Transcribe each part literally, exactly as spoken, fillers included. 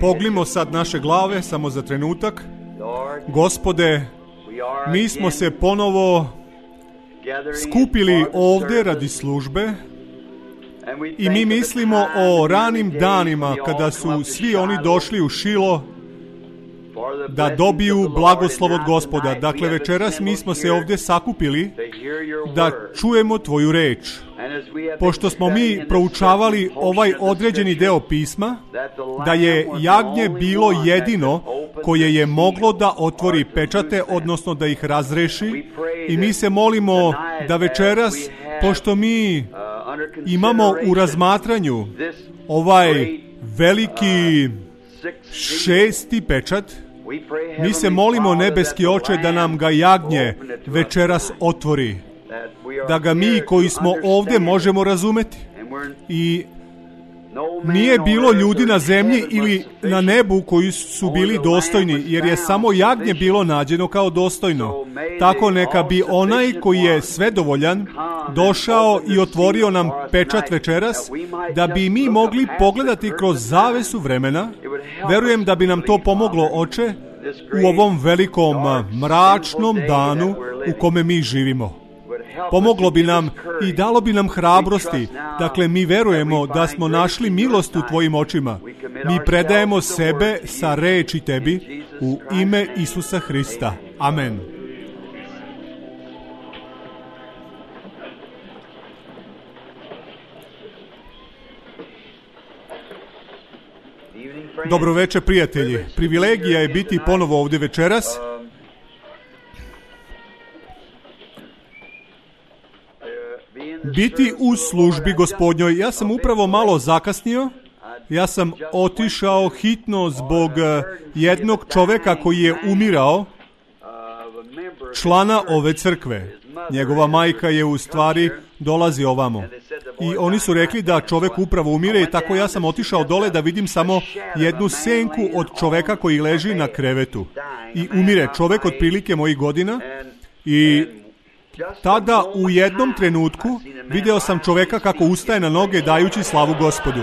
Pognimo sad naše glave samo za trenutak. Gospode, mi smo se ponovo skupili ovdje radi službe i mi mislimo o ranim danima kada su svi oni došli u Šilo da dobiju blagoslov od Gospoda. Dakle, večeras mi smo se ovdje sakupili da čujemo Tvoju reč. Pošto smo mi proučavali ovaj određeni deo pisma, da je jagnje bilo jedino koje je moglo da otvori pečate, odnosno da ih razreši, i mi se molimo da večeras, pošto mi imamo u razmatranju ovaj veliki šesti pečat, mi se molimo, nebeski Oče, da nam ga jagnje večeras otvori, da ga mi koji smo ovdje možemo razumeti. I nije bilo ljudi na zemlji ili na nebu koji su bili dostojni, jer je samo jagnje bilo nađeno kao dostojno. Tako neka bi onaj koji je svedovoljan došao i otvorio nam pečat večeras, da bi mi mogli pogledati kroz zavesu vremena. Verujem da bi nam to pomoglo, Oče, u ovom velikom mračnom danu u kome mi živimo. Pomoglo bi nam i dalo bi nam hrabrosti. Dakle, mi verujemo da smo našli milost u Tvojim očima. Mi predajemo sebe sa reči Tebi u ime Isusa Hrista. Amen. Dobro večer, prijatelji. Privilegija je biti ponovo ovdje večeras. Biti u službi Gospodnjoj. Ja sam upravo malo zakasnio. Ja sam otišao hitno zbog jednog čoveka koji je umirao, člana ove crkve. Njegova majka je u stvari dolazi ovamo. I oni su rekli da čovek upravo umire, i tako ja sam otišao dole da vidim samo jednu senku od čoveka koji leži na krevetu. I umire čovek otprilike mojih godina, i tada u jednom trenutku video sam čoveka kako ustaje na noge dajući slavu Gospodu.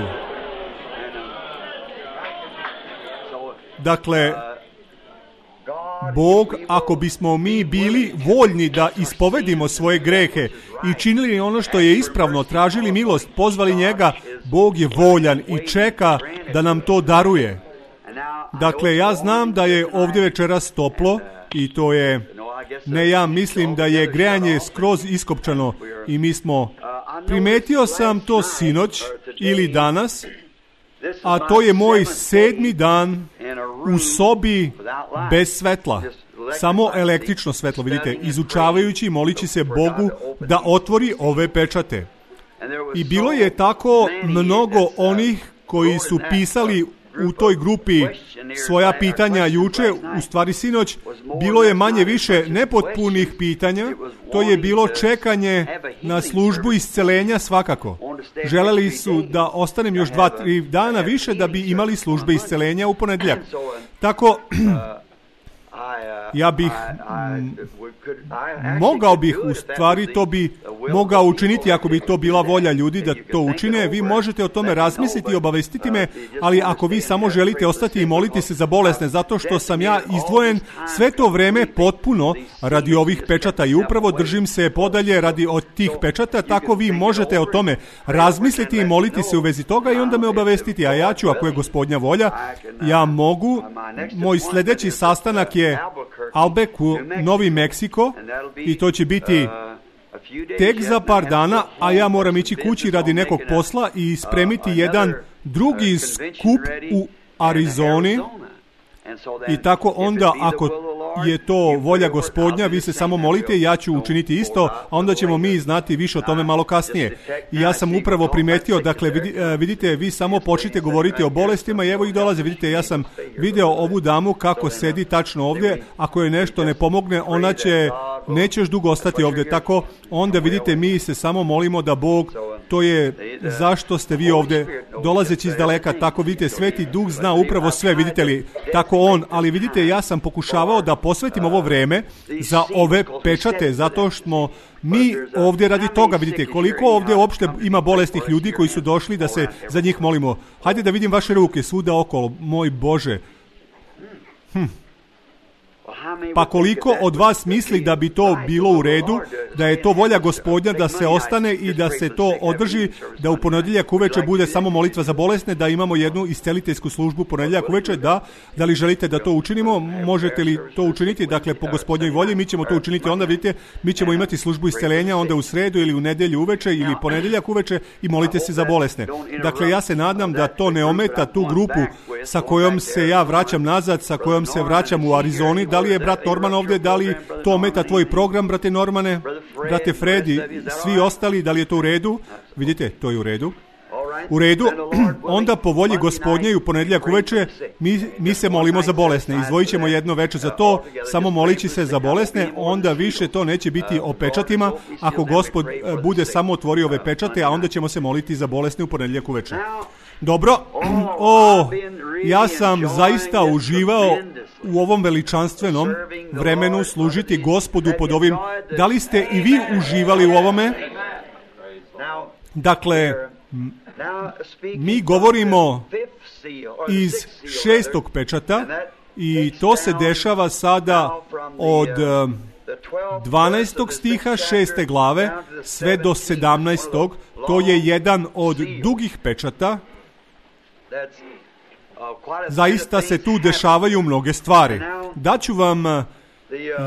Dakle, Bog, ako bismo mi bili voljni da ispovedimo svoje grehe i činili ono što je ispravno, tražili milost, pozvali njega, Bog je voljan i čeka da nam to daruje. Dakle, ja znam da je ovdje večeras toplo i to je, ne, ja mislim da je grejanje skroz iskopčano i mi smo, primetio sam to sinoć ili danas, a to je moj sedmi dan u sobi bez svetla. Samo električno svetlo, vidite, izučavajući i molići se Bogu da otvori ove pečate. I bilo je tako mnogo onih koji su pisali u toj grupi svoja pitanja juče, u stvari sinoć, bilo je manje više nepotpunih pitanja, to je bilo čekanje na službu iscelenja svakako. Želeli su da ostanem još dva, tri dana više da bi imali službe iscelenja u ponedjeljak. Tako, ja bih, m, mogao bih, u stvari to bi mogao učiniti ako bi to bila volja ljudi da to učine. Vi možete o tome razmisliti i obavestiti me, ali ako vi samo želite ostati i moliti se za bolesne, zato što sam ja izdvojen sve to vreme potpuno radi ovih pečata i upravo držim se podalje radi od tih pečata, tako vi možete o tome razmisliti i moliti se u vezi toga i onda me obavestiti, a ja ću, ako je Gospodnja volja, ja mogu, moj sljedeći sastanak je Albuquerque, Novi Meksiko, i to će biti tek za par dana, a ja moram ići kući radi nekog posla i spremiti jedan drugi skup u Arizoni. I tako onda, ako je to volja Gospodnja, vi se samo molite, ja ću učiniti isto, a onda ćemo mi znati više o tome malo kasnije. I ja sam upravo primetio, dakle, vidite, vi samo počnite govoriti o bolestima i evo ih dolaze. Vidite, ja sam video ovu damu kako sedi tačno ovdje, ako je nešto ne pomogne, ona će, nećeš dugo ostati ovdje. Tako, onda vidite, mi se samo molimo da Bog To je zašto ste vi ovdje, dolazeći iz daleka, tako vidite, Sveti Duh zna upravo sve, vidite li, tako on, ali vidite, ja sam pokušavao da posvetim ovo vreme za ove pečate, zato što smo mi ovdje radi toga, vidite, koliko ovdje uopšte ima bolesnih ljudi koji su došli da se za njih molimo. Hajde da vidim vaše ruke svuda okolo, moj Bože. Hm. Pa koliko od vas misli da bi to bilo u redu, da je to volja Gospodnja da se ostane i da se to održi, da u ponedjeljak uveče bude samo molitva za bolesne, da imamo jednu isceliteljsku službu ponedjeljak uveče, da, da li želite da to učinimo, možete li to učiniti, dakle po Gospodnjoj volji, mi ćemo to učiniti, onda vidite, mi ćemo imati službu isceljenja onda u sredu ili u nedjelju uveče ili ponedjeljak uveče i molite se za bolesne. Dakle, ja se nadam da to ne ometa tu grupu sa kojom se ja vraćam nazad, sa kojom se vraćam u Arizoni. Da li je brat Norman ovdje, da li to ometa tvoj program, brate Normane, brate Fredi, svi ostali, da li je to u redu? Vidite, to je u redu. U redu, onda po volji Gospodnje i u ponedjeljak uveče mi, mi se molimo za bolesne. Izdvojit ćemo jedno veče za to, samo molići se za bolesne, onda više to neće biti o pečatima, ako Gospod bude samo otvorio ove pečate, a onda ćemo se moliti za bolesne u ponedjeljak uveče. Dobro, o, ja sam zaista uživao u ovom veličanstvenom vremenu služiti Gospodu pod ovim. Da li ste i vi uživali u ovome? Dakle, mi govorimo iz šestog pečata i to se dešava sada od dvanaestog stiha šeste glave sve do sedamnaestog. To je jedan od dugih pečata. Zaista se tu dešavaju mnoge stvari. Daću vam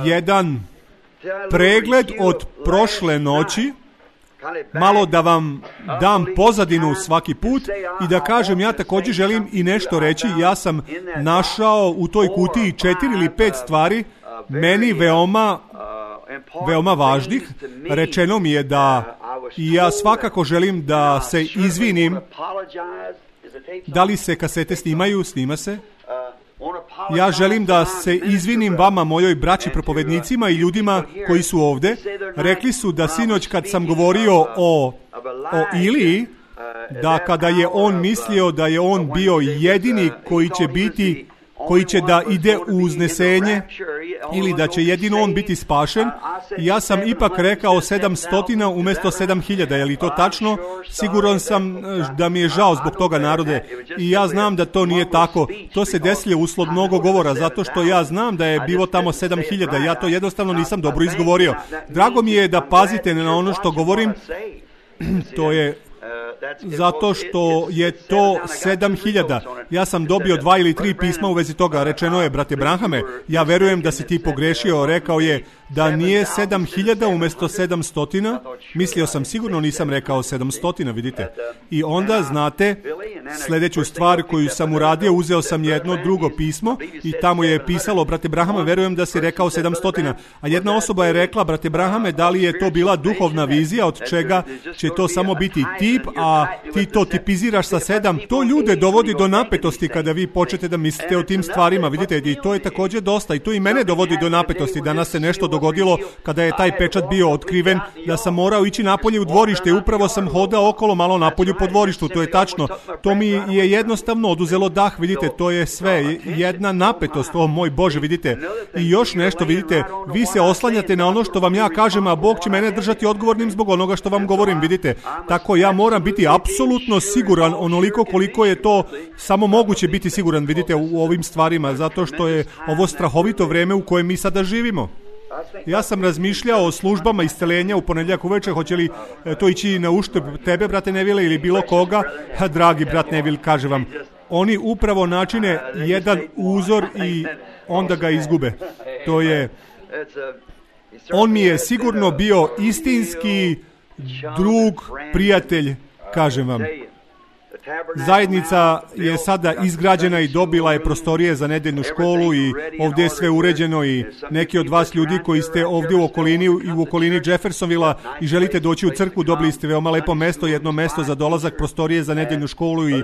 jedan pregled od prošle noći, malo da vam dam pozadinu svaki put i da kažem, ja također želim i nešto reći. Ja sam našao u toj kutiji četiri ili pet stvari meni veoma veoma važnih. Rečeno mi je da i ja svakako želim da se izvinim. Da li se kasete snimaju? Snima se. Ja želim da se izvinim vama, mojoj braći propovednicima i ljudima koji su ovdje. Rekli su da sinoć kad sam govorio o, o Iliji, da kada je on mislio da je on bio jedini koji će biti, koji će da ide u uznesenje ili da će jedino on biti spašen, ja sam ipak rekao sedamstotina umjesto sedam hiljada. Je li to tačno? Siguran sam da mi je žao zbog toga, narode. I ja znam da to nije tako. To se desilo usled mnogo govora, zato što ja znam da je bilo tamo sedam hiljada. Ja to jednostavno nisam dobro izgovorio. Drago mi je da pazite na ono što govorim. To je zato što je to sedam hiljada. Ja sam dobio dva ili tri pisma u vezi toga. Rečeno je, brate Branhame, ja verujem da si ti pogrešio. Rekao je da nije sedam hiljada umjesto sedamstotina. Mislio sam, sigurno nisam rekao sedamstotina, vidite. I onda, znate, sljedeću stvar koju sam uradio, uzeo sam jedno drugo pismo i tamo je pisalo, brate Branhame, verujem da si rekao sedamstotina. A jedna osoba je rekla, brate Branhame, da li je to bila duhovna vizija, od čega će to samo biti tip, a ti to tipiziraš sa sedam. To ljude dovodi do napetosti kada vi počnete da mislite o tim stvarima, vidite, i to je također dosta. I to i mene dovodi do napetosti. Danas se nešto dogodilo kada je taj pečat bio otkriven, da sam morao ići napolje u dvorište i upravo sam hodao okolo malo napolju po dvorištu, to je tačno. To mi je jednostavno oduzelo dah, vidite, to je sve jedna napetost, o moj Bože, vidite. I još nešto, vidite, vi se oslanjate na ono što vam ja kažem, a Bog će mene držati odgovornim zbog onoga što vam govorim, vidite. Tako ja moram biti apsolutno siguran onoliko koliko je to samo moguće biti siguran, vidite, u ovim stvarima, zato što je ovo strahovito vrijeme u kojem mi sada živimo. Ja sam razmišljao o službama isceljenja u ponedjeljak uveče, hoće li to ići na uštrb tebe, brate Neville, ili bilo koga. Ha, dragi brat Neville, kaže vam, oni upravo načine jedan uzor i onda ga izgube. To je, on mi je sigurno bio istinski drug, prijatelj, kažem vam. Zajednica je sada izgrađena i dobila je prostorije za nedeljnu školu i ovdje je sve uređeno i neki od vas ljudi koji ste ovdje u okolini i u okolini Jeffersonvilla i želite doći u crkvu, dobili ste veoma lepo mesto, jedno mesto za dolazak, prostorije za nedeljnu školu i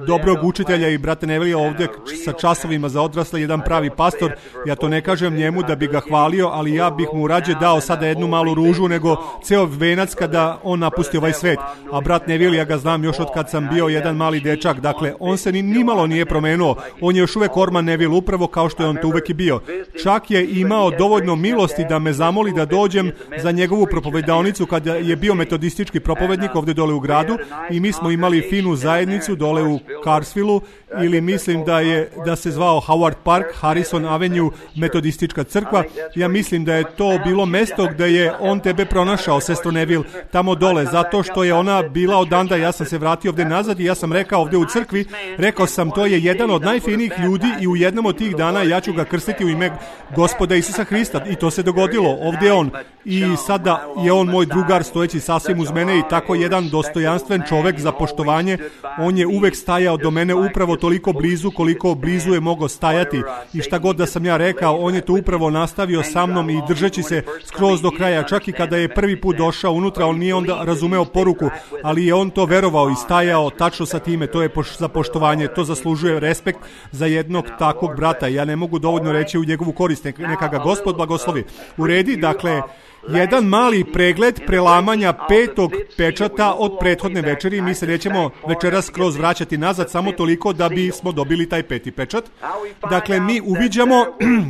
dobrog učitelja i brate Neville ovdje sa časovima za odrasle, jedan pravi pastor. Ja to ne kažem njemu da bi ga hvalio, ali ja bih mu rađe dao sada jednu malu ružu nego ceo venac kada on napusti ovaj svet. A brat Neville, ja ga znam još od kad sam bio jedan mali dečak, dakle on se ni nimalo nije promenuo, on je još uvek Orman Neville, upravo kao što je on to uvek i bio. Čak je imao dovoljno milosti da me zamoli da dođem za njegovu propovedaonicu kada je bio metodistički propovednik ovdje dole u gradu i mi smo imali finu zajednicu dole u Carsvillu, ili mislim da je da se zvao Howard Park, Harrison Avenue, metodistička crkva. Ja mislim da je to bilo mesto gdje je on tebe pronašao, sestro Neville, tamo dole, zato što je ona bila odanda. Ja sam se vratio ovdje nazad i ja sam rekao ovdje u crkvi, rekao sam to je jedan od najfinijih ljudi i u jednom od tih dana ja ću ga krstiti u ime Gospoda Isusa Hrista i to se dogodilo. Ovdje je on i sada je on moj drugar stojeći sasvim uz mene i tako jedan dostojanstven čovjek za poštovanje. On je uvek stajao do mene upravo toliko blizu koliko blizu je mogao stajati i šta god da sam ja rekao, on je to upravo nastavio sa mnom i držeći se skroz do kraja. Čak i kada je prvi put došao unutra, on nije onda razumeo poruku, ali je on to verovao i stajao tačno sa time. To je poš- za poštovanje, to zaslužuje respekt za jednog takvog brata. Ja ne mogu dovoljno reći u njegovu korist, neka ga Gospod blagoslovi. U redi, dakle, jedan mali pregled prelamanja petog pečata od prethodne večeri. Mi se nećemo večeras skroz vraćati nazad, samo toliko da bismo dobili taj peti pečat. Dakle, mi uviđamo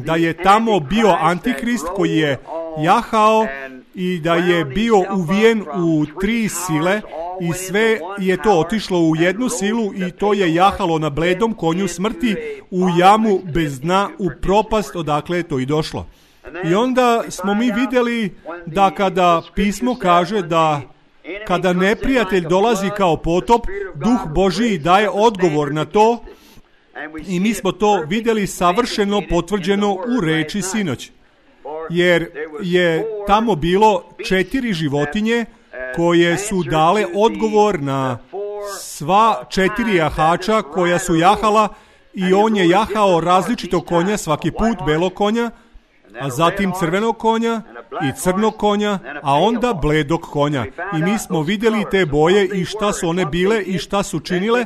da je tamo bio Antihrist koji je jahao i da je bio uvijen u tri sile i sve je to otišlo u jednu silu i to je jahalo na bledom konju smrti u jamu bez dna, u propast odakle je to i došlo. I onda smo mi vidjeli da kada pismo kaže da kada neprijatelj dolazi kao potop, Duh Božiji daje odgovor na to i mi smo to vidjeli savršeno potvrđeno u reči sinoć. Jer je tamo bilo četiri životinje koje su dale odgovor na sva četiri jahača koja su jahala i on je jahao različitog konja svaki put, belog konja, a zatim crvenog konja i crnog konja, a onda bledog konja. I mi smo vidjeli te boje i šta su one bile i šta su činile,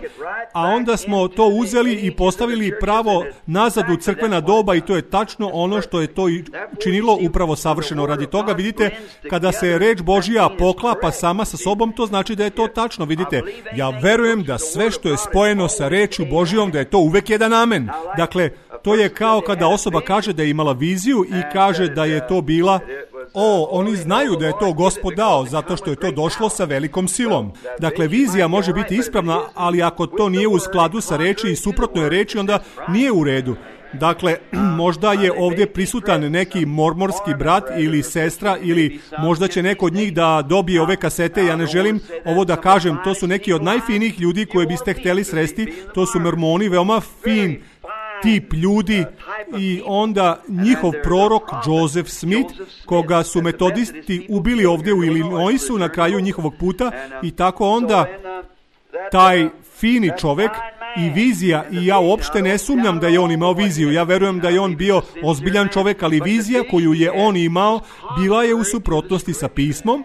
a onda smo to uzeli i postavili pravo nazad u crkvena doba i to je tačno ono što je to i činilo upravo savršeno. Radi toga, vidite, kada se reč Božija poklapa sama sa sobom, to znači da je to tačno. Vidite, ja verujem da sve što je spojeno sa rečju Božijom, da je to uvek jedan amen. Dakle, to je kao kada osoba kaže da je imala viziju i kaže da je to bila, o, oni znaju da je to Gospod dao, zato što je to došlo sa velikom silom. Dakle, vizija može biti ispravna, ali ako to nije u skladu sa reči i suprotno je reči, onda nije u redu. Dakle, možda je ovdje prisutan neki mormorski brat ili sestra ili možda će neko od njih da dobije ove kasete. Ja ne želim ovo da kažem, to su neki od najfinijih ljudi koje biste htjeli sresti, to su mormoni, veoma fin tip ljudi i onda njihov prorok Joseph Smith, koga su metodisti ubili ovdje u Illinoisu na kraju njihovog puta i tako onda taj fini čovjek i vizija, i ja uopšte ne sumnjam da je on imao viziju, ja verujem da je on bio ozbiljan čovjek, ali vizija koju je on imao bila je u suprotnosti sa pismom.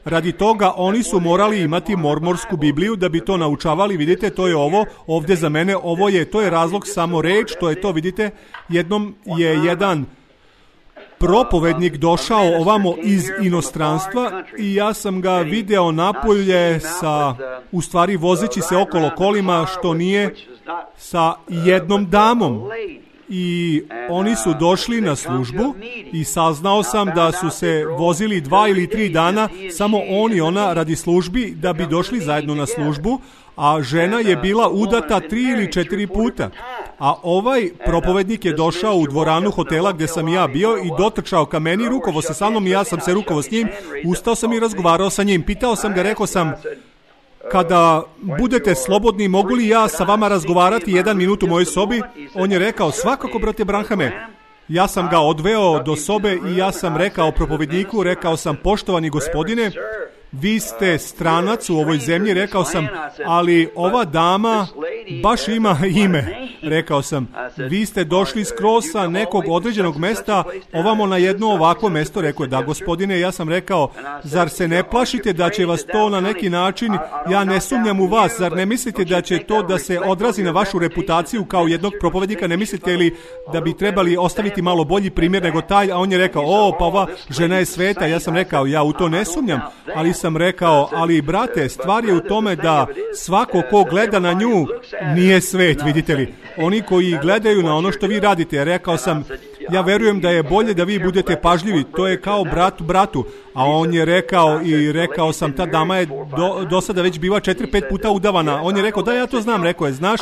Radi toga oni su morali imati mormorsku Bibliju da bi to naučavali. Vidite, to je ovo ovdje za mene, ovo je, to je razlog samo reč, to je to, vidite, jednom je jedan propovednik došao ovamo iz inostranstva i ja sam ga video napolje sa, u stvari vozeći se okolo kolima, što nije sa jednom damom. I oni su došli na službu i saznao sam da su se vozili dva ili tri dana, samo on i ona radi službi, da bi došli zajedno na službu, a žena je bila udata tri ili četiri puta. A ovaj propovednik je došao u dvoranu hotela gdje sam ja bio i dotrčao ka meni, rukovo se sa mnom i ja sam se rukovo s njim, ustao sam i razgovarao sa njim. Pitao sam ga, rekao sam, kada budete slobodni, mogu li ja sa vama razgovarati jedan minut u mojoj sobi? On je rekao, svakako, brate Branhame. Ja sam ga odveo do sobe i ja sam rekao propovedniku, rekao sam, poštovani gospodine, vi ste stranac u ovoj zemlji, rekao sam, ali ova dama baš ima ime, rekao sam, vi ste došli skroz sa nekog određenog mesta ovamo na jedno ovakvo mesto, rekao je, da gospodine, ja sam rekao, zar se ne plašite da će vas to na neki način, ja ne sumnjam u vas, zar ne mislite da će to da se odrazi na vašu reputaciju kao jednog propovednika, ne mislite li da bi trebali ostaviti malo bolji primjer nego taj, a on je rekao, o, pa ova žena je sveta, ja sam rekao, ja u to ne sumnjam, ali sam rekao, ali brate, stvar je u tome da svako ko gleda na nju nije svet, vidite li, oni koji gledaju na ono što vi radite, rekao sam, ja verujem da je bolje da vi budete pažljivi, to je kao brat bratu, a on je rekao i rekao sam, ta dama je do, do sada već biva četiri, pet puta udavana, on je rekao, da, ja to znam, rekao je, znaš,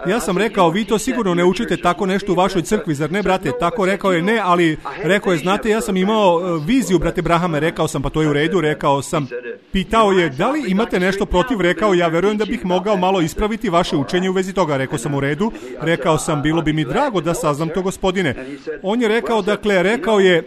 ja sam rekao, vi to sigurno ne učite tako nešto u vašoj crkvi, zar ne, brate, tako rekao je, ne, ali rekao je, znate, ja sam imao viziju, brate Brahame, rekao sam, pa to je u redu, rekao sam, pitao je, da li imate nešto protiv, rekao, ja verujem da bih mogao malo ispraviti vaše učenje u vezi toga, rekao sam, u redu, rekao sam, bilo bi mi drago da saznam to, gospodine. On je rekao, dakle, rekao je,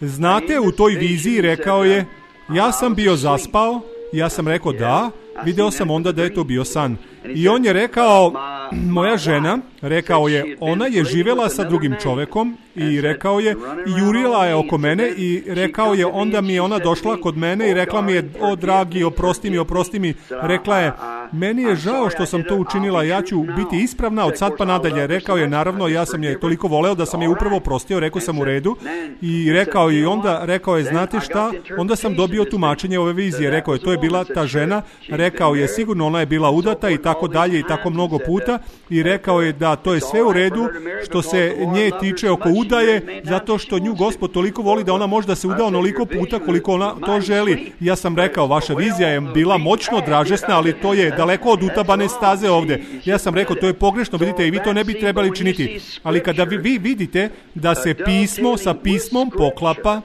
znate, u toj viziji, rekao je, ja sam bio zaspao, ja sam rekao, da, video sam onda da je to bio san. I on je rekao, moja žena, rekao je, ona je živjela sa drugim čovekom i rekao je, i jurila je oko mene i rekao je, onda mi je ona došla kod mene i rekla mi je, o dragi, oprosti mi, oprosti mi, rekla je, meni je žao što sam to učinila, ja ću biti ispravna od sad pa nadalje. Rekao je, naravno, ja sam je toliko voleo da sam je upravo prostio, rekao sam u redu i rekao je, i onda rekao je, znate šta, onda sam dobio tumačenje ove vizije, rekao je, to je bila ta žena, rekao je, sigurno ona je bila udata i tako dalje i tako mnogo puta i rekao je da to je sve u redu što se nje tiče oko udaje, zato što nju Gospod toliko voli da ona može da se uda onoliko puta koliko ona to želi. Ja sam rekao, vaša vizija je bila moćno dražesna, ali to je daleko od utabane staze ovde. Ja sam rekao, to je pogrešno, vidite, i vi to ne bi trebali činiti. Ali kada vi, vi vidite da se pismo sa pismom poklapa,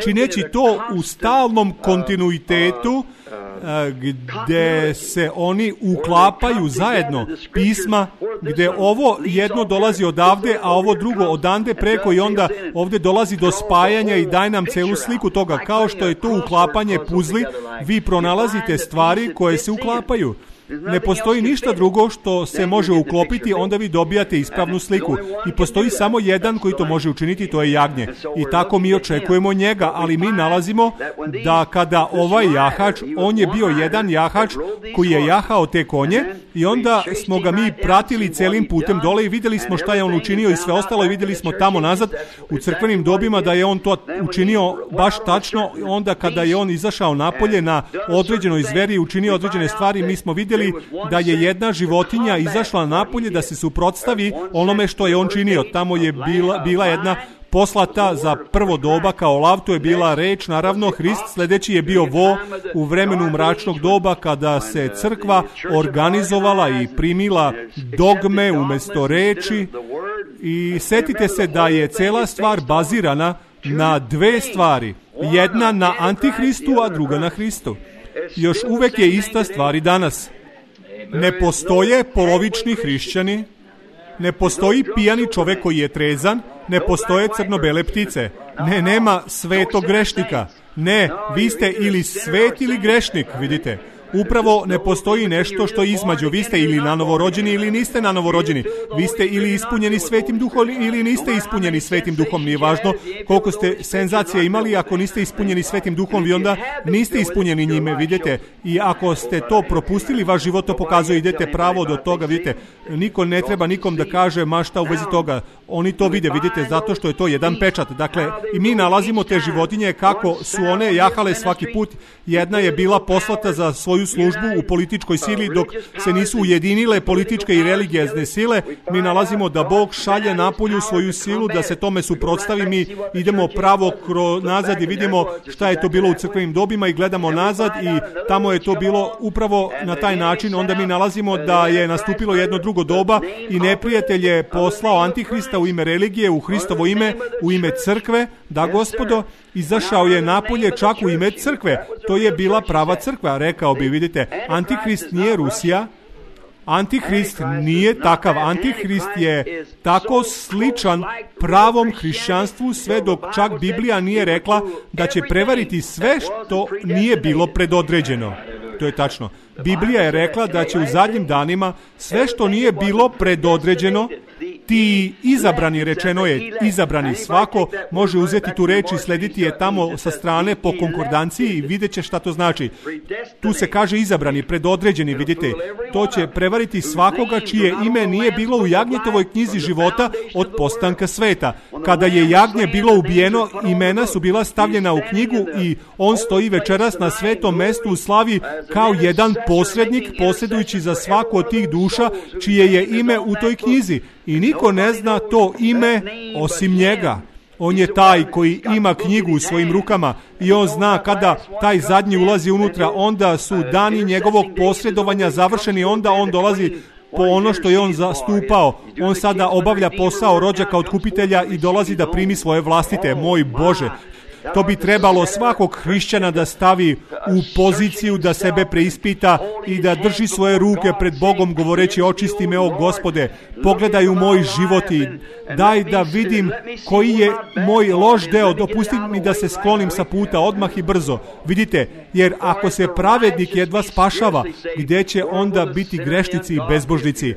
čineći to u stalnom kontinuitetu, gde se oni uklapaju zajedno, pisma, gde ovo jedno dolazi odavde, a ovo drugo odande preko i onda ovde dolazi do spajanja i daje nam celu sliku toga. Kao što je to uklapanje puzli, vi pronalazite stvari koje se uklapaju. Ne postoji ništa drugo što se može uklopiti, onda vi dobijate ispravnu sliku. I postoji samo jedan koji to može učiniti, to je jagnje. I tako mi očekujemo njega, ali mi nalazimo da kada ovaj jahač, on je bio jedan jahač koji je jahao te konje i onda smo ga mi pratili celim putem dole i vidjeli smo šta je on učinio i sve ostalo i vidjeli smo tamo nazad u crkvenim dobima da je on to učinio baš tačno. Onda kada je on izašao napolje na određenoj zveri i učinio određene stvari, mi smo vidjeli da je jedna životinja izašla napolje da se suprotstavi onome što je on činio. Tamo je bila, bila jedna poslata za prvo doba kao lav, to je bila reč, naravno Hrist, sljedeći je bio vo u vremenu mračnog doba kada se crkva organizovala i primila dogme umjesto reči i setite se da je cela stvar bazirana na dve stvari, jedna na Antihristu, a druga na Hristu. Još uvek je ista stvar i danas. Ne postoje polovični hrišćani, ne postoji pijani čovek koji je trezan, ne postoje crno-bele ptice, ne, nema svetog grešnika, ne, vi ste ili svet ili grešnik, vidite. Upravo ne postoji nešto što je između. Vi ste ili nanovorođeni ili niste nanovorođeni. Vi ste ili ispunjeni Svetim Duhom ili niste ispunjeni Svetim Duhom. Nije važno koliko ste senzacija imali. Ako niste ispunjeni Svetim Duhom, vi onda niste ispunjeni njime, vidite. I ako ste to propustili, vaš život to pokazuje, idete pravo do toga, vidite. Niko ne treba nikom da kaže ma šta u vezi toga. Oni to vide, vidite, zato što je to jedan pečat. Dakle, i mi nalazimo te životinje kako su one jahale svaki put. Jedna je bila poslata za svoju službu u političkoj sili, dok se nisu ujedinile političke i religijezne sile. Mi nalazimo da Bog šalje napolju svoju silu da se tome suprotstavi. Mi idemo pravo kro nazad i vidimo šta je to bilo u crkvenim dobima i gledamo nazad i tamo je to bilo upravo na taj način. Onda mi nalazimo da je nastupilo jedno drugo doba i neprijatelj je poslao Antihrista u ime religije, u Hristovo ime, u ime crkve, da gospodo, izašao je napolje čak u ime crkve. To je bila prava crkva, rekao bi, vidite. Antihrist nije Rusija, Antihrist nije takav. Antihrist je tako sličan pravom hrišćanstvu, sve dok čak Biblija nije rekla da će prevariti sve što nije bilo predodređeno. To je tačno. Biblija je rekla da će u zadnjim danima sve što nije bilo predodređeno, ti izabrani, rečeno je izabrani, svako može uzeti tu reč i slediti je tamo sa strane po konkordanciji i vidjet će šta to znači. Tu se kaže izabrani, predodređeni, vidite. To će prevariti svakoga čije ime nije bilo u Jagnjetovoj knjizi života od postanka sveta. Kada je jagnje bilo ubijeno, imena su bila stavljena u knjigu i on stoji večeras na svetom mestu u slavi kao jedan posrednik, posredujući za svaku od tih duša čije je ime u toj knjizi. I niko ne zna to ime osim njega. On je taj koji ima knjigu u svojim rukama i on zna kada taj zadnji ulazi unutra, onda su dani njegovog posredovanja završeni, onda on dolazi po ono što je on zastupao. On sada obavlja posao rođaka otkupitelja i dolazi da primi svoje vlastite. Moj Bože, to bi trebalo svakog hrišćana da stavi u poziciju da sebe preispita i da drži svoje ruke pred Bogom govoreći: očisti me, o Gospode, pogledaj u moj život i daj da vidim koji je moj loš deo, dopusti mi da se sklonim sa puta odmah i brzo. Vidite, jer ako se pravednik jedva spašava, gdje će onda biti grešnici i bezbožnici?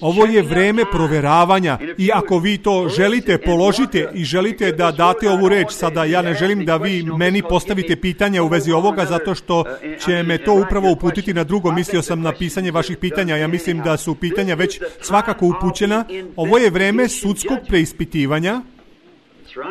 Ovo je vreme proveravanja i ako vi to želite, položite i želite da date ovu reč. Sada ja ne želim da vi meni postavite pitanja u vezi ovoga, zato što će me to upravo uputiti na drugo. Mislio sam na pisanje vaših pitanja. Ja mislim da su pitanja već svakako upućena. Ovo je vreme sudskog preispitivanja.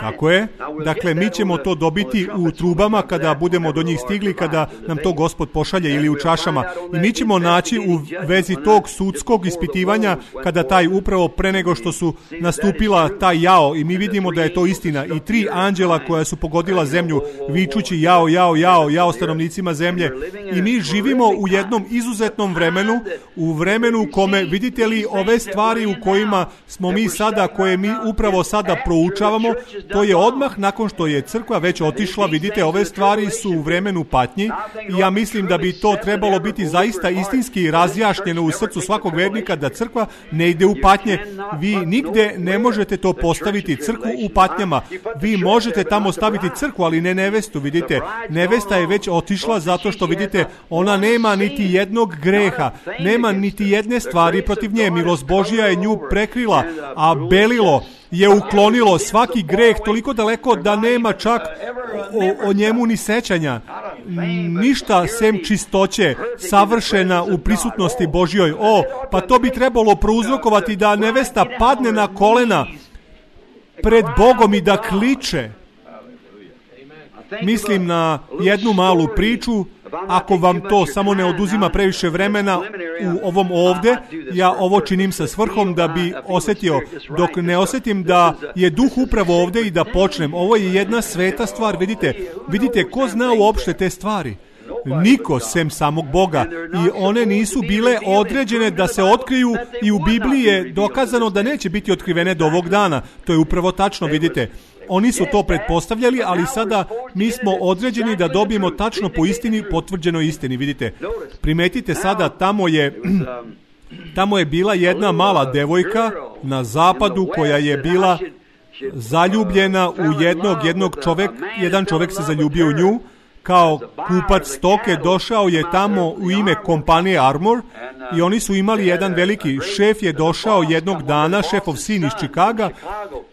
Tako je. Dakle, mi ćemo to dobiti u trubama kada budemo do njih stigli, kada nam to Gospod pošalje, ili u čašama. I mi ćemo naći u vezi tog sudskog ispitivanja, kada taj upravo pre nego što su nastupila taj jao, i mi vidimo da je to istina, i tri anđela koja su pogodila zemlju vičući jao, jao, jao, jao stanovnicima zemlje. I mi živimo u jednom izuzetnom vremenu, u vremenu kome, vidite li, ove stvari u kojima smo mi sada, koje mi upravo sada proučavamo, to je odmah nakon što je crkva već otišla. Vidite, ove stvari su u vremenu patnji i ja mislim da bi to trebalo biti zaista istinski razjašnjeno u srcu svakog vernika, da crkva ne ide u patnje. Vi nigde ne možete to postaviti, crkvu u patnjama. Vi možete tamo staviti crkvu, ali ne nevestu. Vidite, nevesta je već otišla zato što, vidite, ona nema niti jednog greha, nema niti jedne stvari protiv nje. Milost Božja je nju prekrila, a belilo je uklonilo svaki greh toliko daleko da nema čak o, o njemu ni sećanja. Ništa sem čistoće, savršena u prisutnosti Božjoj. O, pa to bi trebalo prouzrokovati da nevesta padne na kolena pred Bogom i da kliče. Mislim na jednu malu priču. Ako vam to samo ne oduzima previše vremena u ovom ovde, ja ovo činim sa svrhom da bi osjetio, dok ne osjetim da je duh upravo ovde i da počnem. Ovo je jedna sveta stvar, vidite. Vidite, ko zna uopšte te stvari? Niko, sem samog Boga. I one nisu bile određene da se otkriju i u Bibliji je dokazano da neće biti otkrivene do ovog dana. To je upravo tačno, vidite. Oni su to pretpostavljali, ali sada mi smo određeni da dobijemo tačno po istini, potvrđenoj istini, vidite. Primetite sada, tamo je, tamo je bila jedna mala devojka na zapadu koja je bila zaljubljena u jednog, jednog čovek, jedan čovek se zaljubio u nju. Kao kupac stoke došao je tamo u ime kompanije Armor i oni su imali jedan veliki, šef je došao jednog dana, šefov sin iz Čikaga,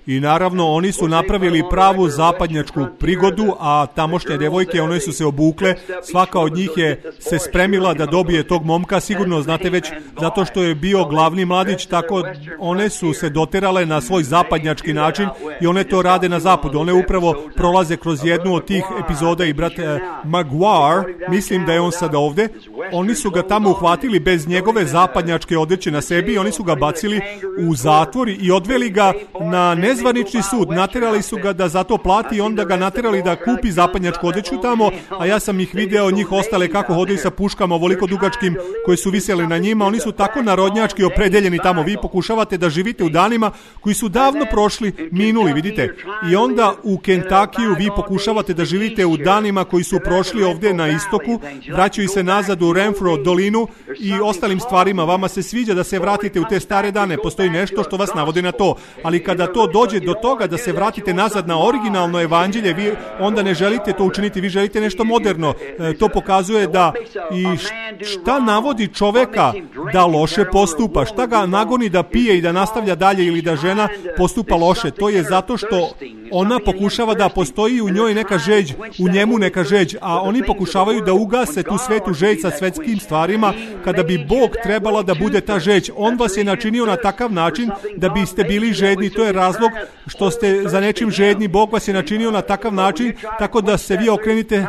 i naravno oni su napravili pravu zapadnjačku prigodu, a tamošnje devojke, one su se obukle, svaka od njih je se spremila da dobije tog momka, sigurno znate već, zato što je bio glavni mladić, tako one su se doterale na svoj zapadnjački način i one to rade na zapadu. One upravo prolaze kroz jednu od tih epizoda i brat eh, Maguire, mislim da je on sad ovde, oni su ga tamo uhvatili bez njegove zapadnjačke odeće na sebi i oni su ga bacili u zatvor i odveli ga na nezvanični sud, naterali su ga da za to plati i onda ga naterali da kupi zapadnjačku odeću tamo, a ja sam ih video, njih ostale kako hodaju sa puškama ovoliko dugačkim koje su visjeli na njima. Oni su tako narodnjački opredeljeni tamo. Vi pokušavate da živite u danima koji su davno prošli, minuli, vidite. I onda u Kentakiju vi pokušavate da živite u danima koji su prošli ovdje na istoku, vraćaju se nazad u Renfro dolinu i ostali ostalim stvarima, vama se sviđa da se vratite u te stare dane, postoji nešto što vas navodi na to, ali kada to dođe do toga da se vratite nazad na originalno evanđelje, vi onda ne želite to učiniti, vi želite nešto moderno. E, to pokazuje da i šta navodi čoveka da loše postupa, šta ga nagoni da pije i da nastavlja dalje ili da žena postupa loše, to je zato što ona pokušava da postoji u njoj neka žeđ, u njemu neka žeđ, a oni pokušavaju da ugase tu svetu žeđ sa svetskim stvarima, kada bi Bog trebala da bude ta žeđ. On vas je načinio na takav način da biste bili žedni, to je razlog što ste za nečim žedni, Bog vas je načinio na takav način, tako da se vi okrenite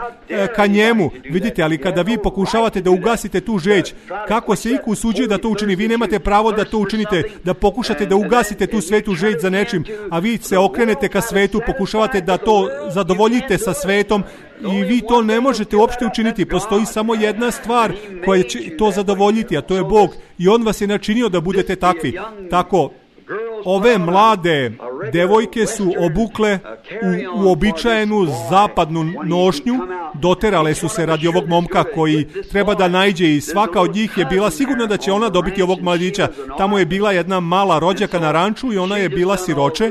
ka njemu, vidite, ali kada vi pokušavate da ugasite tu žeđ, kako se iko usuđuje da to učini, vi nemate pravo da to učinite, da pokušate da ugasite tu svetu žeđ za nečim, a vi se okrenete ka svetu, pokušavate da to zadovoljite sa svetom i vi to ne možete uopšte učiniti. Postoji samo jedna stvar koja će to zadovoljiti, a to je Bog, i On vas je načinio da budete takvi. Tako, ove mlade devojke su obukle u uobičajenu zapadnu nošnju, doterale su se radi ovog momka koji treba da naiđe i svaka od njih je bila sigurna da će ona dobiti ovog mladića. Tamo je bila jedna mala rođaka na ranču i ona je bila siroče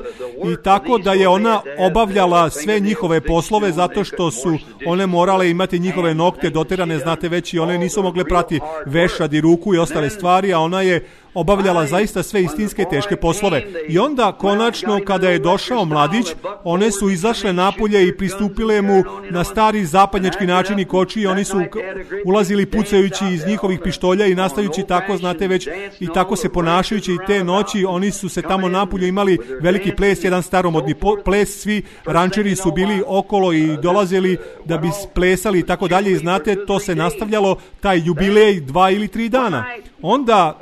i tako da je ona obavljala sve njihove poslove zato što su one morale imati njihove nokte doterane, znate već, i one nisu mogle prati vešad i ruku i ostale stvari, a ona je obavljala zaista sve istinske teške poslove. I onda konačno kada je došao mladić, one su izašle napolje i pristupile mu na stari zapadnjački način i koči i oni su ulazili pucajući iz njihovih pištolja i nastajući tako, znate već, i tako se ponašajući i te noći oni su se tamo napolje imali veliki ples, jedan staromodni ples, svi rančeri su bili okolo i dolazili da bi plesali i tako dalje i znate, to se nastavljalo, taj jubilej dva ili tri dana. Onda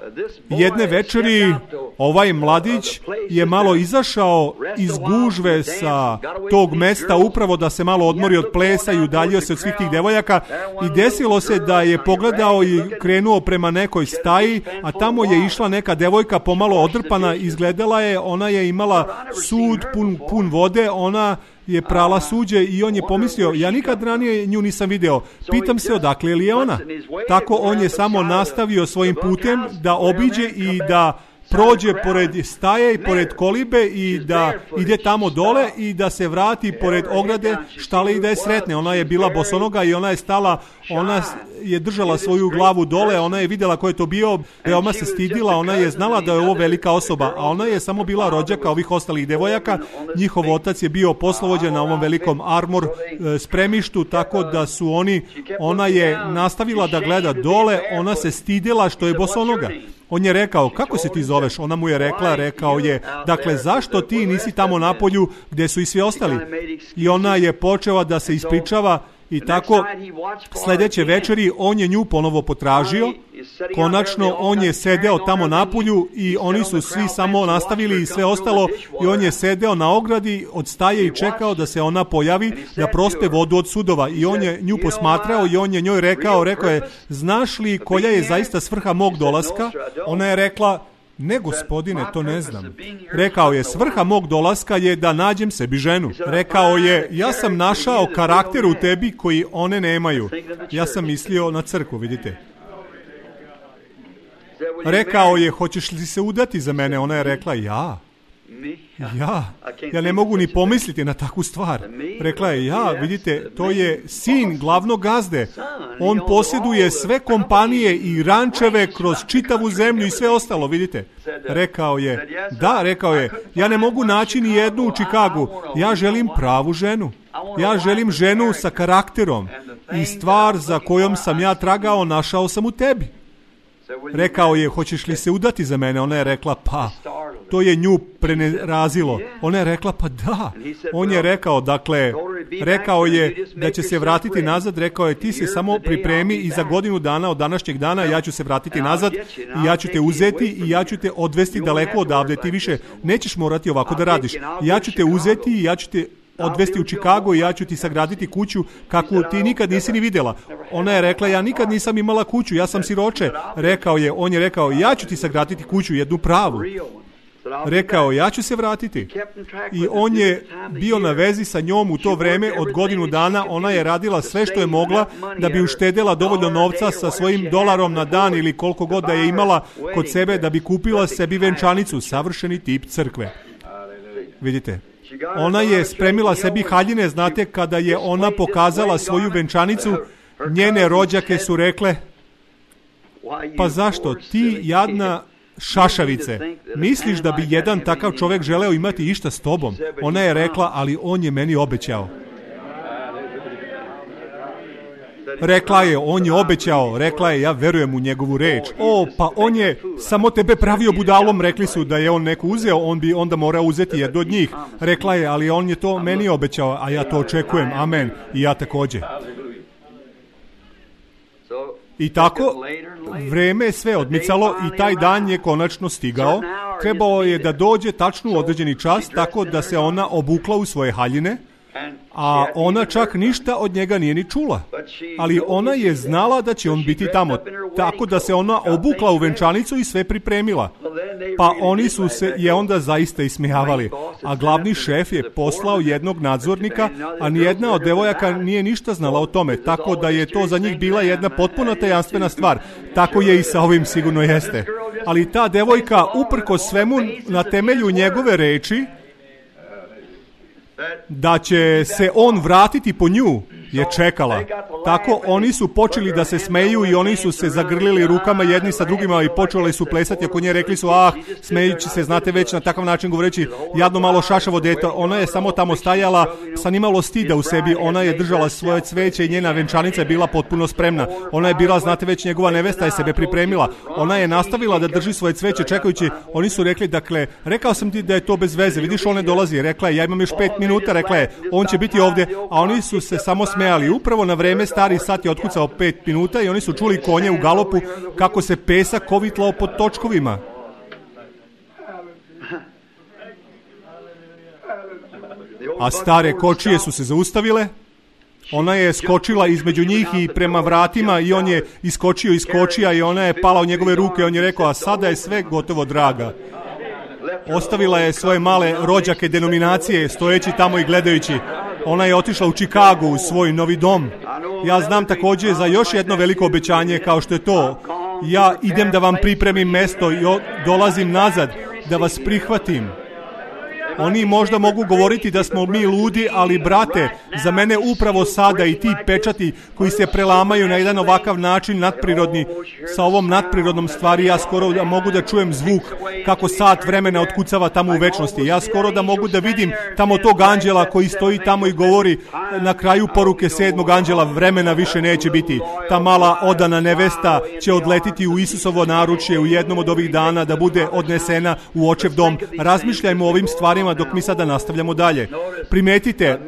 jedne večeri ovaj mladić je malo izašao iz gužve sa tog mesta upravo da se malo odmori od plesa i udaljio se od svih tih devojaka i desilo se da je pogledao i krenuo prema nekoj staji, a tamo je išla neka devojka pomalo odrpana, izgledala je, ona je imala sud pun, pun vode, ona je prala suđe i on je pomislio, ja nikad ranije nju nisam video, pitam se odakle li je ona. Tako on je samo nastavio svojim putem da obiđe i da prođe pored staje i pored kolibe i da ide tamo dole i da se vrati pored ograde štale i da je sretne. Ona je bila bosonoga i ona je stala, ona je držala svoju glavu dole, ona je vidjela ko je to bio, veoma se stidila, ona je znala da je ovo velika osoba, a ona je samo bila rođaka ovih ostalih devojaka. Njihov otac je bio poslovođa na ovom velikom armor spremištu, tako da su oni, ona je nastavila da gleda dole, ona se stidila što je bosonoga. On je rekao, kako se ti zoveš? Ona mu je rekla, rekao je, dakle, zašto ti nisi tamo na polju gdje su i svi ostali? I ona je počela da se ispričava i tako sljedeće večeri on je nju ponovo potražio. Konačno on je sedeo tamo na polju i oni su svi samo nastavili i sve ostalo i on je sedeo na ogradi od staje i čekao da se ona pojavi da prospe vodu od sudova i on je nju posmatrao i on je njoj rekao, rekao je, znaš li koja je zaista svrha mog dolaska? Ona je rekla, ne gospodine, to ne znam. Rekao je, svrha mog dolaska je da nađem sebi ženu. Rekao je, ja sam našao karakter u tebi koji one nemaju. Ja sam mislio na crkvu, vidite. Rekao je, hoćeš li se udati za mene? Ona je rekla, ja. Ja, ja ne mogu ni pomisliti na takvu stvar. Rekla je, ja, vidite, to je sin glavnog gazde. On posjeduje sve kompanije i rančeve kroz čitavu zemlju i sve ostalo, vidite. Rekao je, da, rekao je, ja ne mogu naći ni jednu u Čikagu. Ja želim pravu ženu. Ja želim ženu sa karakterom. I stvar za kojom sam ja tragao, našao sam u tebi. Rekao je, hoćeš li se udati za mene? Ona je rekla, pa, to je nju prenerazilo. Ona je rekla, pa da. On je rekao, dakle, rekao je da će se vratiti nazad, rekao je, ti se samo pripremi i za godinu dana od današnjeg dana ja ću se vratiti nazad i ja ću te uzeti i ja ću te odvesti daleko odavde, ti više nećeš morati ovako da radiš. Ja ću te uzeti i ja ću te odvesti u Chicago i ja ću ti sagraditi kuću kakvu ti nikad nisi ni vidjela. Ona je rekla, ja nikad nisam imala kuću, ja sam siroče. Rekao je, on je rekao, ja ću ti sagraditi kuću, jednu pravu. rekao, ja ću se vratiti. I on je bio na vezi sa njom u to vreme od godinu dana. Ona je radila sve što je mogla da bi uštedela dovoljno novca sa svojim dolarom na dan ili koliko god da je imala kod sebe da bi kupila sebi venčanicu, savršeni tip crkve. Vidite, ona je spremila sebi haljine, znate, kada je ona pokazala svoju venčanicu, njene rođake su rekle, pa zašto ti jadna šašavice, misliš da bi jedan takav čovjek želeo imati išta s tobom? Ona je rekla, ali on je meni obećao. Rekla je, on je obećao, rekla je, ja verujem u njegovu reč. O, pa on je samo tebe pravio budalom, rekli su da je on neko uzeo, on bi onda morao uzeti jedno od njih. Rekla je, ali on je to meni obećao, a ja to očekujem, amen, i ja također. I tako, vreme je sve odmicalo i taj dan je konačno stigao. Trebao je da dođe tačno u određeni čas, tako da se ona obukla u svoje haljine, a ona čak ništa od njega nije ni čula. Ali ona je znala da će on biti tamo, tako da se ona obukla u venčanicu i sve pripremila. Pa oni su se je onda zaista ismijavali, a glavni šef je poslao jednog nadzornika, a nijedna od devojaka nije ništa znala o tome, tako da je to za njih bila jedna potpuno tajanstvena stvar. Tako je i sa ovim sigurno jeste. Ali ta devojka, uprkos svemu, na temelju njegove reči, da će se on vratiti po nju, je čekala. Tako oni su počeli da se smeju i oni su se zagrlili rukama jedni sa drugima i počeli su plesati oko nje, rekli su, ah, smejući se, znate već na takav način govoreći, jadno malo šašavo dete. Ona je samo tamo stajala sa nimalo stida u sebi, ona je držala svoje cveće i njena venčanica je bila potpuno spremna. Ona je bila, znate već, njegova nevesta je sebe pripremila. Ona je nastavila da drži svoje cveće čekajući. Oni su rekli, dakle, rekao sam ti da je to bez veze, vidiš, on ne dolazi. Rekla je, ja imam još pet minuta, rekla je, on će biti ovdje, a oni su se samo smejali. Upravo na vreme stari sat je otkucao pet minuta i oni su čuli konje u galopu kako se pesak kovitlao pod točkovima. A stare kočije su se zaustavile. Ona je skočila između njih i prema vratima i on je iskočio iz kočija i ona je pala u njegove ruke. On je rekao, a sada je sve gotovo, draga. Ostavila je svoje male rođake denominacije stojeći tamo i gledajući. Ona je otišla u Chicago u svoj novi dom. Ja znam također za još jedno veliko obećanje kao što je to. Ja idem da vam pripremim mesto i dolazim nazad da vas prihvatim. Oni možda mogu govoriti da smo mi ludi, ali brate, za mene upravo sada i ti pečati koji se prelamaju na jedan ovakav način nadprirodni, sa ovom nadprirodnom stvari, ja skoro da mogu da čujem zvuk kako sat vremena otkucava tamo u večnosti. Ja skoro da mogu da vidim tamo tog anđela koji stoji tamo i govori na kraju poruke sedmog anđela, vremena više neće biti. Ta mala odana nevesta će odletiti u Isusovo naručje u jednom od ovih dana da bude odnesena u očev dom. Razmišljajmo o ovim stvarima dok mi sada nastavljamo dalje. Primetite,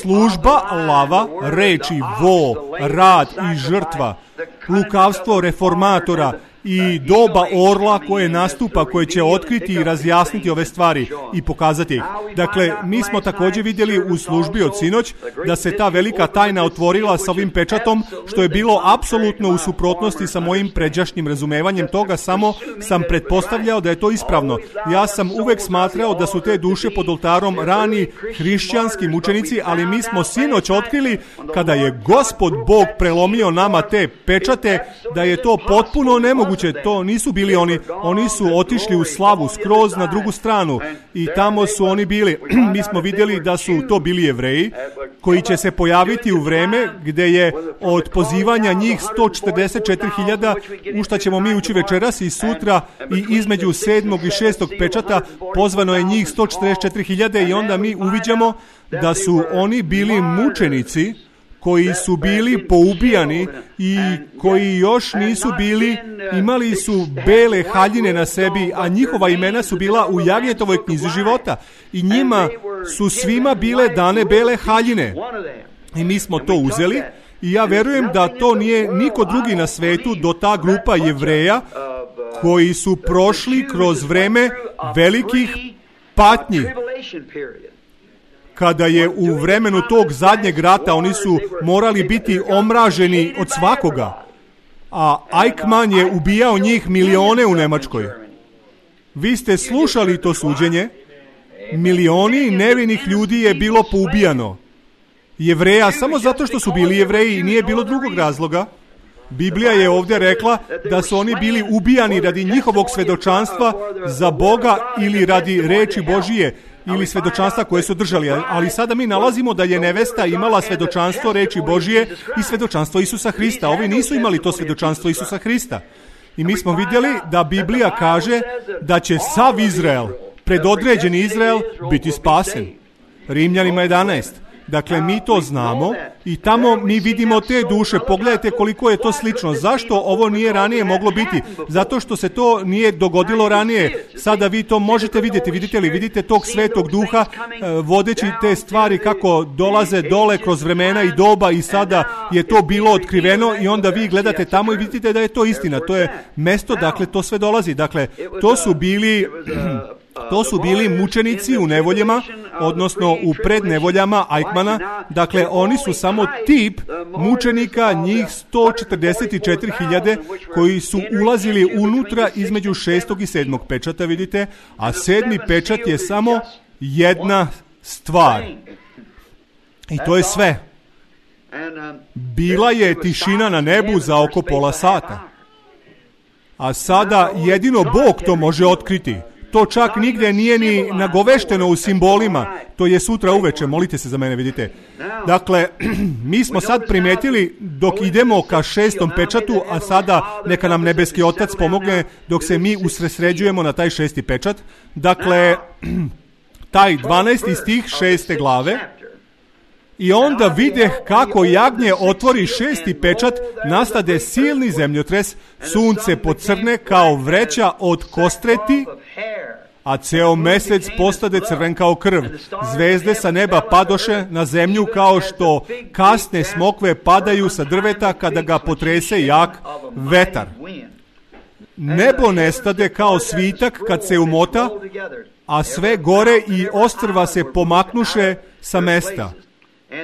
služba, lava, reči, vo, rad i žrtva, lukavstvo reformatora i doba orla koje nastupa, koje će otkriti i razjasniti ove stvari i pokazati ih. Dakle, mi smo također vidjeli u službi od sinoć da se ta velika tajna otvorila sa ovim pečatom, što je bilo apsolutno u suprotnosti sa mojim pređašnjim razumevanjem toga, samo sam pretpostavljao da je to ispravno. Ja sam uvek smatrao da su te duše pod oltarom rani hrišćanski mučenici, ali mi smo sinoć otkrili, kada je Gospod Bog prelomio nama te pečate, da je to potpuno nemoguće. To nisu bili oni, oni su otišli u slavu skroz na drugu stranu i tamo su oni bili. Mi smo vidjeli da su to bili Jevreji koji će se pojaviti u vreme gdje je od pozivanja njih sto četrdeset četiri hiljade, u šta ćemo mi ući večeras i sutra, i između sedmog i šestog pečata pozvano je njih sto četrdeset četiri hiljade i onda mi uviđamo da su oni bili mučenici koji su bili poubijani i koji još nisu bili, imali su bele haljine na sebi, a njihova imena su bila u Jagnjetovoj knjizi života. I njima su svima bile dane bele haljine. I mi smo to uzeli i ja verujem da to nije niko drugi na svetu do ta grupa Jevreja koji su prošli kroz vreme velikih patnji. Kada je u vremenu tog zadnjeg rata oni su morali biti omraženi od svakoga, a Eichmann je ubijao njih milione u Nemačkoj. Vi ste slušali to suđenje. Milioni nevinih ljudi je bilo poubijano. Jevreja, samo zato što su bili Jevreji, nije bilo drugog razloga. Biblija je ovdje rekla da su oni bili ubijani radi njihovog svedočanstva za Boga ili radi reči Božije ili svedočanstva koje su držali. Ali sada mi nalazimo da je nevesta imala svedočanstvo reči Božije i svedočanstvo Isusa Hrista. Ovi nisu imali to svedočanstvo Isusa Hrista. I mi smo vidjeli da Biblija kaže da će sav Izrael, predodređeni Izrael, biti spasen. Rimljanima jedanaest. Dakle, mi to znamo i tamo mi vidimo te duše. Pogledajte koliko je to slično. Zašto ovo nije ranije moglo biti? Zato što se to nije dogodilo ranije. Sada vi to možete vidjeti. Vidite li? Vidite tog Svetog Duha vodeći te stvari kako dolaze dole kroz vremena i doba i sada je to bilo otkriveno i onda vi gledate tamo i vidite da je to istina. To je mesto, dakle, to sve dolazi. Dakle, to su bili... To su bili mučenici u nevoljama, odnosno u prednevoljama Eichmana. Dakle, oni su samo tip mučenika, njih sto četrdeset četiri hiljade koji su ulazili unutra između šestog i sedmog pečata, vidite, a sedmi pečat je samo jedna stvar. I to je sve. Bila je tišina na nebu za oko pola sata. A sada jedino Bog to može otkriti. To čak nigdje nije ni nagovešteno u simbolima. To je sutra uveče, molite se za mene, vidite. Dakle, mi smo sad primijetili dok idemo ka šestom pečatu, a sada neka nam nebeski Otac pomogne dok se mi usredsređujemo na taj šesti pečat. Dakle, taj dvanaesti stih šeste glave. I onda videh kako jagnje otvori šesti pečat, nastade silni zemljotres, sunce pocrne kao vreća od kostreti, a ceo mesec postade crven kao krv. Zvezde sa neba padoše na zemlju kao što kasne smokve padaju sa drveta kada ga potrese jak vetar. Nebo nestade kao svitak kad se umota, a sve gore i ostrva se pomaknuše sa mesta.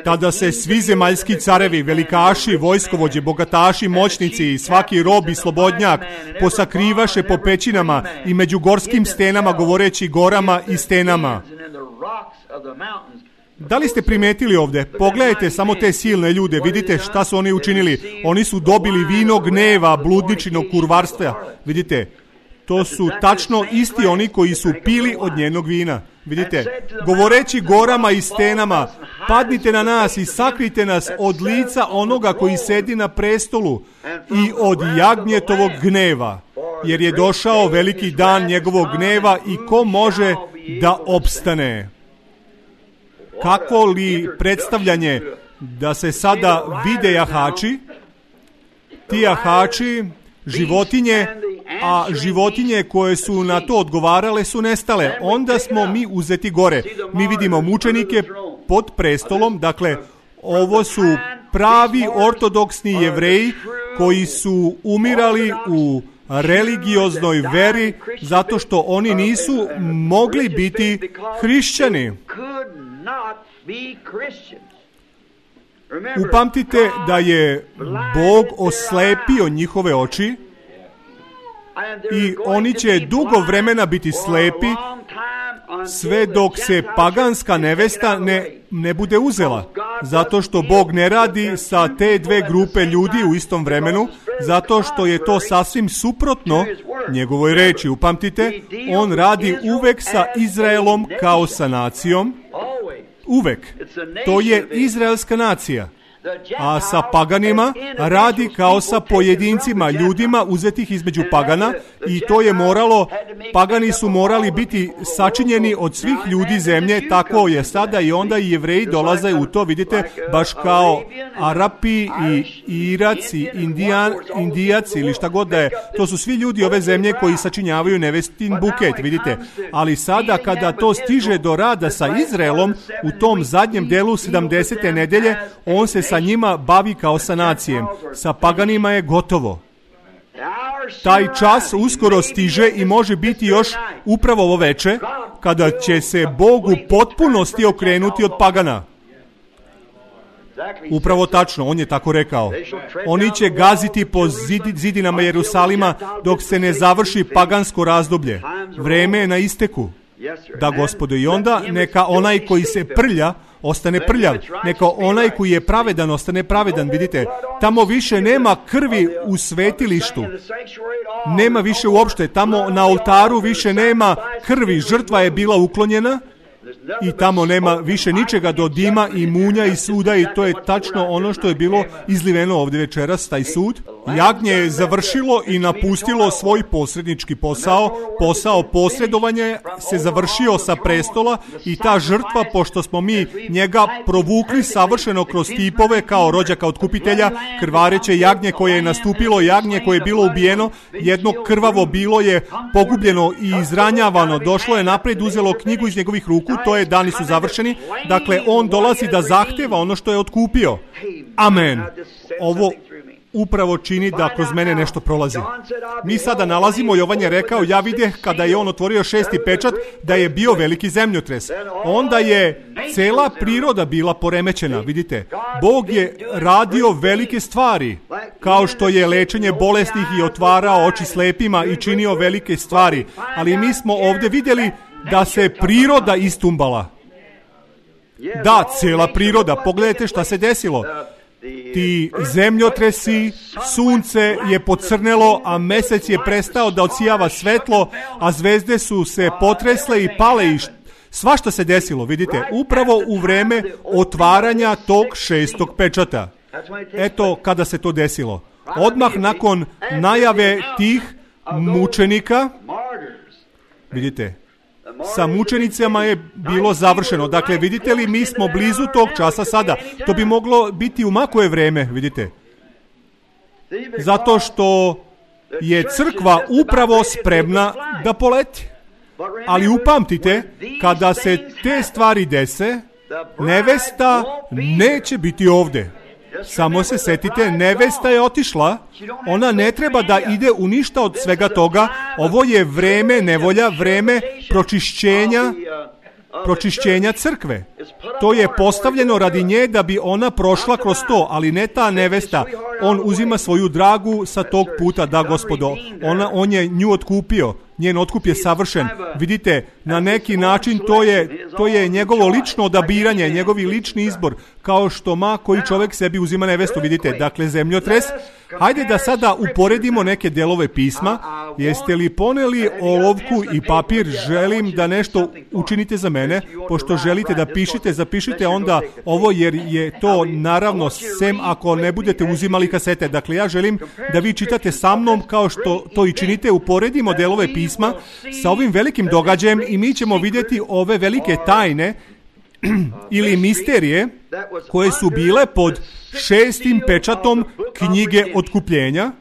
Tada se svi zemaljski carevi, velikaši, vojskovođe, bogataši, moćnici i svaki rob i slobodnjak posakrivaše po pećinama i među gorskim stenama govoreći gorama i stenama. Da li ste primetili ovdje? Pogledajte samo te silne ljude, vidite šta su oni učinili. Oni su dobili vino gneva, bludničinog kurvarstva. Vidite, to su tačno isti oni koji su pili od njenog vina. Vidite, govoreći gorama i stenama, padnite na nas i sakrite nas od lica onoga koji sedi na prestolu i od jagnjetovog gneva, jer je došao veliki dan njegovog gneva i ko može da opstane. Kako li predstavljanje da se sada vide jahači, ti jahači, životinje, a životinje koje su na to odgovarale su nestale. Onda smo mi uzeti gore. Mi vidimo mučenike pod prestolom, dakle, ovo su pravi ortodoksni Jevreji koji su umirali u religioznoj veri zato što oni nisu mogli biti hrišćani. Upamtite da je Bog oslepio njihove oči i oni će dugo vremena biti slepi sve dok se paganska nevesta ne, ne bude uzela. Zato što Bog ne radi sa te dve grupe ljudi u istom vremenu, zato što je to sasvim suprotno njegovoj reči. Upamtite, on radi uvek sa Izraelom kao sa nacijom. Uvek. To je izraelska nacija. A sa paganima radi kao sa pojedincima, ljudima uzetih između pagana i to je moralo, pagani su morali biti sačinjeni od svih ljudi zemlje, tako je sada i onda i Jevreji dolaze u to, vidite, baš kao Arapi i Irac i Indijan, Indijac ili šta god da je. To su svi ljudi ove zemlje koji sačinjavaju nevestin buket, vidite. Ali sada kada to stiže do rada sa Izraelom, u tom zadnjem delu sedamdesete nedelje, on se sa njima bavi kao sa nacijem. Sa paganima je gotovo. Taj čas uskoro stiže i može biti još upravo ovo veče, kada će se Bog u potpunosti okrenuti od pagana. Upravo tačno, on je tako rekao. Oni će gaziti po zidi, zidinama Jerusalima dok se ne završi pagansko razdoblje. Vreme je na isteku. Da, Gospodo, i onda neka onaj koji se prlja ostane prljav, neka onaj koji je pravedan ostane pravedan. Vidite, tamo više nema krvi u svetilištu, nema više uopšte, tamo na oltaru više nema krvi, žrtva je bila uklonjena i tamo nema više ničega do dima i munja i suda, i to je tačno ono što je bilo izliveno ovdje večeras, taj sud. Jagnje je završilo i napustilo svoj posrednički posao, posao posredovanja se završio sa prestola, i ta žrtva, pošto smo mi njega provukli savršeno kroz tipove kao rođaka otkupitelja, krvareće jagnje koje je nastupilo, jagnje koje je bilo ubijeno, jedno krvavo bilo je pogubljeno i izranjavano, došlo je napred, uzelo knjigu iz njegovih ruku, to je dani su završeni. Dakle, on dolazi da zahteva ono što je otkupio. Amen. Ovo upravo čini da kroz mene nešto prolazi. Mi sada nalazimo, Jovan je rekao, ja videh kada je on otvorio šesti pečat da je bio veliki zemljotres. Onda je cela priroda bila poremećena. Vidite, Bog je radio velike stvari, kao što je lečenje bolesnih i otvarao oči slepima i činio velike stvari. Ali mi smo ovdje vidjeli da se priroda istumbala. Da, cela priroda. Pogledajte šta se desilo. Ti zemljotresi, sunce je pocrnelo, a mesec je prestao da odsijava svetlo, a zvezde su se potresle i pale i svašta se desilo, vidite, upravo u vreme otvaranja tog šestog pečata. Eto kada se to desilo. Odmah nakon najave tih mučenika, vidite, sa mučenicama je bilo završeno. Dakle, vidite li, mi smo blizu tog časa sada. To bi moglo biti u makoje vreme, vidite. Zato što je crkva upravo spremna da poleti. Ali upamtite, kada se te stvari dese, nevesta neće biti ovdje. Samo se setite, nevesta je otišla, ona ne treba da ide u ništa od svega toga. Ovo je vreme nevolja, vreme pročišćenja, pročišćenja crkve. To je postavljeno radi nje da bi ona prošla kroz to, ali ne ta nevesta. On uzima svoju dragu sa tog puta, da, Gospodo, ona, on je nju otkupio. Njen otkup je savršen. Vidite, na neki način to je, to je njegovo lično odabiranje, njegovi lični izbor, kao što ma koji čovjek sebi uzima nevestu, vidite. Dakle, zemljotres. Hajde da sada uporedimo neke delove pisma. Jeste li poneli olovku i papir? Želim da nešto učinite za mene. Pošto želite da pišite, zapišite onda ovo, jer je to naravno sem ako ne budete uzimali kasete. Dakle, ja želim da vi čitate sa mnom kao što to i činite. Uporedimo delove pisma sa ovim velikim događajem i mi ćemo vidjeti ove velike tajne ili misterije koje su bile pod šestim pečatom knjige otkupljenja.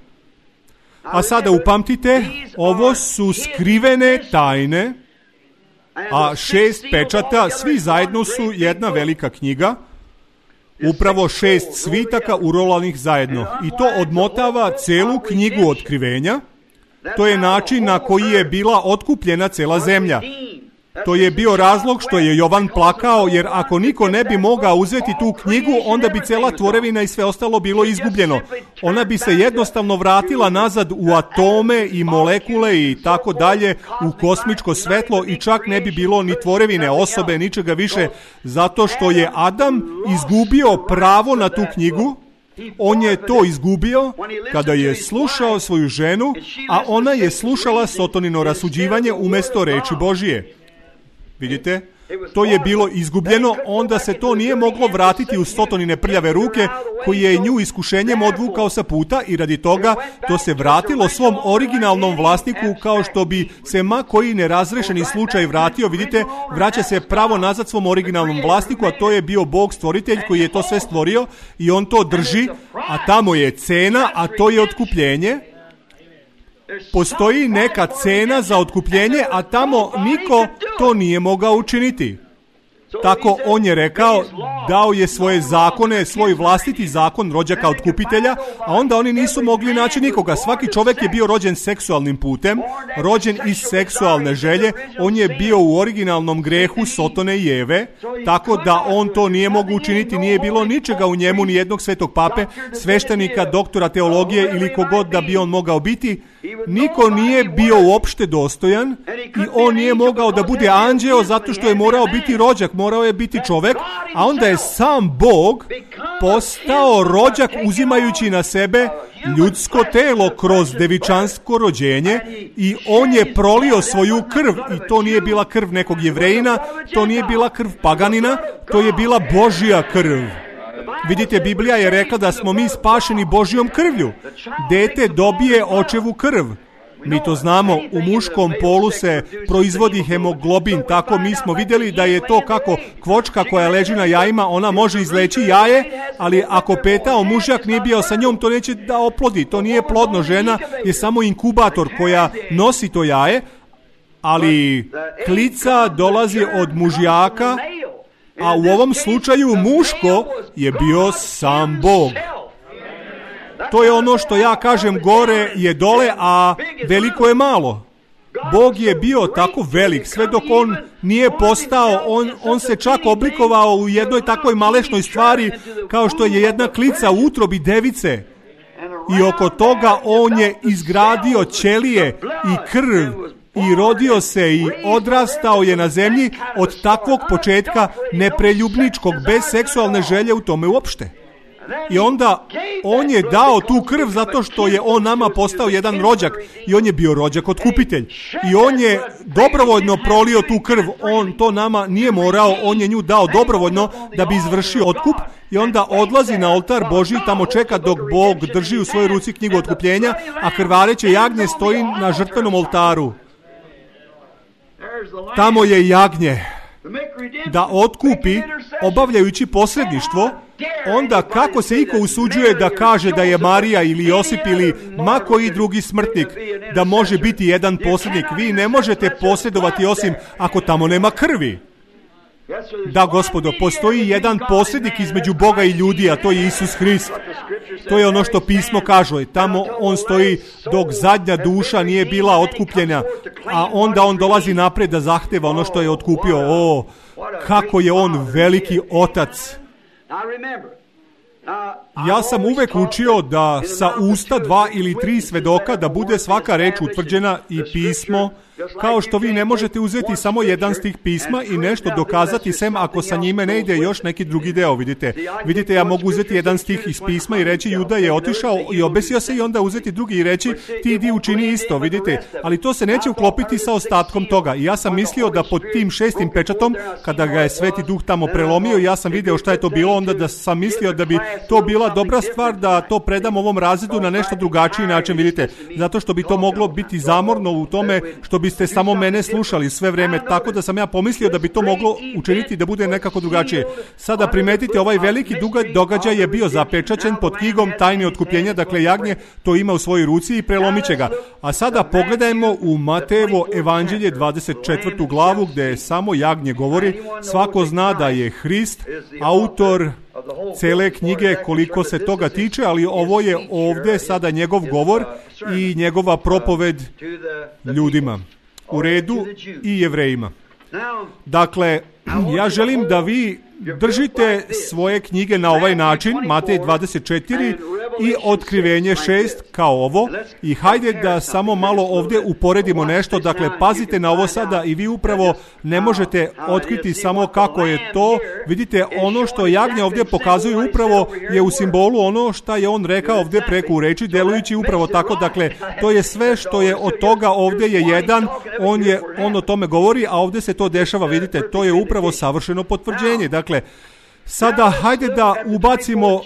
A sada upamtite, ovo su skrivene tajne, a šest pečata, svi zajedno su jedna velika knjiga, upravo šest svitaka urolanih zajedno. I to odmotava celu knjigu otkrivenja. To je način na koji je bila otkupljena cela zemlja. To je bio razlog što je Jovan plakao, jer ako niko ne bi mogao uzeti tu knjigu, onda bi cela tvorevina i sve ostalo bilo izgubljeno. Ona bi se jednostavno vratila nazad u atome i molekule i tako dalje, u kosmičko svetlo, i čak ne bi bilo ni tvorevine, osobe, ničega više, zato što je Adam izgubio pravo na tu knjigu. On je to izgubio kada je slušao svoju ženu, a ona je slušala Sotonino rasuđivanje umjesto reči Božije. Vidite, to je bilo izgubljeno, onda se to nije moglo vratiti u Sotonine prljave ruke, koji je nju iskušenjem odvukao sa puta, i radi toga to se vratilo svom originalnom vlasniku, kao što bi se ma koji nerazrešeni slučaj vratio. Vidite, vraća se pravo nazad svom originalnom vlasniku, a to je bio Bog stvoritelj koji je to sve stvorio i on to drži, a tamo je cena, a to je otkupljenje. Postoji neka cena za otkupljenje, a tamo niko to nije mogao učiniti. Tako on je rekao, dao je svoje zakone, svoj vlastiti zakon rođaka otkupitelja, a onda oni nisu mogli naći nikoga. Svaki čovjek je bio rođen seksualnim putem, rođen iz seksualne želje, on je bio u originalnom grehu Sotone i Eve, tako da on to nije mogu učiniti, nije bilo ničega u njemu, ni jednog svetog pape, sveštenika, doktora teologije ili kogod da bi on mogao biti. Niko nije bio uopšte dostojan i on nije mogao da bude anđeo zato što je morao biti rođak, morao je biti čovek, a onda je sam Bog postao rođak uzimajući na sebe ljudsko telo kroz devičansko rođenje i on je prolio svoju krv i to nije bila krv nekog Jevrejina, to nije bila krv paganina, to je bila Božja krv. Vidite, Biblija je rekla da smo mi spašeni Božjom krvlju. Dete dobije očevu krv. Mi to znamo, u muškom polu se proizvodi hemoglobin, tako mi smo vidjeli da je to kako kvočka koja leži na jajima, ona može izleći jaje, ali ako petao mužjak nije bio sa njom, to neće da oplodi, to nije plodno, žena je samo inkubator koja nosi to jaje, ali klica dolazi od mužjaka, a u ovom slučaju muško je bio sam Bog. To je ono što ja kažem, gore je dole, a veliko je malo. Bog je bio tako velik, sve dok on nije postao, on, on se čak oblikovao u jednoj takvoj malešnoj stvari, kao što je jedna klica u utrobi device. I oko toga on je izgradio ćelije i krv i rodio se i odrastao je na zemlji od takvog početka nepreljubničkog, bez seksualne želje u tome uopšte. I onda on je dao tu krv zato što je on nama postao jedan rođak i on je bio rođak otkupitelj. I on je dobrovoljno prolio tu krv, on to nama nije morao, on je nju dao dobrovoljno da bi izvršio otkup i onda odlazi na oltar Božji, tamo čeka dok Bog drži u svojoj ruci knjigu otkupljenja, a krvareće jagnje stoji na žrtvenom oltaru. Tamo je jagnje da otkupi, obavljajući posredništvo. Onda kako se iko usuđuje da kaže da je Marija ili Josip ili ma koji drugi smrtnik da može biti jedan posrednik? Vi ne možete posredovati osim ako tamo nema krvi. Da, gospodo, postoji jedan posrednik između Boga i ljudi, a to je Isus Hrist. To je ono što pismo kaže. Tamo on stoji dok zadnja duša nije bila otkupljena, a onda on dolazi napred da zahteva ono što je otkupio. O, kako je on veliki otac. Ja sam uvek učio da sa usta dva ili tri svedoka da bude svaka reč utvrđena i pismo, kao što vi ne možete uzeti samo jedan stih pisma i nešto dokazati sem ako sa njime ne ide još neki drugi deo, vidite. Vidite, ja mogu uzeti jedan stih iz pisma i reći Juda je otišao i obesio se i onda uzeti drugi i reći ti idi učini isto, vidite. Ali to se neće uklopiti sa ostatkom toga. I ja sam mislio da pod tim šestim pečatom, kada ga je Sveti Duh tamo prelomio, ja sam video šta je to bilo, onda da sam mislio da bi to bila dobra stvar da to predam ovom razredu na nešto drugačiji način, vidite. Zato što bi to moglo biti zamorno u tome što biste samo mene slušali sve vreme, tako da sam ja pomislio da bi to moglo učiniti da bude nekako drugačije. Sada primetite, ovaj veliki događaj je bio zapečaćen pod knjigom tajne otkupljenja, dakle jagnje to ima u svojoj ruci i prelomit će ga. A sada pogledajmo u Matejevo evanđelje dvadeset četvrtu glavu gdje samo jagnje govori. Svako zna da je Hrist autor cele knjige koliko se toga tiče, ali ovo je ovdje sada njegov govor i njegova propoved ljudima. U redu i Jevrejima. Dakle, ja želim da vi držite svoje knjige na ovaj način, Matej dvadeset četiri i Otkrivenje šest kao ovo, i hajde da samo malo ovdje uporedimo nešto. Dakle, pazite na ovo sada i vi upravo ne možete otkriti samo kako je to. Vidite, ono što jagnje ovdje pokazuje upravo je u simbolu ono što je on rekao ovdje preko u reči, delujući upravo tako. Dakle, to je sve što je od toga, ovdje je jedan, on, je, on o tome govori, a ovdje se to dešava, vidite, to je upravo savršeno potvrđenje. Dakle, sada hajde da ubacimo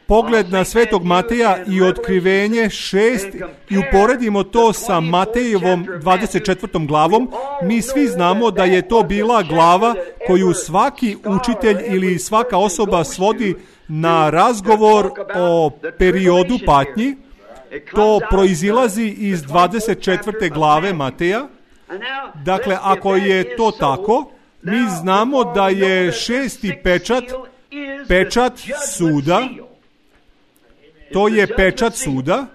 pogled na Svetog Mateja i Otkrivenje šest i uporedimo to sa Matejevom dvadeset četvrtom glavom. Mi svi znamo da je to bila glava koju svaki učitelj ili svaka osoba svodi na razgovor o periodu patnji. To proizilazi iz dvadeset četvrte glave Mateja. Dakle, ako je to tako, Mi znamo da je šesti pečat pečat suda. To je pečat suda.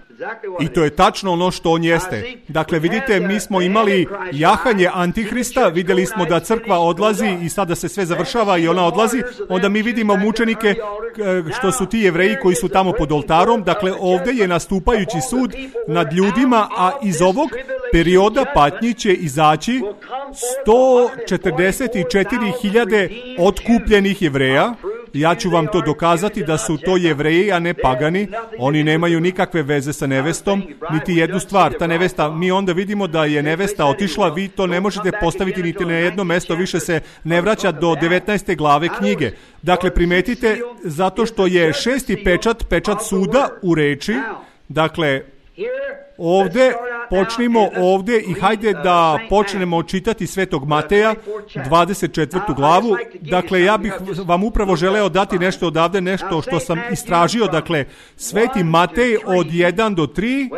I to je tačno ono što on jeste. Dakle, vidite, mi smo imali jahanje Antihrista, vidjeli smo da crkva odlazi i sada se sve završava i ona odlazi, onda mi vidimo mučenike što su ti Jevreji koji su tamo pod oltarom. Dakle, ovdje je nastupajući sud nad ljudima, a iz ovog perioda patnji će izaći sto četrdeset četiri hiljade otkupljenih Jevreja. Ja ću vam to dokazati da su to Jevreji, a ne pagani. Oni nemaju nikakve veze sa nevestom, niti jednu stvar. Ta nevesta, mi onda vidimo da je nevesta otišla, vi to ne možete postaviti niti na jedno mesto, više se ne vraća do devetnaeste glave knjige. Dakle, primetite, zato što je šesti pečat, pečat suda u reči, dakle, ovdje, počnimo ovdje i hajde da počnemo čitati Svetog Mateja, dvadeset četvrtu glavu. Dakle, ja bih vam upravo želeo dati nešto odavde, nešto što sam istražio. Dakle, Sveti Matej od jedan do tri,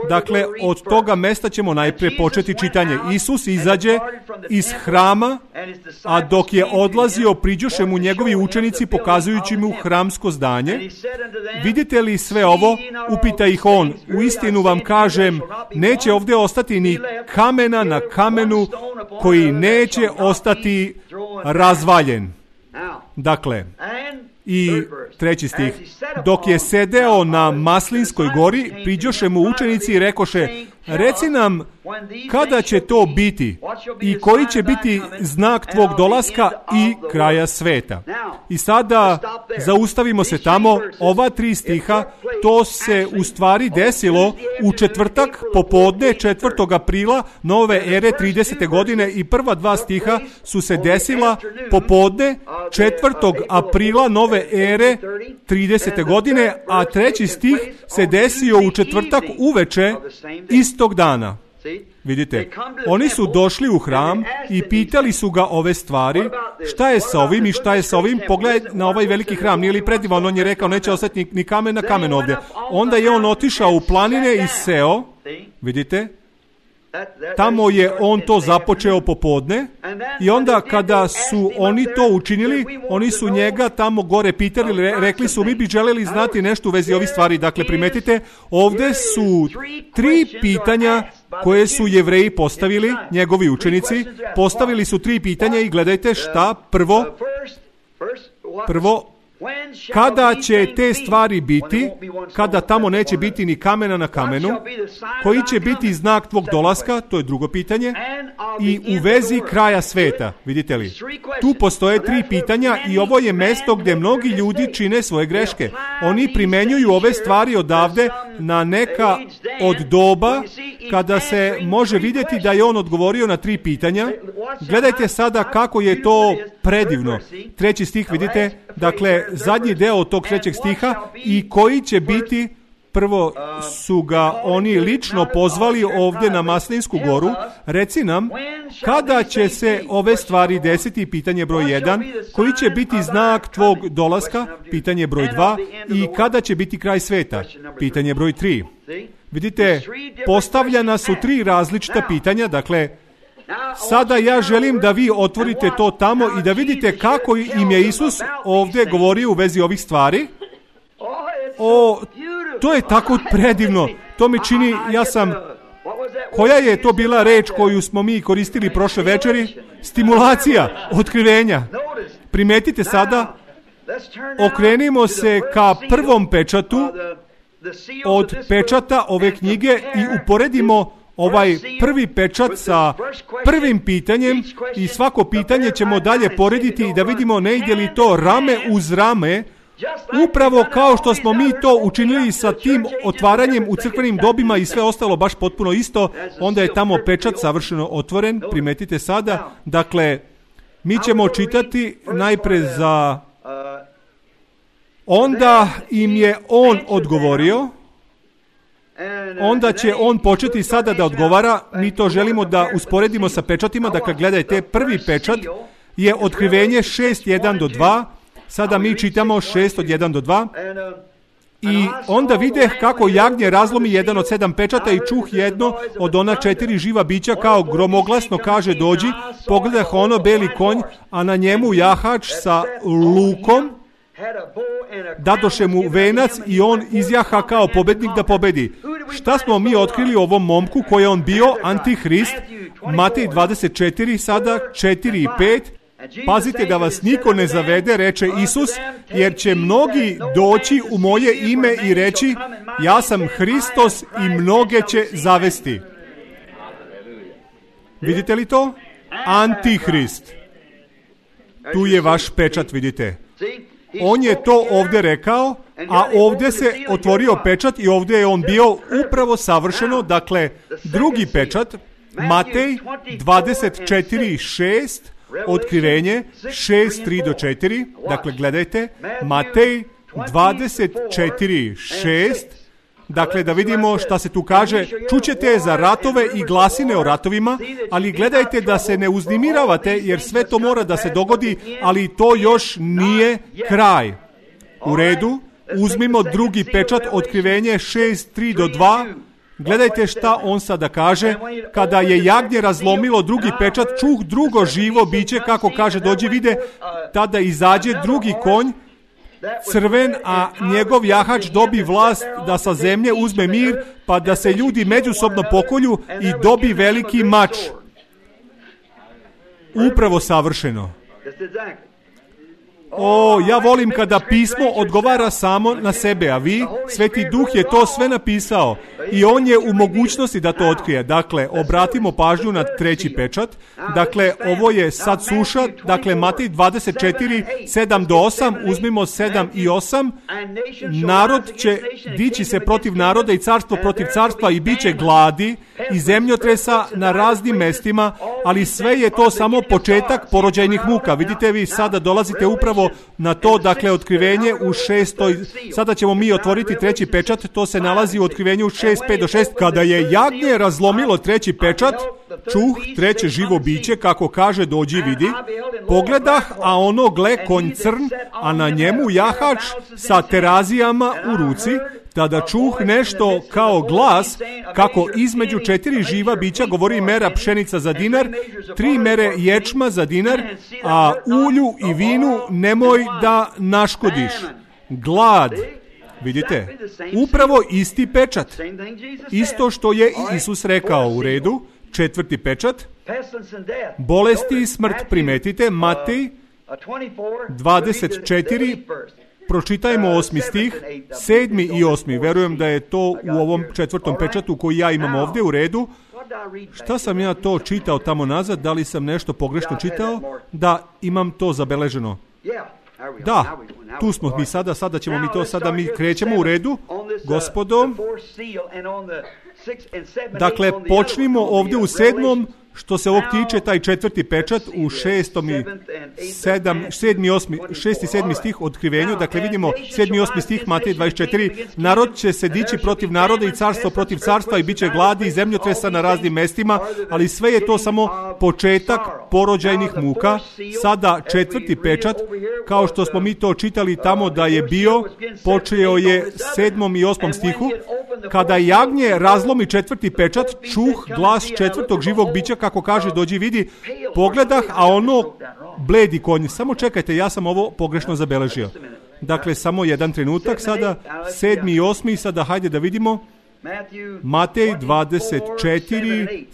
dakle, od toga mesta ćemo najprije početi čitanje. Isus izađe iz hrama, a dok je odlazio, priđoše mu njegovi učenici pokazujući mu hramsko zdanje. Vidite li sve ovo? Upita ih on. U istinu vam kažem, neće ovdje ostati ni kamena na kamenu koji neće ostati razvaljen. Dakle, i treći stih. Dok je sedeo na Maslinskoj gori, priđoše mu učenici i rekoše, reci nam kada će to biti i koji će biti znak tvog dolaska i kraja sveta. I sada zaustavimo se tamo. Ova tri stiha, to se u stvari desilo u četvrtak popodne četvrtog aprila nove ere tridesete godine i prva dva stiha su se desila popodne četvrtog aprila nove ere tridesete godine, a treći stih se desio u četvrtak uveče istog dana. Vidite, oni su došli u hram i pitali su ga ove stvari, šta je sa ovim i šta je sa ovim, pogledaj na ovaj veliki hram, nije li predivan, on je rekao neće ostati ni, ni kamen na kamen ovdje. Onda je on otišao u planine i seo, vidite, tamo je on to započeo popodne i onda kada su oni to učinili, oni su njega tamo gore pitali, rekli su mi bi željeli znati nešto u vezi ovih stvari. Dakle, primetite, ovdje su tri pitanja koje su Jevreji postavili, njegovi učenici, postavili su tri pitanja i gledajte šta, prvo, prvo, kada će te stvari biti, kada tamo neće biti ni kamena na kamenu, koji će biti znak tvog dolaska, to je drugo pitanje, i u vezi kraja sveta, vidite li, tu postoje tri pitanja i ovo je mesto gdje mnogi ljudi čine svoje greške. Oni primenjuju ove stvari odavde na neka od doba kada se može vidjeti da je on odgovorio na tri pitanja. Gledajte sada kako je to predivno. Treći stih, vidite, dakle, zadnji deo tog trećeg stiha i koji će biti, prvo su ga oni lično pozvali ovdje na Maslinsku goru, reci nam, kada će se ove stvari desiti, pitanje broj jedan, koji će biti znak tvog dolaska, pitanje broj dva, i kada će biti kraj sveta, pitanje broj tri. Vidite, postavljena su tri različita pitanja, dakle, sada ja želim da vi otvorite to tamo i da vidite kako im je Isus ovdje govorio u vezi ovih stvari. O, to je tako predivno. To mi čini, ja sam, koja je to bila reč koju smo mi koristili prošle večeri? Stimulacija, otkrivenja. Primetite sada, okrenimo se ka prvom pečatu od pečata ove knjige i uporedimo ovaj prvi pečat sa prvim pitanjem i svako pitanje ćemo dalje porediti i da vidimo ne ide li to rame uz rame, upravo kao što smo mi to učinili sa tim otvaranjem u crkvenim dobima i sve ostalo baš potpuno isto, onda je tamo pečat savršeno otvoren, primetite sada. Dakle, mi ćemo čitati najpre za onda im je on odgovorio. Onda će on početi sada da odgovara, mi to želimo da usporedimo sa pečatima, dakle gledajte, prvi pečat je otkrivenje šest jedan do dva, sada mi čitamo šest od jedan do dva, I onda videh kako jagnje razlomi jedan od sedam pečata i čuh jedno od ona četiri živa bića kao gromoglasno kaže dođi, pogledah ono beli konj, a na njemu jahač sa lukom, dadoše mu venac i on izjaha kao pobednik da pobedi. Šta smo mi otkrili o ovom momku koji je on bio? Antihrist. Matej dvadeset četiri, sada četiri i pet. Pazite da vas niko ne zavede, reče Isus, jer će mnogi doći u moje ime i reći ja sam Hristos i mnoge će zavesti. Vidite li to? Antihrist. Tu je vaš pečat, vidite. On je to ovdje rekao, a ovdje se otvorio pečat i ovdje je on bio upravo savršeno, dakle, drugi pečat, Matej dvadeset četiri šest, otkrivenje šest tri do četiri, dakle, gledajte, Matej dvadeset četiri šest, dakle, da vidimo šta se tu kaže, čućete za ratove i glasine o ratovima, ali gledajte da se ne uznemiravate, jer sve to mora da se dogodi, ali to još nije kraj. U redu, uzmimo drugi pečat, otkrivenje šest tri do dva, gledajte šta on sada kaže, kada je jagnje razlomilo drugi pečat, čuh drugo živo biće, kako kaže, dođi vide, tada izađe drugi konj, crven, a njegov jahač dobi vlast da sa zemlje uzme mir, pa da se ljudi međusobno pokolju i dobi veliki mač. Upravo savršeno. O, ja volim kada pismo odgovara samo na sebe, a vi, Sveti Duh je to sve napisao i on je u mogućnosti da to otkrije. Dakle, obratimo pažnju na treći pečat. Dakle, ovo je sad suša, dakle, Matej dvadeset četiri, sedam do osam, uzmimo sedam i osam. Narod će dići se protiv naroda i carstvo protiv carstva i bit će gladi i zemljotresa na raznim mestima, ali sve je to samo početak porođajnih muka. Vidite vi, sada dolazite upravo na to, dakle, otkrivenje u šestoj, sada ćemo mi otvoriti treći pečat, to se nalazi u otkrivenju šest pet do šest. Kada je jagnje razlomilo treći pečat, čuh treće živo biće, kako kaže, dođi vidi, pogledah, a ono gle konj crn, a na njemu jahač sa terazijama u ruci, tada čuh nešto kao glas, kako između četiri živa bića govori mera pšenica za dinar, tri mere ječma za dinar, a ulju i vinu nemoj da naškodiš. Glad. Vidite, upravo isti pečat. Isto što je i Isus rekao. U redu. Četvrti pečat. Bolesti i smrt, primetite, Matej dvadeset četiri, pročitajmo osmi stih, sedmi i osmi. Verujem da je to u ovom četvrtom pečatu koji ja imam ovdje. U redu. Šta sam ja to čitao tamo nazad? Da li sam nešto pogrešno čitao? Da, imam to zabeleženo. Da, tu smo mi sada, sada ćemo mi to, sada mi krećemo. U redu. Gospodo, dakle, počnimo ovdje u sedmom, što se ovog tiče, taj četvrti pečat u šestom i sedam, sedmi i osmi, šesti i sedmi stih otkrivenju. Dakle, vidimo sedmi i osmi stih, Matej dvadeset četiri. Narod će se dići protiv naroda i carstvo protiv carstva i bit će gladi i zemljotresa na raznim mestima, ali sve je to samo početak porođajnih muka. Sada četvrti pečat, kao što smo mi to čitali tamo da je bio, počeo je sedmom i osmom stihu. Kada jagnje razlomi četvrti pečat, čuh glas četvrtog živog bića, kako kaže, dođi vidi, pogledah, a ono bledi konj. Samo čekajte, ja sam ovo pogrešno zabeležio. Dakle, samo jedan trenutak, sada sedmi i osmi, sada hajde da vidimo. Matej dvadeset četiri,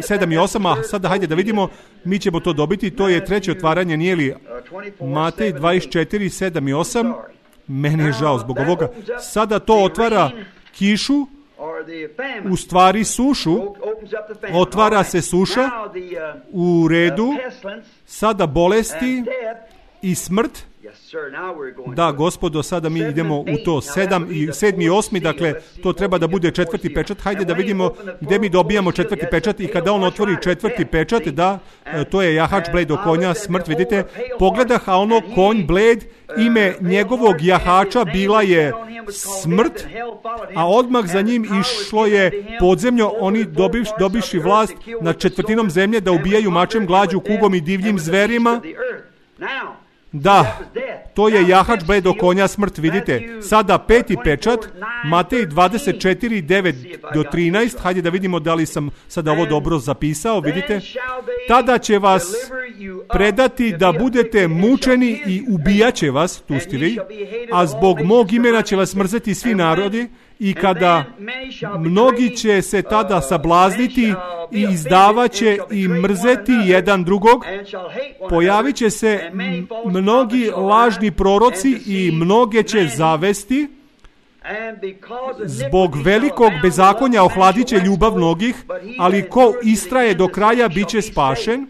sedam i osam, a sada hajde da vidimo, mi ćemo to dobiti, to je treće otvaranje, nije li? Matej dvadeset četiri, sedam i osam, meni je žao zbog ovoga. Sada to otvara kišu, u stvari sušu, otvara se suša, u redu, sada bolesti i smrt. Da, gospodo, sada mi idemo u to sedam i sedmi i osmi, dakle, to treba da bude četvrti pečat. Hajde da vidimo gdje mi dobijamo četvrti pečat i kada on otvori četvrti pečat, da, to je jahač bled do konja, smrt, vidite, pogledah, a ono konj bled, ime njegovog jahača bila je smrt, a odmah za njim išlo je podzemljo, oni dobiš, dobiši vlast nad četvrtinom zemlje da ubijaju mačem, glađu, kugom i divljim zverima. Da, to je jahač bledo konja smrt, vidite. Sada peti pečat, Matej dvadeset četiri, devet do trinaest, hajde da vidimo da li sam sada ovo dobro zapisao, vidite. Tada će vas predati da budete mučeni i ubijat će vas, tu ste vi, a zbog mog imena će vas mrzeti svi narodi. I kada mnogi će se tada sablazniti i izdavaće i mrzeti jedan drugog, pojavit će se mnogi lažni proroci i mnoge će zavesti. Zbog velikog bezakonja ohladit će ljubav mnogih, ali ko istraje do kraja bit će spašen.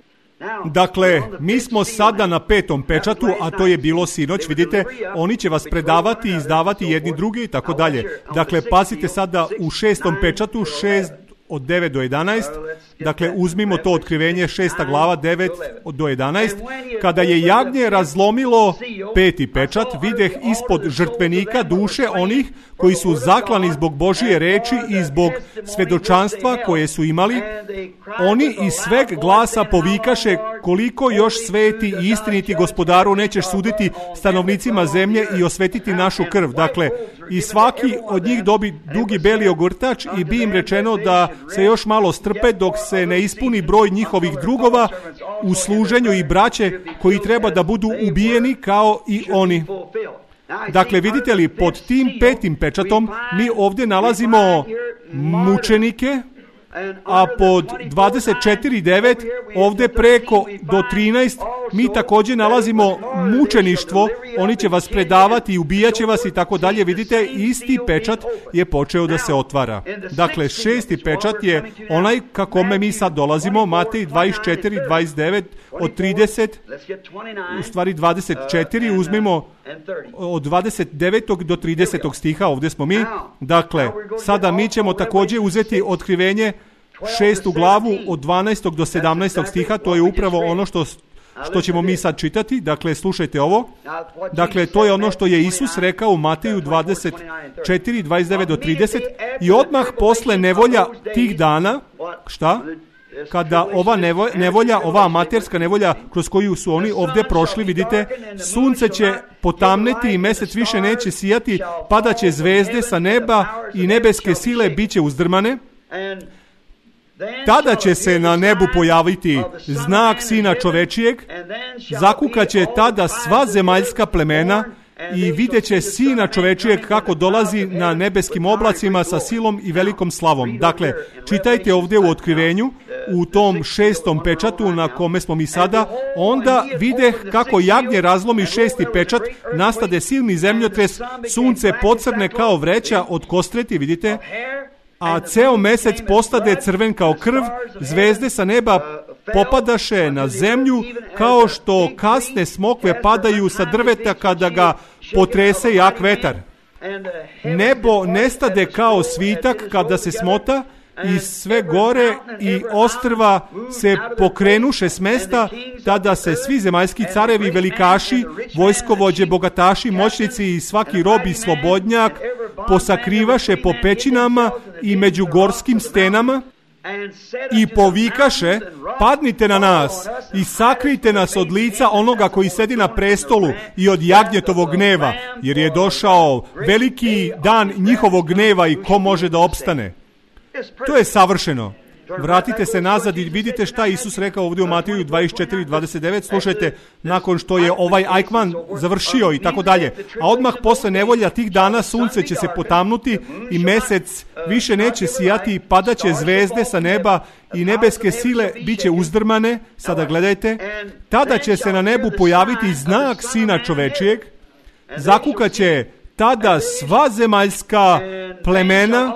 Dakle, mi smo sada na petom pečatu, a to je bilo sinoć, vidite, oni će vas predavati, izdavati jedni drugi i tako dalje. Dakle, pazite sada u šestom pečatu, šest od devet do jedanaest, dakle uzmimo to otkrivenje, šesta glava, devet do jedanaest, kada je jagnje razlomilo peti pečat, videh ispod žrtvenika duše onih koji su zaklani zbog Božije reči i zbog svedočanstva koje su imali, oni iz sveg glasa povikaše koliko još sveti i istiniti gospodaru nećeš suditi stanovnicima zemlje i osvetiti našu krv. Dakle, i svaki od njih dobi dugi beli ogrtač i bi im rečeno da se još malo strpe dok se ne ispuni broj njihovih drugova u služenju i braće koji treba da budu ubijeni kao i oni. Dakle, vidite li, pod tim petim pečatom mi ovdje nalazimo mučenike, a pod dvadeset četiri devet ovdje preko do trinaest mi također nalazimo mučeništvo, oni će vas predavati i ubijat će vas i tako dalje. Vidite, isti pečat je počeo da se otvara. Dakle, šesti pečat je onaj ka kome mi sad dolazimo, Matej dvadeset četiri, dvadeset devet, od trideset, u stvari dvadeset četiri, uzmimo od dvadeset devetog do tridesetog stiha, ovdje smo mi. Dakle, sada mi ćemo također uzeti otkrivenje šestu glavu od dvanaestog do sedamnaestog stiha, to je upravo ono što što ćemo mi sad čitati. Dakle, slušajte ovo. Dakle, to je ono što je Isus rekao u Mateju dvadeset četiri, dvadeset devet do trideset. I odmah posle nevolja tih dana, šta? Kada ova nevolja, ova amaterska nevolja kroz koju su oni ovdje prošli, vidite, sunce će potamneti i mesec više neće sijati, padaće zvezde sa neba i nebeske sile bit će uzdrmane. Tada će se na nebu pojaviti znak Sina čovečijeg, zakukaće tada sva zemaljska plemena i vidjet će Sina čovečijeg kako dolazi na nebeskim oblacima sa silom i velikom slavom. Dakle, čitajte ovdje u otkrivenju, u tom šestom pečatu na kome smo mi sada, onda videh kako jagnje razlomi šesti pečat, nastade silni zemljotres, sunce pocrne kao vreća od kostreti, vidite, a ceo mesec postade crven kao krv, zvezde sa neba popadaše na zemlju kao što kasne smokve padaju sa drveta kada ga potrese jak vetar. Nebo nestade kao svitak kada se smota i sve gore i ostrva se pokrenuše s mesta, tada se svi zemaljski carevi, velikaši, vojskovođe, bogataši, moćnici i svaki rob i slobodnjak posakrivaše po pećinama i među gorskim stenama i povikaše, padnite na nas i sakrijte nas od lica onoga koji sedi na prestolu i od jagnjetovog gneva, jer je došao veliki dan njihovog gneva i ko može da opstane. To je savršeno. Vratite se nazad i vidite šta Isus rekao ovdje u Mateju dvadeset četiri, dvadeset devet. Slušajte, nakon što je ovaj Eichmann završio i tako dalje. A odmah posle nevolja tih dana sunce će se potamnuti i mesec više neće sijati, padaće zvezde sa neba i nebeske sile bit će uzdrmane. Sada gledajte, tada će se na nebu pojaviti znak Sina čovečijeg, zakukaće tada sva zemaljska plemena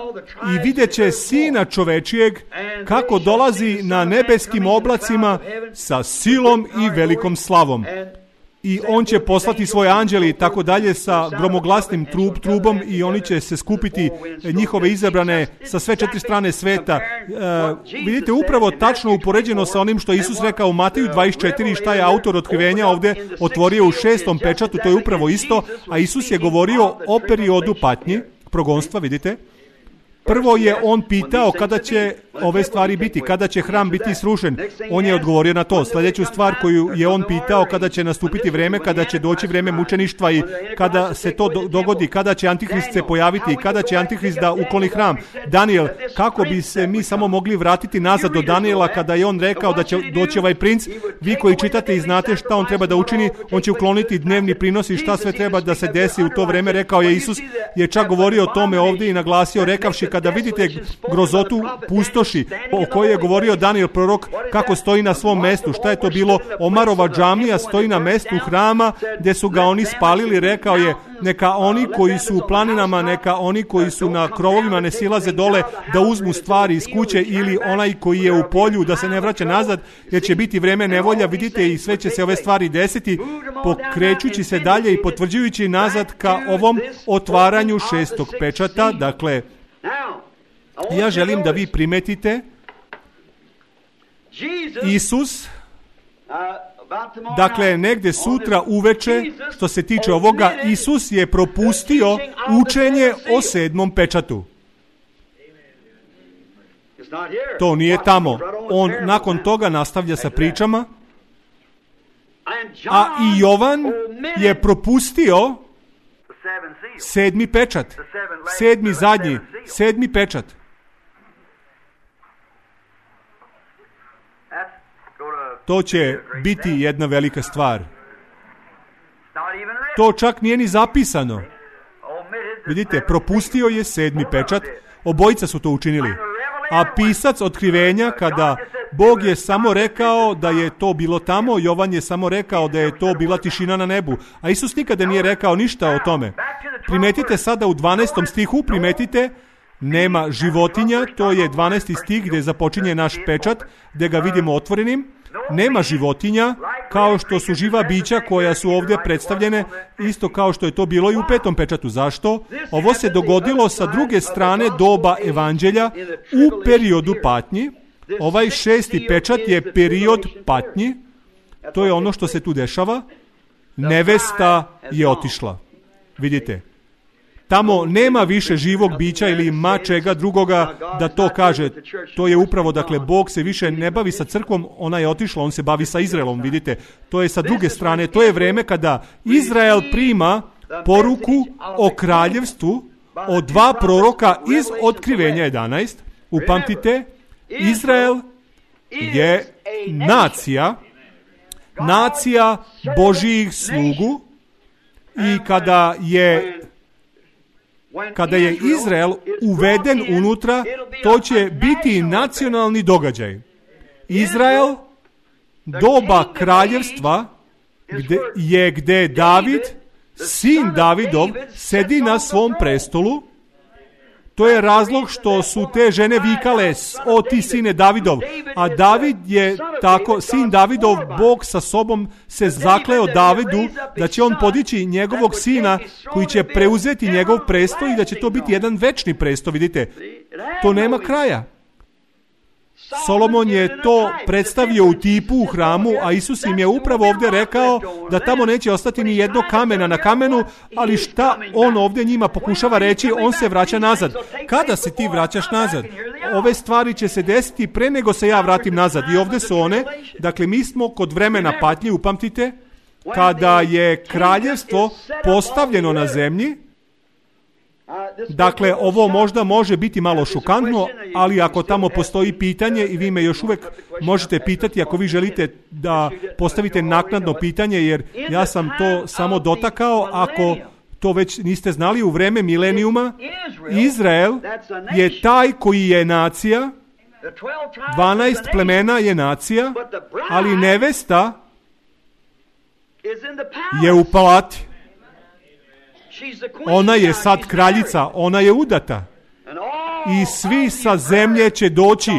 i vidjet će Sina čovečijeg kako dolazi na nebeskim oblacima sa silom i velikom slavom. I on će poslati svoje anđeli i tako dalje sa gromoglasnim trub, trubom i oni će se skupiti njihove izabrane sa sve četiri strane sveta. E, vidite, upravo tačno upoređeno sa onim što je Isus rekao u Mateju dvadeset četiri i šta je autor otkrivenja ovdje otvorio u šestom pečatu, to je upravo isto, a Isus je govorio o periodu patnji, progonstva, vidite. Prvo je on pitao kada će ove stvari biti, kada će hram biti srušen. On je odgovorio na to. Sljedeću stvar koju je on pitao, kada će nastupiti vreme, kada će doći vreme mučeništva i kada se to do- dogodi, kada će Antihrist se pojaviti i kada će Antihrist da ukloni hram. Daniel, kako bi se mi samo mogli vratiti nazad do Daniela kada je on rekao da će doći ovaj princ? Vi koji čitate i znate šta on treba da učini, on će ukloniti dnevni prinos i šta sve treba da se desi u to vreme, rekao je Isus, je čak govorio o tome ovdje i naglasio rekavši kada vidite grozotu pustoši o kojoj je govorio Daniel prorok kako stoji na svom mestu, šta je to bilo? Omarova džamija stoji na mestu hrama gdje su ga oni spalili, rekao je neka oni koji su u planinama, neka oni koji su na krovovima ne silaze dole da uzmu stvari iz kuće ili onaj koji je u polju da se ne vraća nazad jer će biti vreme nevolja, vidite i sve će se ove stvari desiti pokrećući se dalje i potvrđujući nazad ka ovom otvaranju šestog pečata. Dakle, ja želim da vi primetite Isus, dakle, negdje sutra uveče, što se tiče ovoga, Isus je propustio učenje o sedmom pečatu. To nije tamo. On nakon toga nastavlja sa pričama, a i Jovan je propustio sedmi pečat. Sedmi zadnji, sedmi pečat. To će biti jedna velika stvar. To čak nije ni zapisano. Vidite, propustio je sedmi pečat. Obojica su to učinili. A pisac otkrivenja, kada Bog je samo rekao da je to bilo tamo, Jovan je samo rekao da je to bila tišina na nebu. A Isus nikada nije rekao ništa o tome. Primetite sada u dvanaestom stihu, primetite, nema životinja, to je dvanaesti stih gdje započinje naš pečat, gdje ga vidimo otvorenim. Nema životinja, kao što su živa bića koja su ovdje predstavljene, isto kao što je to bilo i u petom pečatu. Zašto? Ovo se dogodilo sa druge strane doba evanđelja u periodu patnji. Ovaj šesti pečat je period patnji. To je ono što se tu dešava. Nevesta je otišla. Vidite. Tamo nema više živog bića ili ma čega drugoga da to kaže. To je upravo, dakle, Bog se više ne bavi sa crkvom, ona je otišla, on se bavi sa Izraelom, vidite. To je sa druge strane, to je vreme kada Izrael prima poruku o kraljevstvu od dva proroka iz Otkrivenja jedanaest. Upamtite, Izrael je nacija, nacija Božijih slugu i kada je Kada je Izrael uveden unutra, to će biti nacionalni događaj. Izrael, doba kraljevstva, gde je gdje David, sin Davidov, sedi na svom prestolu. To je razlog što su te žene vikale, o ti sine Davidov. A David je tako, sin Davidov, Bog sa sobom se zakleo Davidu da će on podići njegovog sina koji će preuzeti njegov presto i da će to biti jedan večni presto, vidite. To nema kraja. Solomon je to predstavio u tipu u hramu, a Isus im je upravo ovdje rekao da tamo neće ostati ni jedno kamena na kamenu, ali šta on ovdje njima pokušava reći, on se vraća nazad. Kada se ti vraćaš nazad? Ove stvari će se desiti pre nego se ja vratim nazad. I ovdje su one, dakle mi smo kod vremena patnje, upamtite, kada je kraljevstvo postavljeno na zemlji. Dakle, ovo možda može biti malo šokantno, ali ako tamo postoji pitanje i vi me još uvijek možete pitati ako vi želite da postavite naknadno pitanje, jer ja sam to samo dotakao, ako to već niste znali, u vreme milenijuma Izrael je taj koji je nacija, dvanaest plemena je nacija, ali nevesta je u palati. Ona je sad kraljica, ona je udata. I svi sa zemlje će doći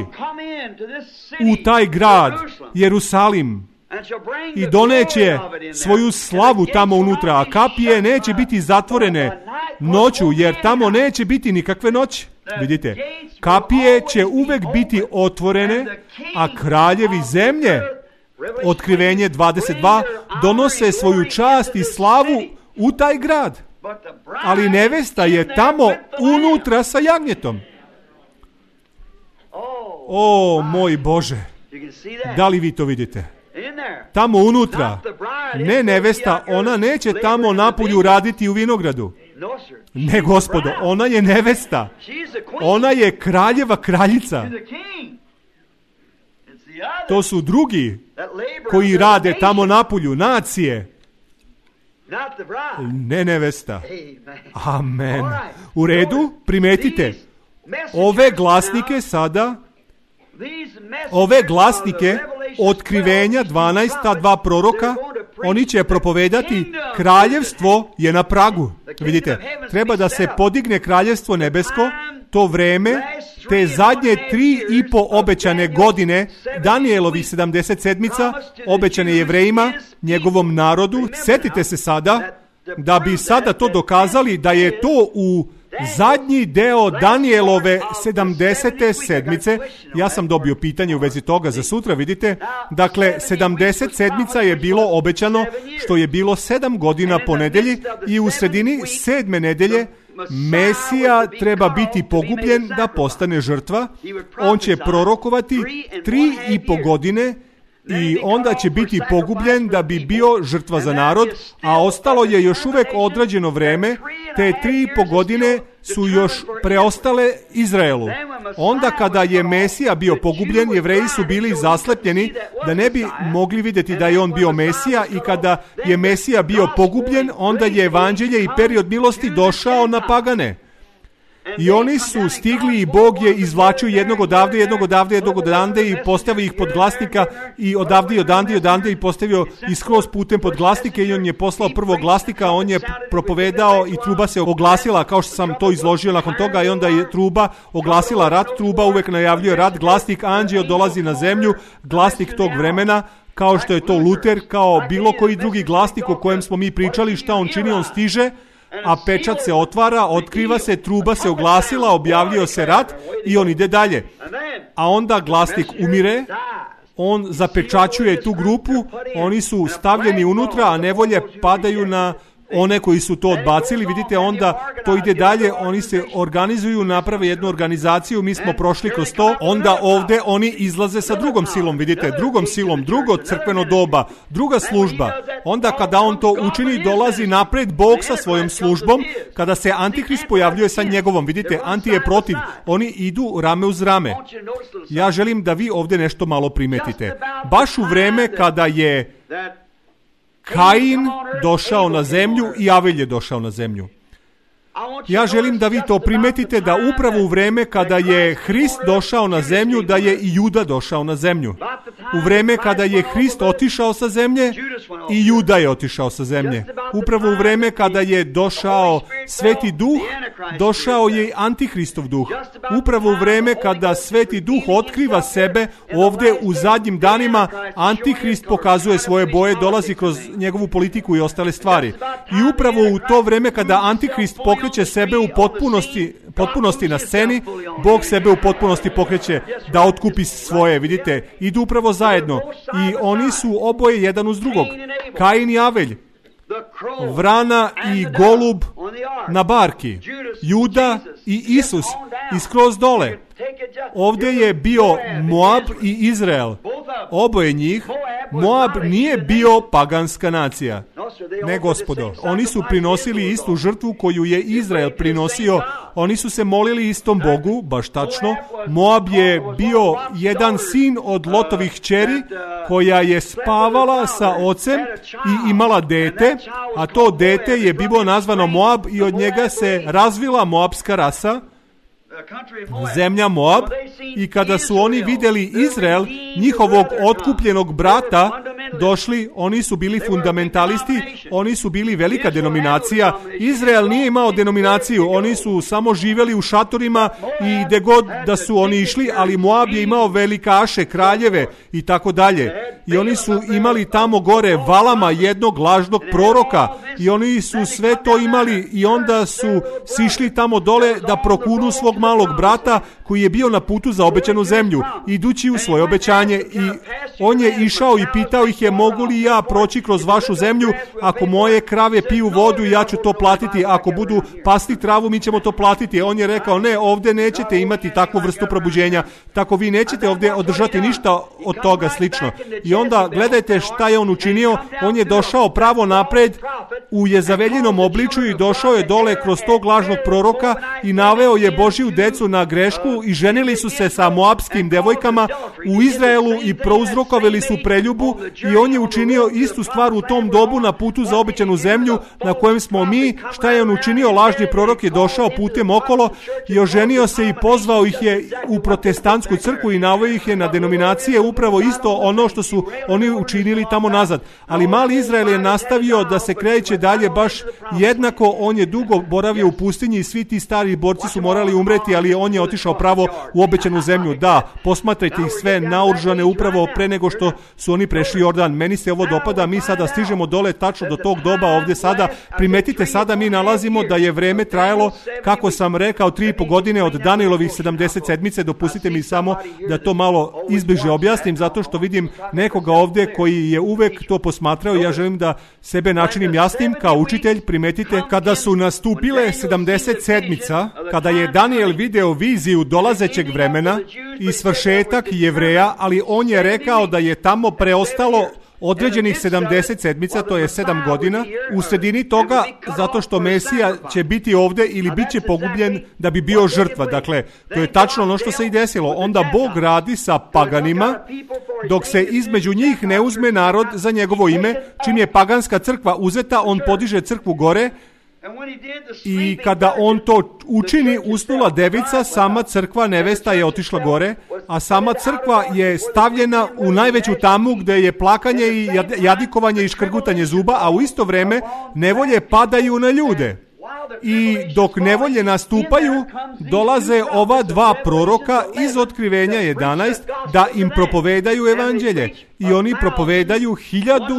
u taj grad, Jerusalim, i doneće svoju slavu tamo unutra, a kapije neće biti zatvorene noću, jer tamo neće biti nikakve noći. Vidite, kapije će uvek biti otvorene, a kraljevi zemlje, Otkrivenje dvadeset dva, donose svoju čast i slavu u taj grad. Ali nevesta je tamo unutra sa jagnjetom. O moj Bože, da li vi to vidite? Tamo unutra, ne nevesta, ona neće tamo napolju raditi u vinogradu. Ne, gospodo, ona je nevesta. Ona je kraljeva kraljica. To su drugi koji rade tamo napolju, nacije. Ne nevesta. Amen. U redu, primetite. Ove glasnike sada, ove glasnike otkrivenja dvanaesta dva proroka, oni će propovedati kraljevstvo je na pragu. Vidite, treba da se podigne kraljevstvo nebesko, to vreme, te zadnje tri i po obećane godine Danijelovih sedamdeset sedmica, obećane Jevrejima, njegovom narodu. Sjetite se sada, da bi sada to dokazali da je to u zadnji deo Danijelove sedamdesete sedmice. Ja sam dobio pitanje u vezi toga za sutra, vidite. Dakle, sedamdeset sedmica je bilo obećano, što je bilo sedam godina po nedelji, i u sredini sedme nedelje Mesija treba biti pogubljen da postane žrtva. On će prorokovati tri i po godine i onda će biti pogubljen da bi bio žrtva za narod, a ostalo je još uvek odrađeno vreme, te tri i po godine su još preostale Izraelu. Onda kada je Mesija bio pogubljen, Jevreji su bili zaslepljeni da ne bi mogli vidjeti da je on bio Mesija, i kada je Mesija bio pogubljen, onda je evanđelje i period milosti došao na pagane. I oni su stigli i Bog je izvlačio jednog odavde, jednog odavde, jednog odande i postavio ih pod glasnika, i odavde i odande i odande i postavio ih skroz putem pod glasnike, i on je poslao prvog glasnika, on je propovedao i truba se oglasila, kao što sam to izložio nakon toga, i onda je truba oglasila rat. Truba uvek najavljuje rat, glasnik anđeo dolazi na zemlju, glasnik tog vremena, kao što je to Luter, kao bilo koji drugi glasnik o kojem smo mi pričali. Šta on čini? On stiže, a pečat se otvara, otkriva se, truba se oglasila, objavljio se rat i on ide dalje. A onda glasnik umire, on zapečaćuje tu grupu, oni su stavljeni unutra, a nevolje padaju na one koji su to odbacili. Vidite, onda to ide dalje, oni se organizuju, naprave jednu organizaciju, mi smo prošli kroz to, onda ovde oni izlaze sa drugom silom, vidite, drugom silom, drugo crkveno doba, druga služba. Onda kada on to učini, dolazi napred Bog sa svojom službom, kada se Antihrist pojavljuje sa njegovom, vidite, Anti je protiv, oni idu rame uz rame. Ja želim da vi ovde nešto malo primetite. Baš u vreme kada je Kain došao na zemlju i Avelj je došao na zemlju. Ja želim da vi to primetite, da upravo u vreme kada je Hrist došao na zemlju, da je i Juda došao na zemlju. U vreme kada je Hrist otišao sa zemlje, i Juda je otišao sa zemlje. Upravo u vreme kada je došao Sveti Duh, došao je i Antihristov duh. Upravo u vreme kada Sveti Duh otkriva sebe, ovde u zadnjim danima Antihrist pokazuje svoje boje, dolazi kroz njegovu politiku i ostale stvari. I upravo u to vreme kada Antihrist pokreće sebe u potpunosti, potpunosti na sceni, Bog sebe u potpunosti pokreće da otkupi svoje, vidite, idu upravo zajedno i oni su oboje jedan uz drugog. Kain i Avelj, vrana i golub na barki, Juda i Isus i skroz dole. Ovdje je bio Moab i Izrael. Oboje njih. Moab nije bio paganska nacija. Ne, gospodo. Oni su prinosili istu žrtvu koju je Izrael prinosio. Oni su se molili istom Bogu, baš tačno. Moab je bio jedan sin od Lotovih kćeri koja je spavala sa ocem i imala dete, a to dete je bilo nazvano Moab i od njega se razvila moabska rasa, zemlja Moab. I kada su oni vidjeli Izrael, njihovog otkupljenog brata, došli, oni su bili fundamentalisti, oni su bili velika denominacija. Izrael nije imao denominaciju, oni su samo živjeli u šatorima i gde god da su oni išli, ali Moab je imao velikaše, kraljeve i tako dalje. I oni su imali tamo gore Valama, jednog lažnog proroka, i oni su sve to imali i onda su sišli tamo dole da prokunu svog malog brata koji je bio na putu za obećanu zemlju, idući u svoje obećanje, i on je išao i pitao ih je, mogu li ja proći kroz vašu zemlju, ako moje krave piju vodu, ja ću to platiti, ako budu pasti travu, mi ćemo to platiti. On je rekao, ne, ovdje nećete imati takvu vrstu probuđenja, tako vi nećete ovdje održati ništa od toga slično. I onda gledajte šta je on učinio, on je došao pravo napred u Jezaveljinom obličju i došao je dole kroz tog lažnog proroka i naveo je Božju decu na grešku i ženili su se sa moabskim devojkama u Izraelu i prouzrokovali su preljubu i on je učinio istu stvar u tom dobu na putu za obećanu zemlju na kojem smo mi. Šta je on učinio? Lažni prorok je došao putem okolo i oženio se i pozvao ih je u protestantsku crkvu i naveo ih je na denominacije, upravo isto ono što su oni učinili tamo nazad. Ali mali Izrael je nastavio da se kreće dalje baš jednako. On je dugo boravio u pustinji i svi ti stari borci su morali umreti, ali on je otišao pravo u obećanu zemlju. Da, posmatrajte ih sve naoružane upravo pre nego što su oni prešli Jordan. Meni se ovo dopada, mi sada stižemo dole tačno do tog doba ovdje sada. Primetite, sada mi nalazimo da je vreme trajalo, kako sam rekao, tri i po godine od Danijelovih sedamdeset sedmice. Dopustite mi samo da to malo izbliže objasnim, zato što vidim nekoga ovdje koji je uvek to posmatrao. Ja želim da sebe načinim jasnim kao učitelj. Primetite, kada su nastupile sedamdeset sedmica, kada je Danijel video viziju dolazećeg vremena i svršetak Jevreja, ali on je rekao da je tamo preostalo određenih sedamdeset sedmica, to je sedam godina, u sredini toga, zato što Mesija će biti ovdje ili bit će pogubljen da bi bio žrtva. Dakle, to je tačno ono što se i desilo. Onda Bog radi sa paganima, dok se između njih ne uzme narod za njegovo ime. Čim je paganska crkva uzeta, on podiže crkvu gore, i kada on to učini, usnula devica, sama crkva nevesta je otišla gore, a sama crkva je stavljena u najveću tamu gdje je plakanje i jadikovanje i škrgutanje zuba, a u isto vrijeme nevolje padaju na ljude. I dok nevolje nastupaju, dolaze ova dva proroka iz Otkrivenja jedanaest da im propovedaju evanđelje. I oni propovedaju hiljadu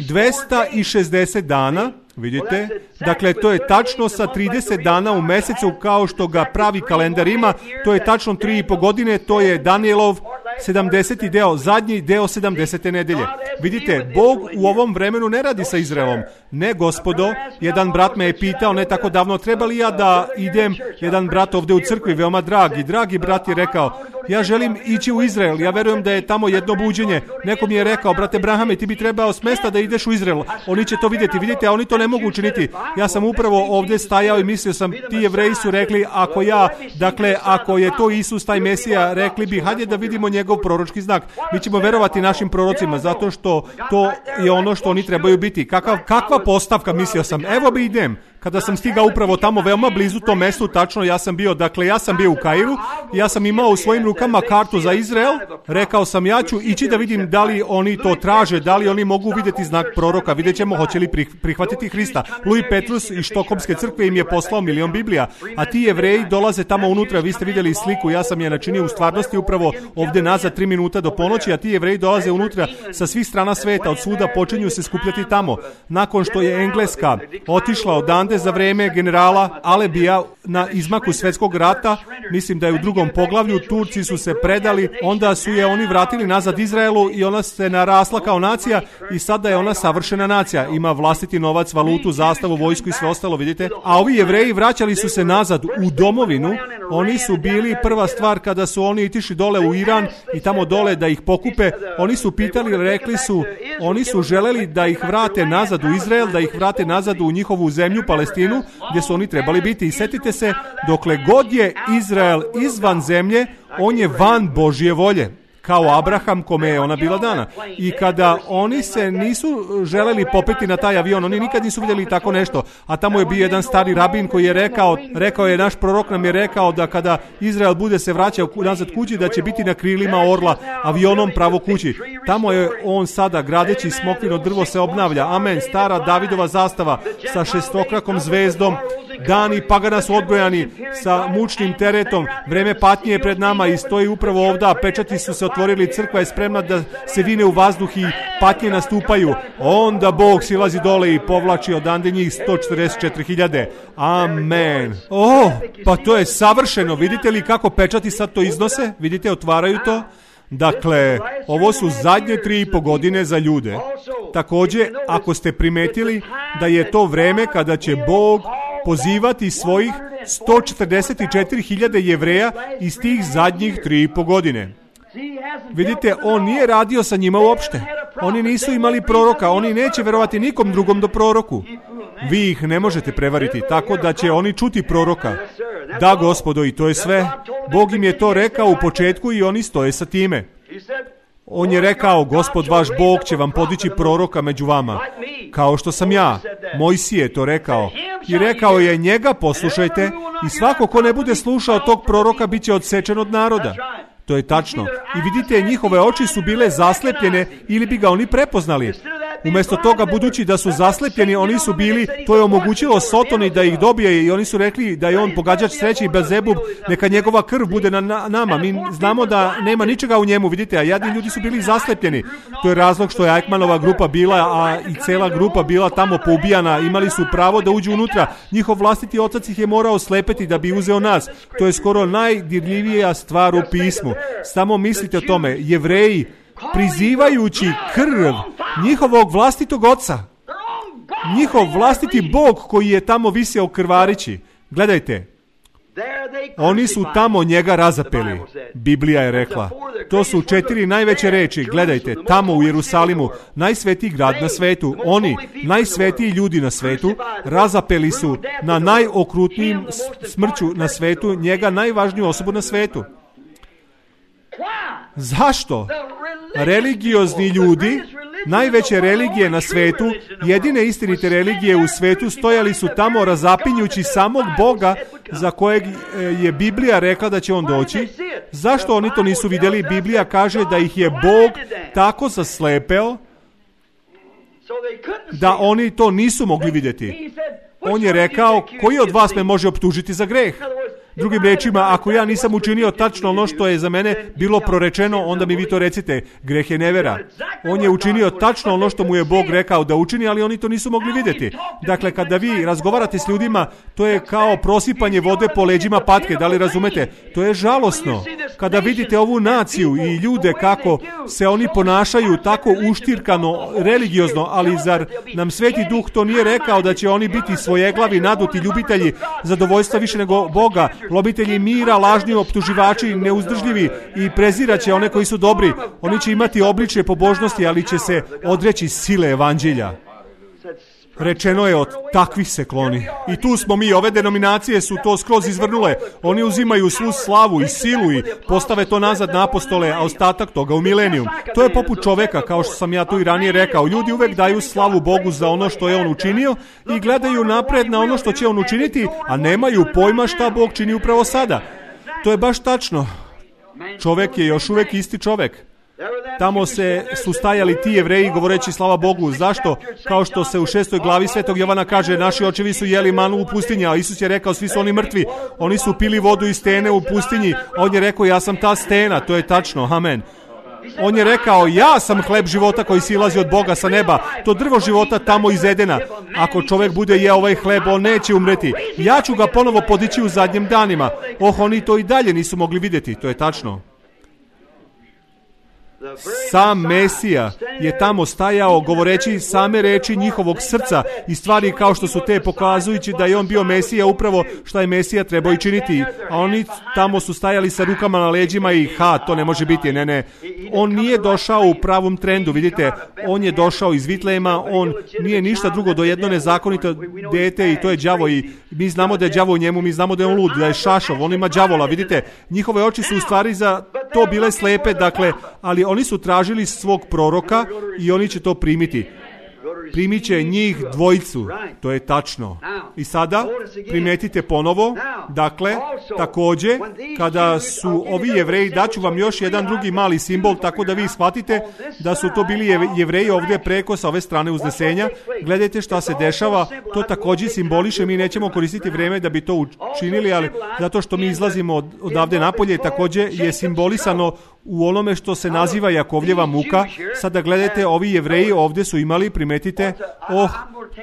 dvesta šezdeset dana. Vidite? Dakle, to je tačno sa trideset dana u mesecu, kao što ga pravi kalendar ima. To je tačno tri i po godine, to je Danijelov sedamdeseti deo, zadnji deo sedamdesete nedelje. Vidite, Bog u ovom vremenu ne radi sa Izraelom. Ne, gospodo, jedan brat me je pitao ne tako davno, treba li ja da idem, jedan brat ovdje u crkvi, veoma dragi, dragi brat je rekao, ja želim ići u Izrael, ja verujem da je tamo jedno buđenje. Neko mi je rekao, brate Brahame, ti bi trebao s mesta da ideš u Izrael. Oni će to vidjeti, vidite, a oni to ne mogu učiniti. Ja sam upravo ovdje stajao i mislio sam, ti Jevreji su rekli, ako ja, dakle, ako je to Isus, taj Mesija, rekli bi, hajde da vidimo njegov proročki znak. Mi ćemo verovati našim prorocima, zato što to je ono što oni trebaju biti. Kakav, kakva postavka, mislio sam, evo bi idem. Kada sam stigao upravo tamo, veoma blizu tom mjestu, tačno ja sam bio, dakle ja sam bio u Kairu, ja sam imao u svojim rukama kartu za Izrael, rekao sam ja ću ići da vidim da li oni to traže, da li oni mogu vidjeti znak proroka, vidjet ćemo hoće li prihvatiti Hrista. Louis Petrus iz Štokholmske crkve im je poslao milion Biblija, a ti Jevreji dolaze tamo unutra, vi ste vidjeli sliku, ja sam je načinio u stvarnosti upravo ovdje nazad tri minuta do ponoći, a ti Jevreji dolaze unutra sa svih strana sveta, od svuda počinju se skupljati tamo. Nakon što je Engleska otišla odande za vrijeme generala Alebija na izmaku svjetskog rata, mislim da je u drugom poglavlju, Turci su se predali, onda su je oni vratili nazad Izraelu i ona se narasla kao nacija i sada je ona savršena nacija. Ima vlastiti novac, valutu, zastavu, vojsku i sve ostalo, vidite. A ovi Jevreji vraćali su se nazad u domovinu. Oni su bili prva stvar kada su oni itišli dole u Iran i tamo dole da ih pokupe. Oni su pitali, rekli su, oni su želeli da ih vrate nazad u Izrael, da ih vrate nazad u njihovu zemlju, Palestinu, gdje su oni trebali biti. I setite se, dokle god je Izrael izvan zemlje, on je van Božje volje. Kao Abraham kome je ona bila dana. I kada oni se nisu želeli popeti na taj avion, oni nikad nisu vidjeli tako nešto. A tamo je bio jedan stari rabin koji je rekao, rekao je, naš prorok nam je rekao da kada Izrael bude se vraćao nazad kući, da će biti na krilima orla avionom pravo kući. Tamo je on sada, gradeći smokvino drvo se obnavlja. Amen. Stara Davidova zastava sa šestokrakom zvezdom. Dani pagana su odbrojani sa mučnim teretom. Vreme patnje je pred nama i stoji upravo ovdje. Pečati su se otvorili, crkva je spremna da se vine u vazduh i patnje nastupaju. Onda Bog silazi dole i povlači odande njih sto četrdeset četiri hiljade. Amen. Oh, pa to je savršeno. Vidite li kako pečati sad to iznose? Vidite, otvaraju to. Dakle, ovo su zadnje tri i po godine za ljude. Također, ako ste primetili da je to vreme kada će Bog pozivati svojih sto četrdeset četiri hiljade Jevreja iz tih zadnjih tri i po godine. Vidite, on nije radio sa njima uopšte. Oni nisu imali proroka, oni neće verovati nikom drugom do proroku. Vi ih ne možete prevariti, tako da će oni čuti proroka. Da, gospodo, i to je sve. Bog im je to rekao u početku i oni stoje sa time. On je rekao, Gospod vaš Bog će vam podići proroka među vama, kao što sam ja. Mojsije je to rekao. I rekao je, njega poslušajte i svako ko ne bude slušao tog proroka bit će odsečen od naroda. To je tačno. I vidite, njihove oči su bile zaslepljene ili bi ga oni prepoznali. Umjesto toga, budući da su zaslepljeni, oni su bili, to je omogućilo Sotoni da ih dobije i oni su rekli da je on pogađač sreće i Belzebub, neka njegova krv bude na, na nama. Mi znamo da nema ničega u njemu, vidite, a jadni ljudi su bili zaslepljeni. To je razlog što je Eichmannova grupa bila, a i cela grupa bila tamo poubijana. Imali su pravo da uđu unutra. Njihov vlastiti otac ih je morao slepeti da bi uzeo nas. To je skoro najdirljivija stvar u pismu. Samo mislite o tome, Jevreji, prizivajući krv njihovog vlastitog oca, njihov vlastiti Bog koji je tamo visio krvarići. Gledajte, oni su tamo njega razapeli. Biblija je rekla. To su četiri najveće reči. Gledajte, tamo u Jerusalimu, najsvetiji grad na svetu, oni, najsvetiji ljudi na svetu, razapeli su na najokrutnijim smrću na svetu njega, najvažniju osobu na svetu. Zašto? Religiozni ljudi, najveće religije na svetu, jedine istinite religije u svetu, stojali su tamo razapinjući samog Boga za kojeg je Biblija rekla da će on doći. Zašto oni to nisu vidjeli? Biblija kaže da ih je Bog tako zaslepeo da oni to nisu mogli vidjeti. On je rekao, koji od vas me može optužiti za greh? Drugim rečima, ako ja nisam učinio tačno ono što je za mene bilo prorečeno, onda mi vi to recite, greh je nevera. On je učinio tačno ono što mu je Bog rekao da učini, ali oni to nisu mogli vidjeti. Dakle, kada vi razgovarate s ljudima, to je kao prosipanje vode po leđima patke, da li razumete? To je žalosno. Kada vidite ovu naciju i ljude kako se oni ponašaju tako uštirkano, religiozno, ali zar nam Sveti Duh to nije rekao da će oni biti svojeglavi, naduti ljubitelji zadovoljstva više nego Boga, lobitelji mira, lažni optuživači, neuzdržljivi i preziraće one koji su dobri. Oni će imati obličje pobožnosti, ali će se odreći sile evanđelja. Rečeno je, od takvih se kloni. I tu smo mi, ove denominacije su to skroz izvrnule. Oni uzimaju svu slavu i silu i postave to nazad na apostole, a ostatak toga u milenijum. To je poput čoveka, kao što sam ja tu i ranije rekao. Ljudi uvek daju slavu Bogu za ono što je on učinio i gledaju napred na ono što će on učiniti, a nemaju pojma šta Bog čini upravo sada. To je baš tačno. Čovek je još uvek isti čovek. Tamo se su stajali ti Jevreji govoreći slava Bogu. Zašto? Kao što se u šestoj glavi Svetog Jovana kaže, naši očevi su jeli manu u pustinji, a Isus je rekao, svi su oni mrtvi. Oni su pili vodu iz stene u pustinji, a on je rekao, ja sam ta stena. To je tačno, amen. On je rekao, ja sam hleb života koji silazi od Boga sa neba. To drvo života tamo iz Edena. Ako čovjek bude je ovaj hleb, on neće umreti. Ja ću ga ponovo podići u zadnjim danima. Oh, oni to i dalje nisu mogli vidjeti. To je tačno. Sam Mesija je tamo stajao govoreći same reči njihovog srca i stvari kao što su te, pokazujući da je on bio Mesija upravo što je Mesija trebao i činiti. A oni tamo su stajali sa rukama na leđima i ha, to ne može biti, ne, ne. On nije došao u pravom trendu, vidite, on je došao iz Vitlejema, on nije ništa drugo do jedno nezakonito dete i to je đavo i mi znamo da je đavo u njemu, mi znamo da je on lud, da je šašov, on ima đavola, vidite, njihove oči su u stvari za to bile slepe, dakle, ali oni su tražili svog proroka i oni će to primiti. Primit će njih dvojicu. To je tačno. I sada primetite ponovo, dakle, također, kada su ovi Jevreji, daću vam još jedan drugi mali simbol, tako da vi shvatite da su to bili Jevreji ovdje preko sa ove strane uznesenja. Gledajte šta se dešava, to također simboliše, mi nećemo koristiti vrijeme da bi to učinili, ali zato što mi izlazimo od, odavde napolje, također je simbolisano u onome što se naziva Jakovljeva muka. Sada gledajte, ovi Jevreji ovdje su imali, primetite, oh,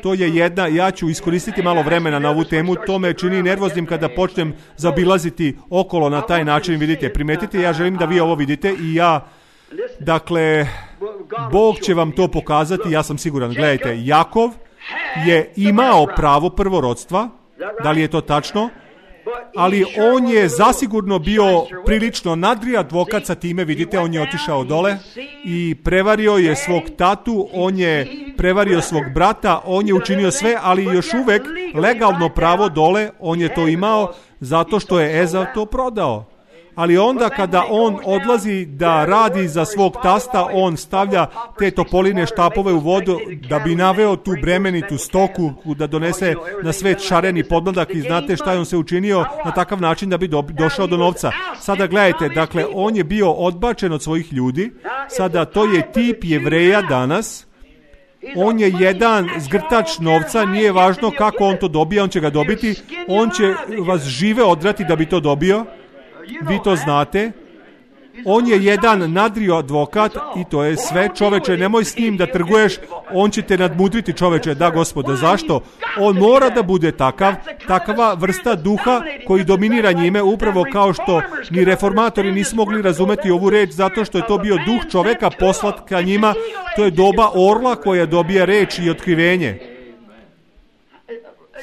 to je jedna, ja ću iskoristiti malo vremena na ovu temu, to me čini nervoznim kada počnem zabilaziti okolo na taj način, vidite, primetite, ja želim da vi ovo vidite i ja Dakle, Bog će vam to pokazati, ja sam siguran. Gledajte, Jakov je imao pravo prvorodstva, da li je to tačno? Ali on je zasigurno bio prilično nadri advokat sa time, vidite, on je otišao dole i prevario je svog tatu, on je prevario svog brata, on je učinio sve, ali još uvek legalno pravo dole, on je to imao zato što je Ezav to prodao. Ali onda kada on odlazi da radi za svog tasta, on stavlja te topoline štapove u vodu da bi naveo tu bremenitu stoku, da donese na svet šareni podmladak i znate šta je on se učinio na takav način da bi do, došao do novca. Sada gledajte, dakle, on je bio odbačen od svojih ljudi, sada to je tip Jevreja danas. On je jedan zgrtač novca, nije važno kako on to dobija, on će ga dobiti, on će vas žive odrati da bi to dobio. Vi to znate. On je jedan nadrio advokat i to je sve. Čoveče, nemoj s njim da trguješ, on će te nadmudriti, čoveče. Da, Gospode, zašto? On mora da bude takav, takva vrsta duha koji dominira njime, upravo kao što ni reformatori nisu mogli razumeti ovu reč, zato što je to bio duh čoveka poslat ka njima. To je doba orla koja dobija reč i otkrivenje.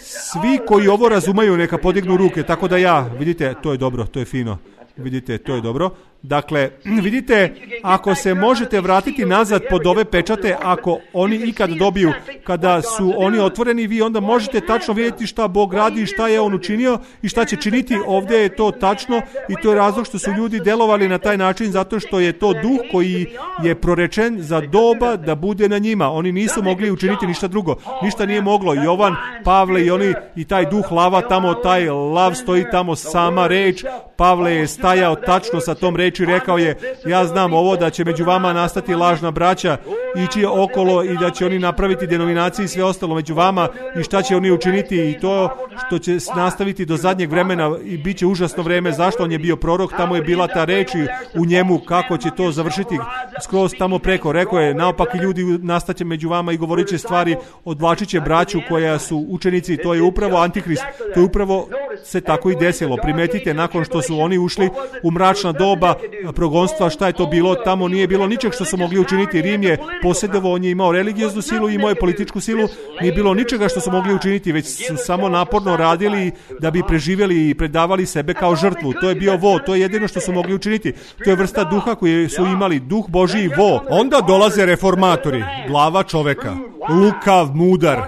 Svi koji ovo razumeju neka podignu ruke, tako da ja, vidite, to je dobro, to je fino, vidite, to je dobro. Dakle, vidite, ako se možete vratiti nazad pod ove pečate, ako oni ikad dobiju, kada su oni otvoreni, vi onda možete tačno vidjeti šta Bog radi, šta je on učinio i šta će činiti. Ovdje je to tačno i to je razlog što su ljudi delovali na taj način, zato što je to duh koji je prorečen za doba da bude na njima. Oni nisu mogli učiniti ništa drugo, ništa nije moglo. Jovan, Pavle i oni i taj duh lava tamo, taj lav stoji tamo, sama reč. Pavle je stajao tačno sa tom reči, rekao je, ja znam ovo da će među vama nastati lažna braća, ići okolo i da će oni napraviti denominacije i sve ostalo među vama i šta će oni učiniti i to što će nastaviti do zadnjeg vremena i bit će užasno vreme. Zašto? On je bio prorok, tamo je bila ta reč u njemu, kako će to završiti skroz tamo preko. Rekao je, naopaki ljudi nastaće među vama i govorit će stvari, odvlačit će braću koja su učenici. To je upravo Antihrist, to je upravo se tako i desilo. Primetite, nakon što su oni ušli u mračna doba progonstva, šta je to bilo? Tamo nije bilo ničeg što su mogli učiniti. Rim je posjedovao, on je imao religioznu silu i imao je političku silu. Nije bilo ničega što su mogli učiniti, već su samo naporno radili da bi preživjeli i predavali sebe kao žrtvu. To je bio vo, to je jedino što su mogli učiniti. To je vrsta duha koji su imali, duh Božji i vo. Onda dolaze reformatori, glava čoveka, lukav, mudar,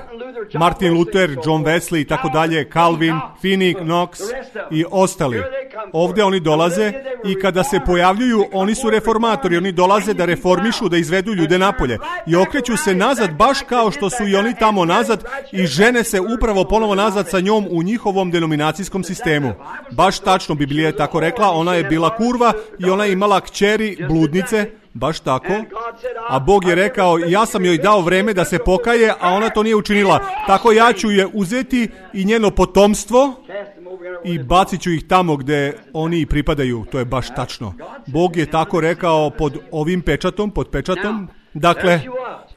Martin Luther, John Wesley i tako dalje, Calvin, Finney, Knox i ostali. Ovdje oni dolaze i kada se pojavljuju, oni su reformatori, oni dolaze da reformišu, da izvedu ljude napolje i okreću se nazad baš kao što su i oni tamo nazad i žene se upravo ponovo nazad sa njom u njihovom denominacijskom sistemu. Baš tačno, Biblija je tako rekla, ona je bila kurva i ona je imala kćeri bludnice. Baš tako. A Bog je rekao, ja sam joj dao vreme da se pokaje, a ona to nije učinila. Tako ja ću je uzeti i njeno potomstvo i bacit ću ih tamo gdje oni pripadaju. To je baš tačno. Bog je tako rekao pod ovim pečatom, pod pečatom. Dakle,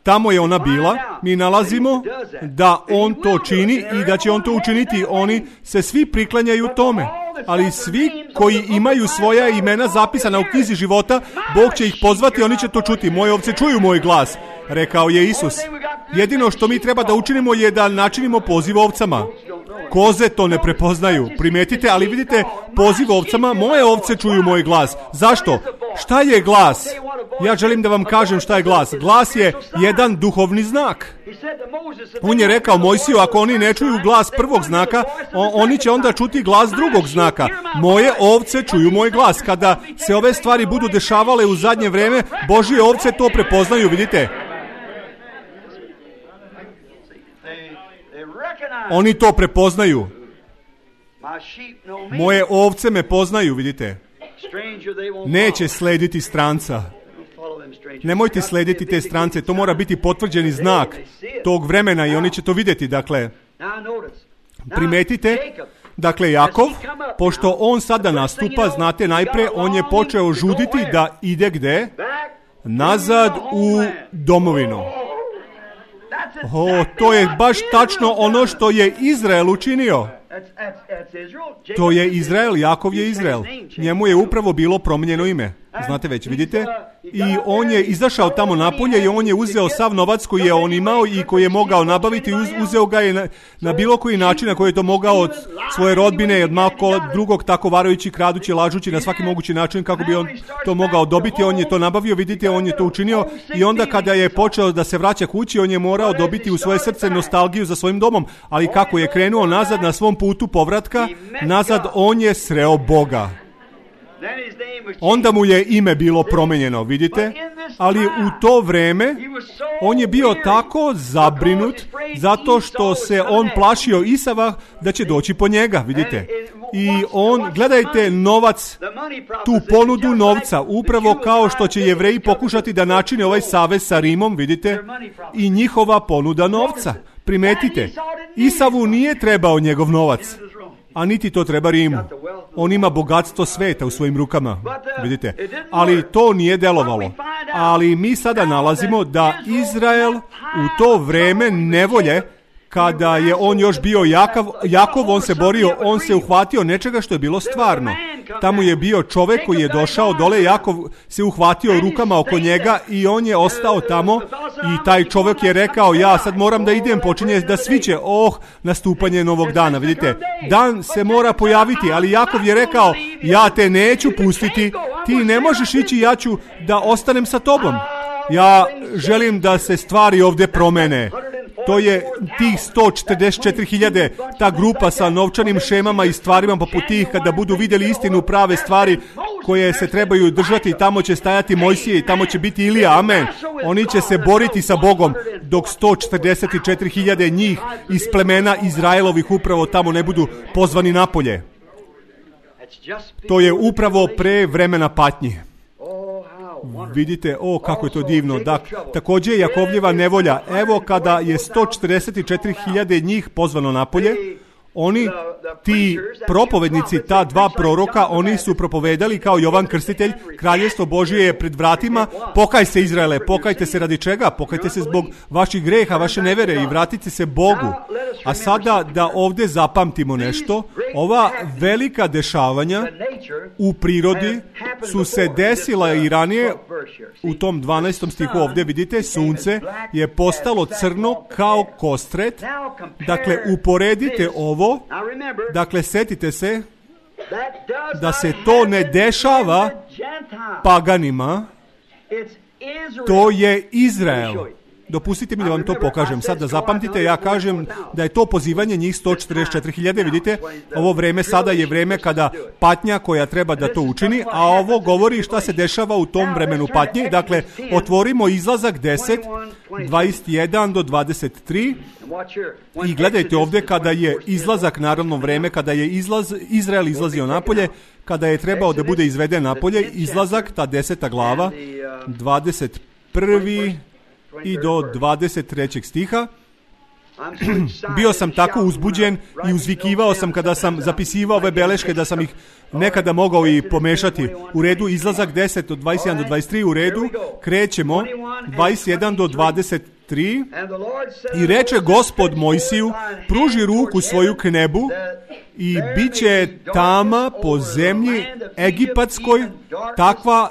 tamo je ona bila. Mi nalazimo da on to čini i da će on to učiniti. Oni se svi priklanjaju tome. Ali svi koji imaju svoja imena zapisana u knjizi života, Bog će ih pozvati, oni će to čuti. Moje ovce čuju moj glas, rekao je Isus. Jedino što mi treba da učinimo je da načinimo poziv ovcama. Koze to ne prepoznaju, primetite, ali vidite, poziv ovcama, moje ovce čuju moj glas. Zašto? Šta je glas? Ja želim da vam kažem šta je glas. Glas je jedan duhovni znak. On je rekao Mojsiju, ako oni ne čuju glas prvog znaka, oni će onda čuti glas drugog znaka. Moje ovce čuju moj glas. Kada se ove stvari budu dešavale u zadnje vreme, Božje ovce to prepoznaju, vidite. Oni to prepoznaju. Moje ovce me poznaju, vidite. Neće slediti stranca. Nemojte slediti te strance, to mora biti potvrđeni znak tog vremena i oni će to vidjeti. Dakle, primetite, dakle, Jakov, pošto on sada nastupa, znate, najpre on je počeo žuditi da ide gde? Nazad u domovinu. O, to je baš tačno ono što je Izrael učinio. To je Izrael, Jakov je Izrael. Njemu je upravo bilo promijenjeno ime. znate već, vidite, i on je izašao tamo napolje i on je uzeo sav novac koji je on imao i koji je mogao nabaviti, uzeo ga je na, na bilo koji način na koji je to mogao od svoje rodbine i od malo drugog, tako varajući, kradući, lažući na svaki mogući način kako bi on to mogao dobiti. On je to nabavio, vidite, on je to učinio i onda kada je počeo da se vraća kući, on je morao dobiti u svoje srce nostalgiju za svojim domom, ali kako je krenuo nazad na svom putu povratka, nazad on je sreo Boga. Onda mu je ime bilo promenjeno, vidite, ali u to vreme on je bio tako zabrinut zato što se on plašio Isava da će doći po njega, vidite. I on, gledajte novac, tu ponudu novca, upravo kao što će Jevreji pokušati da načine ovaj savez sa Rimom, vidite, i njihova ponuda novca. Primetite, Isavu nije trebao njegov novac, a niti to treba Rimu. On ima bogatstvo sveta u svojim rukama, vidite. Ali to nije delovalo. Ali mi sada nalazimo da Izrael u to vreme nevolje, kada je on još bio Jakav, Jakov, on se borio, on se uhvatio nečega što je bilo stvarno. Tamo je bio čovjek koji je došao dole, Jakov se uhvatio rukama oko njega i on je ostao tamo i taj čovjek je rekao, ja sad moram da idem, počinje da sviće, oh, nastupanje novog dana, vidite. Dan se mora pojaviti, ali Jakov je rekao, ja te neću pustiti, ti ne možeš ići, ja ću da ostanem sa tobom. Ja želim da se stvari ovdje promene. To je tih sto četrdeset četiri hiljade, ta grupa sa novčanim šemama i stvarima poput tih, kada budu vidjeli istinu, prave stvari koje se trebaju držati, tamo će stajati Mojsije i tamo će biti Ilija, amen. Oni će se boriti sa Bogom, dok sto četrdeset četiri hiljade njih iz plemena Izraelovih upravo tamo ne budu pozvani napolje. To je upravo pre vremena patnji. Vidite, o, kako je to divno. Da, također Jakovljeva nevolja. Evo kada je sto četrdeset četiri hiljade njih pozvano napolje, oni, ti propovednici, ta dva proroka, oni su propovedali kao Jovan Krstitelj, Kraljevstvo Božje je pred vratima, pokaj se Izraele, pokajte se radi čega? Pokajte se zbog vaših greha, vaše nevere i vratite se Bogu. A sada da ovdje zapamtimo nešto, ova velika dešavanja u prirodi su se desila i ranije. U tom dvanaestom stihu ovdje vidite, sunce je postalo crno kao kostret. Dakle, uporedite ovo. Dakle, setite se da se to ne dešava paganima, to je Izrael. Dopustite mi da vam to pokažem. Sad da zapamtite, ja kažem da je to pozivanje njih sto četrdeset četiri hiljade, vidite, ovo vreme sada je vreme kada patnja koja treba da to učini, a ovo govori šta se dešava u tom vremenu patnje. Dakle, otvorimo Izlazak deset, dvadeset jedan do dvadeset tri i gledajte ovdje kada je izlazak, naravno vreme kada je izlaz, Izrael izlazio napolje, kada je trebao da bude izveden napolje, Izlazak, ta deseta glava, dvadeset prvi i do dvadeset trećeg stiha. Bio sam tako uzbuđen i uzvikivao sam kada sam zapisivao ove beleške da sam ih nekada mogao i pomešati. U redu, Izlazak deset od dvadeset jedan do dvadeset tri, u redu, krećemo dvadeset jedan do dvadeset tri. I reče Gospod Mojsiju, pruži ruku svoju k nebu i bit će tama po zemlji egipatskoj takva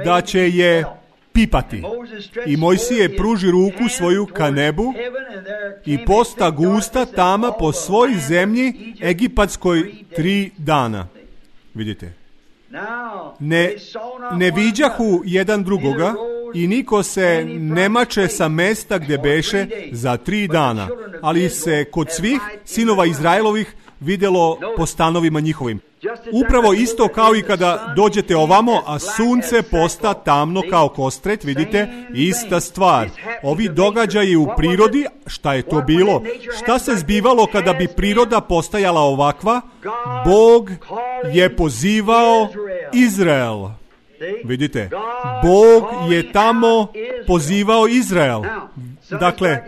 da će je pipati. I Mojsije pruži ruku svoju ka nebu i posta gusta tama po svoj zemlji egipatskoj tri dana. Vidite. Ne, ne viđahu jedan drugoga i niko se ne mače sa mesta gde beše za tri dana, ali se kod svih sinova Izraelovih vidjelo po stanovima njihovim. Upravo isto kao i kada dođete ovamo, a sunce posta tamno kao kostret, vidite, ista stvar. Ovi događaji u prirodi, šta je to bilo? Šta se zbivalo kada bi priroda postajala ovakva? Bog je pozivao Izrael. Vidite, Bog je tamo pozivao Izrael. Dakle,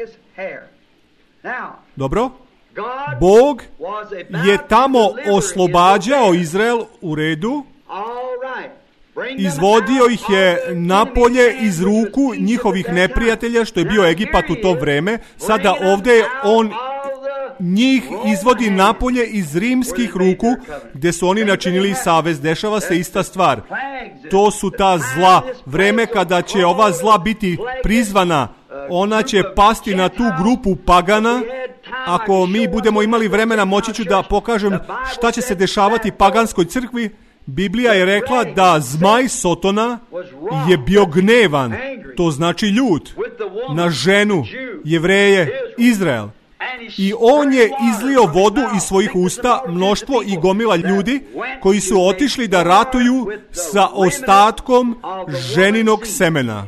dobro? Bog je tamo oslobađao Izrael, u redu, izvodio ih je napolje iz ruku njihovih neprijatelja, što je bio Egipat u to vreme. Sada ovdje on njih izvodi napolje iz rimskih ruku, gdje su oni načinili savez. Dešava se ista stvar. To su ta zla. Vreme kada će ova zla biti prizvana, ona će pasti na tu grupu pagana. Ako mi budemo imali vremena, moći ću da pokažem šta će se dešavati paganskoj crkvi. Biblija je rekla da zmaj Sotona je bio gnevan, to znači ljut, na ženu, Jevreje, Izrael. I on je izlio vodu iz svojih usta, mnoštvo i gomila ljudi koji su otišli da ratuju sa ostatkom ženinog semena.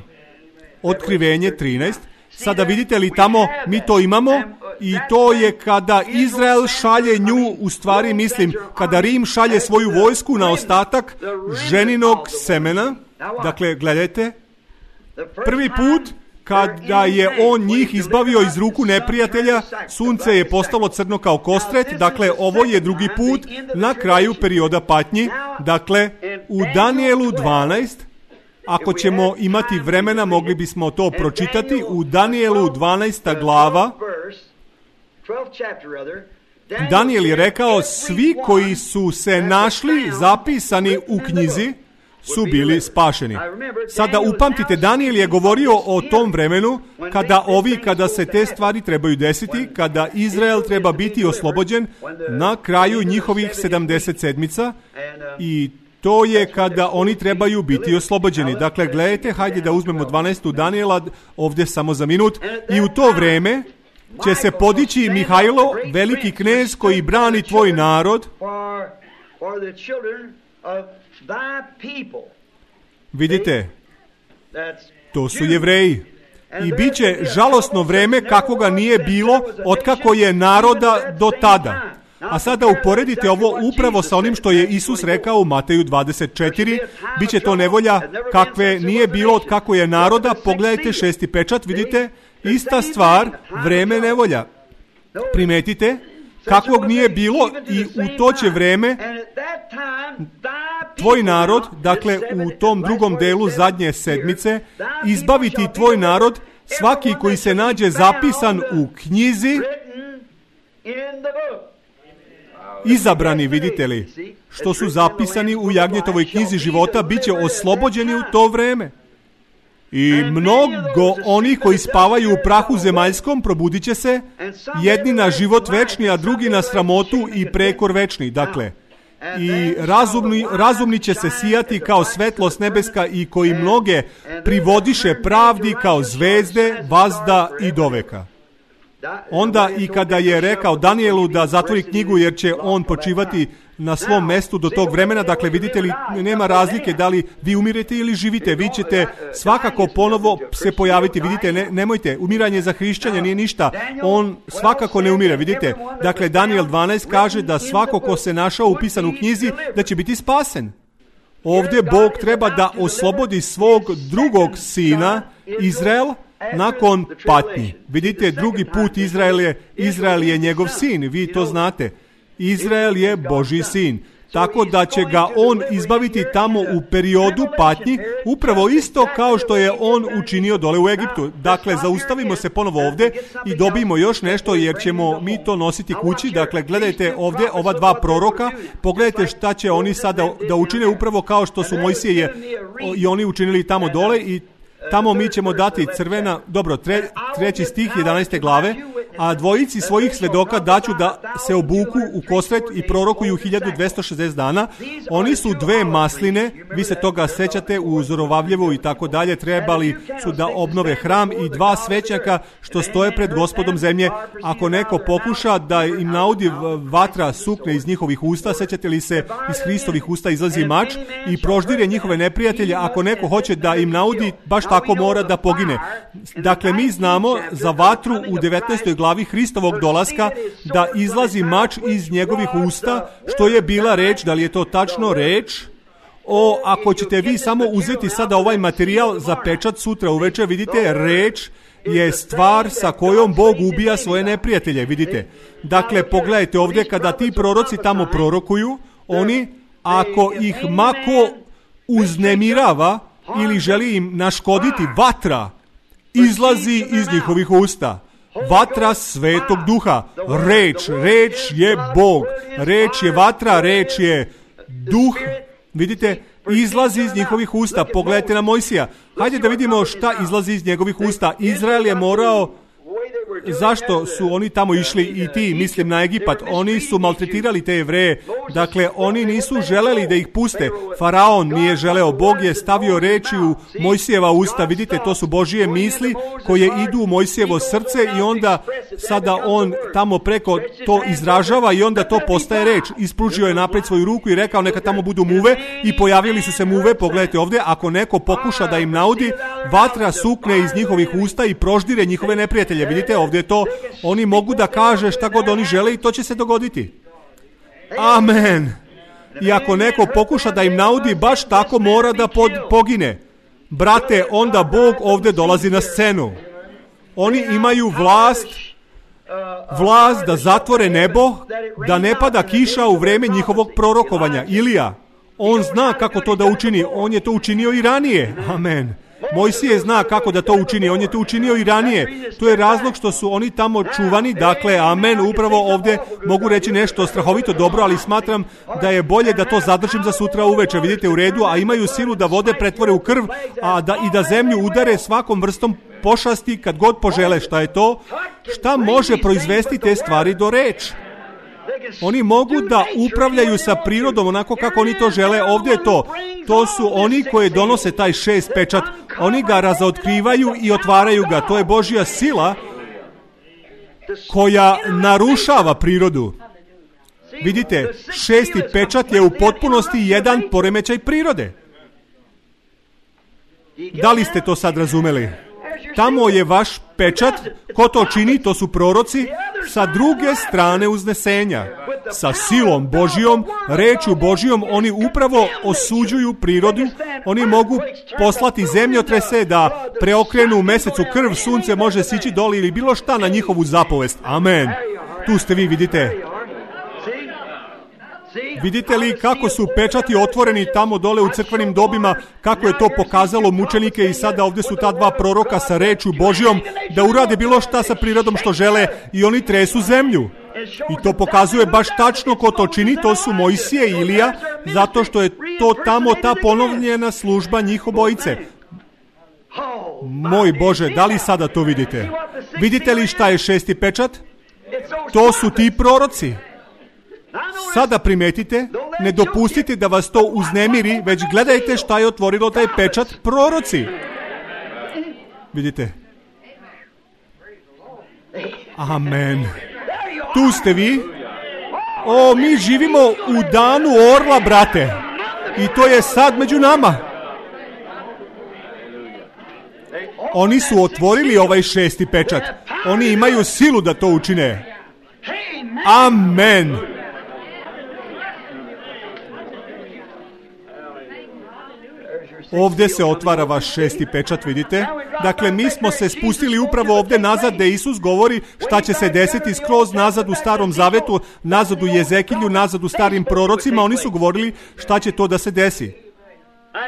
Otkrivenje trinaest. Sada vidite li tamo, mi to imamo, i to je kada Izrael šalje nju, u stvari mislim, kada Rim šalje svoju vojsku na ostatak ženinog semena. Dakle, gledajte, prvi put kada je on njih izbavio iz ruku neprijatelja, sunce je postalo crno kao kostret. Dakle, ovo je drugi put na kraju perioda patnji. Dakle, u Danijelu dvanaest, ako ćemo imati vremena, mogli bismo to pročitati. U Danijelu dvanaesta glava, Danijel je rekao, svi koji su se našli zapisani u knjizi su bili spašeni. Sada upamtite, Danijel je govorio o tom vremenu kada ovi, kada se te stvari trebaju desiti, kada Izrael treba biti oslobođen na kraju njihovih sedamdeset sedmica, i to je kada oni trebaju biti oslobođeni. Dakle, gledajte, hajde da uzmemo dvanaestu Danijela ovdje samo za minut. I u to vreme će se podići Mihajlo, veliki knez koji brani tvoj narod. Vidite, to su Jevreji. I bit će žalosno vreme kakvoga nije bilo otkako je naroda do tada. A sada uporedite ovo upravo sa onim što je Isus rekao u Mateju dvadeset četiri. Biće to nevolja kakve nije bilo od kako je naroda. Pogledajte šesti pečat, vidite, ista stvar, vreme nevolja. Primetite, kakvog nije bilo, i u to će vreme tvoj narod, dakle u tom drugom delu zadnje sedmice, izbaviti tvoj narod, svaki koji se nađe zapisan u knjizi, izabrani, vidite li, što su zapisani u Jagnjetovoj knjizi života, bit će oslobođeni u to vreme. I mnogo onih koji spavaju u prahu zemaljskom probudit će se, jedni na život večni, a drugi na sramotu i prekor večni. Dakle, i razumni, razumni će se sijati kao svetlost nebeska, i koji mnoge privodiše pravdi kao zvezde, vazda i doveka. Onda i kada je rekao Danijelu da zatvori knjigu jer će on počivati na svom mestu do tog vremena, dakle vidite li, nema razlike da li vi umirete ili živite, vi ćete svakako ponovo se pojaviti, vidite, ne, nemojte, umiranje za hrišćanje nije ništa, on svakako ne umire, vidite, dakle Danijel dvanaest kaže da svako ko se našao upisan u knjizi da će biti spasen. Ovdje Bog treba da oslobodi svog drugog sina, Izrael, nakon patnji. Vidite, drugi put Izrael je, Izrael je njegov sin, vi to znate. Izrael je Božji sin. Tako da će ga on izbaviti tamo u periodu patnji, upravo isto kao što je on učinio dole u Egiptu. Dakle, zaustavimo se ponovo ovdje i dobijemo još nešto, jer ćemo mi to nositi kući. Dakle, gledajte ovdje ova dva proroka, pogledajte šta će oni sada da učine, upravo kao što su Mojsije i oni učinili tamo dole, i tamo mi ćemo dati crvena, dobro, tre, treći stih jedanaeste glave, a dvojici svojih svedoka daću da se obuku u kostret i prorokuju hiljadu dvesta šezdeset dana. Oni su dve masline, vi se toga sećate, u Zorovavljevu i tako dalje, trebali su da obnove hram, i dva svećnjaka što stoje pred Gospodom zemlje. Ako neko pokuša da im naudi vatra sukne iz njihovih usta, sećate li se, iz Hristovih usta izlazi mač i proždire njihove neprijatelje. Ako neko hoće da im naudi, baš tako mora da pogine. Dakle, mi znamo za vatru u devetnaestoj glavi Hristovog dolaska da izlazi mač iz njegovih usta, što je bila reč, da li je to tačno reč? O, ako ćete vi samo uzeti sada ovaj materijal za pečat sutra uveče, vidite, reč je stvar sa kojom Bog ubija svoje neprijatelje, vidite. Dakle, pogledajte ovdje, kada ti proroci tamo prorokuju, oni, ako ih mako uznemirava ili želi im naškoditi, vatra izlazi iz njihovih usta. Vatra Svetog Duha. Reč, reč je Bog. Reč je vatra, reč je duh. Vidite, izlazi iz njihovih usta. Pogledajte na Mojsija. Hajde da vidimo šta izlazi iz njegovih usta. Izrael je morao... Zašto su oni tamo išli i ti, mislim na Egipat? Oni su maltretirali te Jevreje. Dakle, oni nisu želeli da ih puste. Faraon nije želeo. Bog je stavio reči u Mojsijeva usta. Vidite, to su Božije misli koje idu u Mojsijevo srce i onda sada on tamo preko to izražava i onda to postaje reč. Ispružio je napred svoju ruku i rekao neka tamo budu muve i pojavili su se muve. Pogledajte ovdje, ako neko pokuša da im naudi, vatra sukne iz njihovih usta i proždire njihove neprijatelje. Vidite, ovdje je to, oni mogu da kaže šta god oni žele i to će se dogoditi. Amen. I ako neko pokuša da im naudi, baš tako mora da pod, pogine. Brate, onda Bog ovdje dolazi na scenu. Oni imaju vlast, vlast da zatvore nebo, da ne pada kiša u vreme njihovog prorokovanja. Ilija, on zna kako to da učini, on je to učinio i ranije. Amen. Mojsije zna kako da to učini, on je to učinio i ranije. To je razlog što su oni tamo čuvani, dakle, amen, upravo ovdje mogu reći nešto strahovito dobro, ali smatram da je bolje da to zadržim za sutra uveče, vidite u redu, a imaju silu da vode pretvore u krv, a da i da zemlju udare svakom vrstom pošasti kad god požele. Šta je to? Šta može proizvesti te stvari do reč? Oni mogu da upravljaju sa prirodom onako kako oni to žele. Ovdje je to. To su oni koji donose taj šest pečat. Oni ga razotkrivaju i otvaraju ga. To je Božja sila koja narušava prirodu. Vidite, šesti pečat je u potpunosti jedan poremećaj prirode. Da li ste to sad razumeli? Tamo je vaš pečat, ko to čini, to su proroci, sa druge strane uznesenja. Sa silom Božijom, rečju Božijom, oni upravo osuđuju prirodu, oni mogu poslati zemljotrese da preokrenu u mesecu krv, sunce može sići doli ili bilo šta na njihovu zapovest. Amen. Tu ste vi, vidite. Vidite li kako su pečati otvoreni tamo dole u crkvenim dobima, kako je to pokazalo mučenike i sada ovdje su ta dva proroka sa rečju Božijom da urade bilo šta sa prirodom što žele i oni tresu zemlju. I to pokazuje baš tačno ko to čini, to su Mojsije i Ilija, zato što je to tamo ta ponovljena služba njih obojice. Moj Bože, da li sada to vidite? Vidite li šta je šesti pečat? To su ti proroci. Sada primetite, ne dopustite da vas to uznemiri, već gledajte šta je otvorilo taj pečat, proroci. Vidite? Amen. Tu ste vi. O, mi živimo u danu orla, brate. I to je sad među nama. Oni su otvorili ovaj šesti pečat. Oni imaju silu da to učine. Amen. Ovdje se otvara vaš šesti pečat, vidite? Dakle, mi smo se spustili upravo ovdje nazad gdje Isus govori šta će se desiti skroz nazad u Starom Zavetu, nazad u Jezekilju, nazad u starim prorocima. Oni su govorili šta će to da se desi.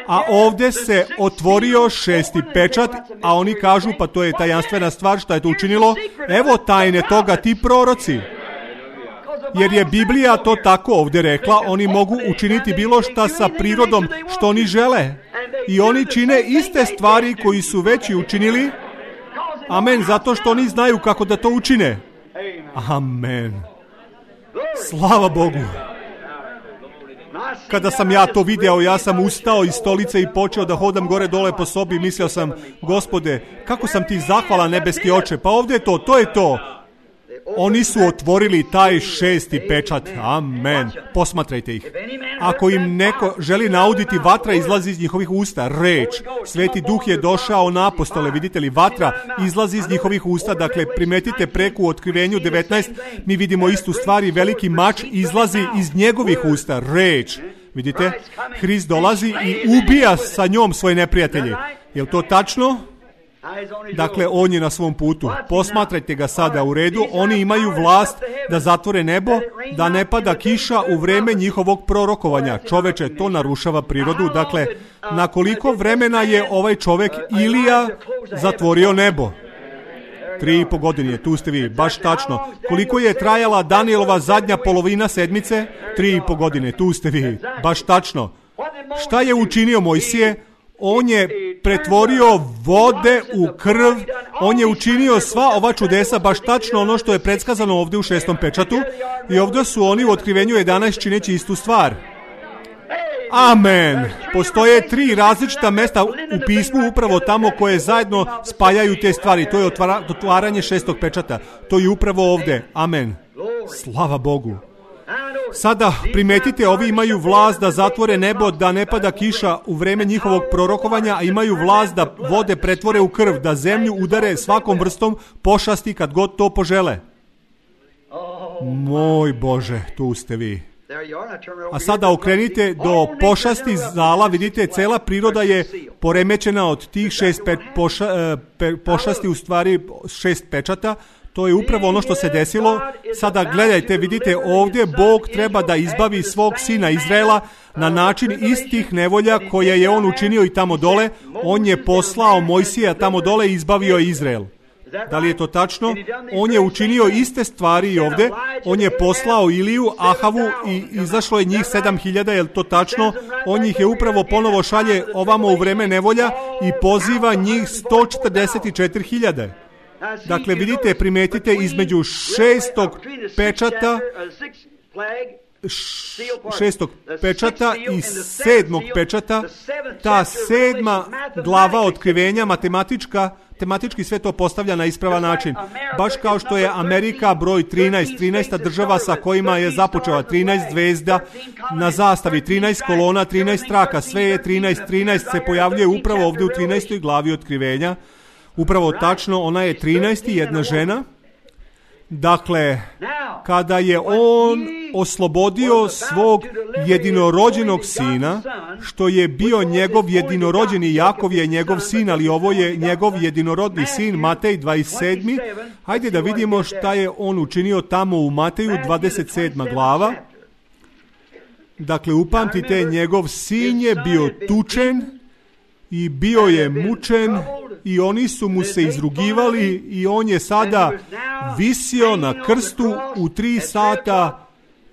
A ovdje se otvorio šesti pečat, a oni kažu pa to je tajanstvena stvar, šta je to učinilo? Evo tajne toga, ti proroci. Jer je Biblija to tako ovdje rekla, oni mogu učiniti bilo šta sa prirodom što oni žele. I oni čine iste stvari koji su već i učinili. Amen, zato što oni znaju kako da to učine. Amen. Slava Bogu. Kada sam ja to video, ja sam ustao iz stolice i počeo da hodam gore dole po sobi. Mislio sam, Gospode, kako sam ti zahvalan, nebeski oče. Pa ovdje je to, to je to. Oni su otvorili taj šesti pečat. Amen. Posmatrajte ih. Ako im neko želi nauditi, vatra izlazi iz njihovih usta. Reč. Sveti Duh je došao na apostole. Vidite li, vatra izlazi iz njihovih usta. Dakle, primetite preko u Otkrivenju devetnaest. Mi vidimo istu stvar i veliki mač izlazi iz njegovih usta. Reč. Vidite? Hrist dolazi i ubija sa njom svoje neprijatelje. Je li to tačno? Dakle, on je na svom putu. Posmatrajte ga sada u redu. Oni imaju vlast da zatvore nebo, da ne pada kiša u vreme njihovog prorokovanja. Čoveče, to narušava prirodu. Dakle, na koliko vremena je ovaj čovjek Ilija zatvorio nebo? Tri i po godine, tu ste vi, baš tačno. Koliko je trajala Danielova zadnja polovina sedmice? Tri i po godine, tu ste vi, baš tačno. Šta je učinio Mojsije? On je pretvorio vode u krv, on je učinio sva ova čudesa, baš tačno ono što je predskazano ovdje u šestom pečatu, i ovdje su oni u Otkrivenju jedanaest čineći istu stvar. Amen. Postoje tri različita mesta u pismu upravo tamo koje zajedno spajaju te stvari. To je otvara, otvaranje šestog pečata. To je upravo ovdje. Amen. Slava Bogu. Sada primetite, ovi imaju vlast da zatvore nebo, da ne pada kiša u vreme njihovog prorokovanja, a imaju vlast da vode pretvore u krv, da zemlju udare svakom vrstom pošasti kad god to požele. Moj Bože, tu ste vi. A sada okrenite do pošasti zala, vidite, cela priroda je poremećena od tih šest pe, poša, pe, pošasti, u stvari šest pečata. To je upravo ono što se desilo. Sada gledajte, vidite, ovdje Bog treba da izbavi svog sina Izraela na način istih nevolja koje je on učinio i tamo dole. On je poslao Mojsija tamo dole i izbavio Izrael. Da li je to tačno? On je učinio iste stvari i ovdje. On je poslao Iliju, Ahavu i izašlo je njih sedam hiljada, je li to tačno? On ih je upravo ponovo šalje ovamo u vreme nevolja i poziva njih sto četrdeset četiri hiljade. Dakle, vidite, primetite između šestog pečata šestog pečata i sedmog pečata, ta sedma glava otkrivenja matematička, tematički sve to postavlja na ispravan način. Baš kao što je Amerika broj trinaest, trinaesta država sa kojima je započela, trinaest zvezda na zastavi, trinaest kolona, trinaest traka, sve je trinaest, trinaest se pojavljuje upravo ovdje u trinaestoj glavi otkrivenja. Upravo tačno, ona je trinaest i jedna žena. Dakle, kada je on oslobodio svog jedinorođenog sina, što je bio njegov jedinorođeni, Jakov je njegov sin, ali ovo je njegov jedinorodni sin, Matej dvadeset sedmi. Hajde da vidimo šta je on učinio tamo u Mateju dvadeset sedma glava. Dakle, upamtite, njegov sin je bio tučen i bio je mučen i oni su mu se izrugivali i on je sada visio na krstu u tri sata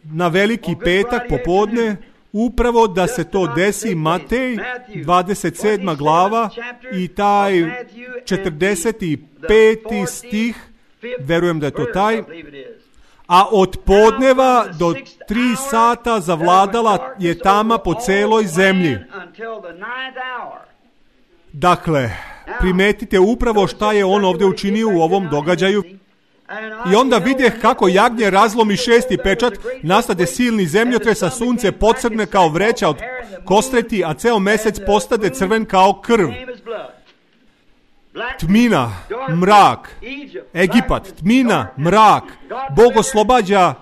na veliki petak popodne, upravo da se to desi. Matej dvadeset sedma glava i taj četrdeset peti stih, verujem da je to taj. A od podneva do tri sata zavladala je tama po celoj zemlji. Dakle, primetite upravo šta je on ovdje učinio u ovom događaju. I onda videh kako jagnje razlomi šesti pečat, nastade silni zemljotres, a sunce pocrne kao vreća od kostreti, a ceo mesec postade crven kao krv. Tmina, mrak, Egipat, tmina, mrak. Bog oslobađa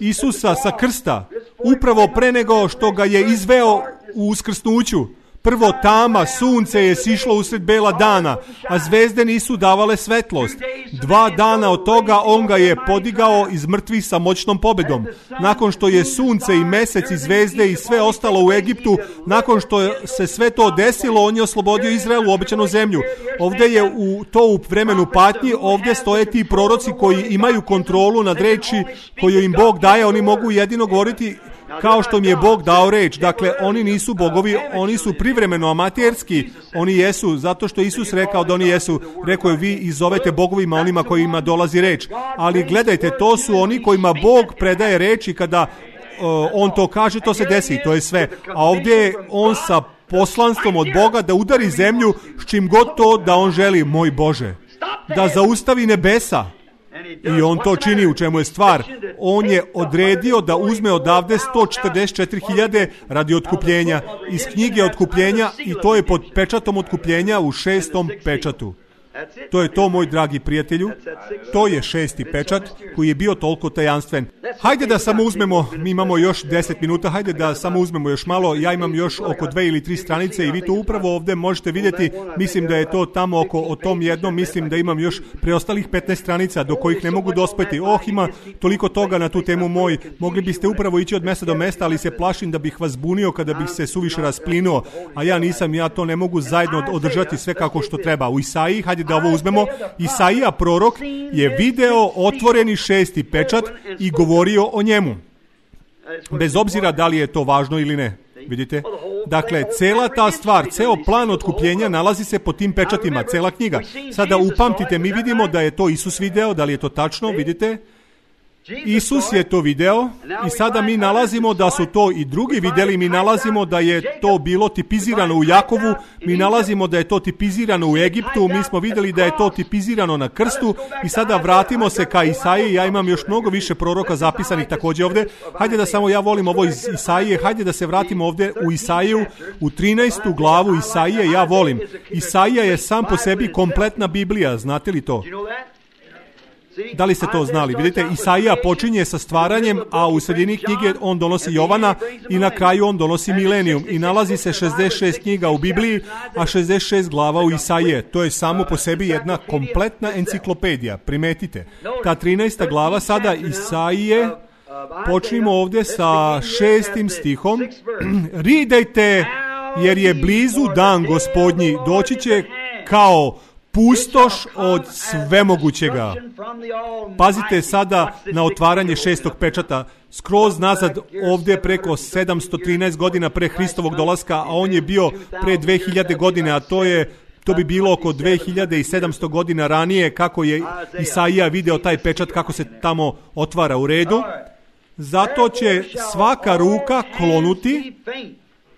Isusa sa krsta, upravo pre nego što ga je izveo u uskrsnuću. Prvo tama, sunce je sišlo usred bela dana, a zvezde nisu davale svetlost. Dva dana od toga on ga je podigao iz mrtvih sa moćnom pobedom. Nakon što je sunce i mesec i zvezde i sve ostalo u Egiptu, nakon što se sve to desilo, on je oslobodio Izrael u obećanu zemlju. Ovdje je u, to u vremenu patnji, ovdje stoje ti proroci koji imaju kontrolu nad reči koju im Bog daje, oni mogu jedino govoriti kao što mi je Bog dao reč. Dakle, oni nisu bogovi, oni su privremeno amaterski, oni jesu, zato što Isus rekao da oni jesu. Rekao je, vi izovete bogovima onima kojima dolazi reč. Ali gledajte, to su oni kojima Bog predaje reč i kada uh, on to kaže, to se desi, to je sve. A ovdje je on sa poslanstvom od Boga da udari zemlju s čim god to da on želi, moj Bože. Da zaustavi nebesa. I on to čini, u čemu je stvar. On je odredio da uzme odavde sto četrdeset četiri hiljade radi otkupljenja iz knjige otkupljenja i to je pod pečatom otkupljenja u šestom pečatu. To je to, moj dragi prijatelju. To je šesti pečat koji je bio toliko tajanstven. Hajde da samo uzmemo, mi imamo još deset minuta, hajde da samo uzmemo još malo. Ja imam još oko dve ili tri stranice i vi to upravo ovdje možete vidjeti. Mislim da je to tamo oko o tom jednom, mislim da imam još preostalih petnaest stranica do kojih ne mogu dospeti. Oh, ima toliko toga na tu temu moj. Mogli biste upravo ići od mjesta do mjesta, ali se plašim da bih vas bunio kada bih se suviše rasplinuo. A ja nisam, ja to ne mogu zajedno održati sve kako što treba. U Isaiji, hajde da ovo uzmemo. Isaija prorok je video otvoreni šesti pečat i govorio o njemu. Bez obzira da li je to važno ili ne. Vidite? Dakle, cela ta stvar, ceo plan otkupljenja nalazi se pod tim pečatima, cela knjiga. Sada upamtite, mi vidimo da je to Isus video, da li je to tačno, vidite? Isus je to video i sada mi nalazimo da su to i drugi videli, mi nalazimo da je to bilo tipizirano u Jakovu, mi nalazimo da je to tipizirano u Egiptu, mi smo vidjeli da je to tipizirano na krstu i sada vratimo se ka Isaiji, ja imam još mnogo više proroka zapisanih također ovdje. Hajde da samo ja volim ovo iz Isaije, hajde da se vratimo ovdje u Isaiju, u trinaestu glavu Isaije, ja volim. Isaija je sam po sebi kompletna Biblija, znate li to? Da li ste to znali? Vidite, Isaija počinje sa stvaranjem, a u sredini knjige on donosi Jovana i na kraju on donosi milenijum. I nalazi se šezdeset šest knjiga u Bibliji, a šezdeset šest glava u Isaije. To je samo po sebi jedna kompletna enciklopedija. Primetite. Ta trinaesta glava sada Isaije, počnimo ovdje sa šestim stihom. Ridajte, jer je blizu dan Gospodnji, doći će kao pustoš od svemogućega. Pazite sada na otvaranje šestog pečata. Skroz nazad ovdje preko sedamsto trinaest godina pre Hristovog dolaska, a on je bio pre dve hiljade godine, a to je to bi bilo oko dve hiljade sedamsto godina ranije kako je Isaija video taj pečat kako se tamo otvara u redu. Zato će svaka ruka klonuti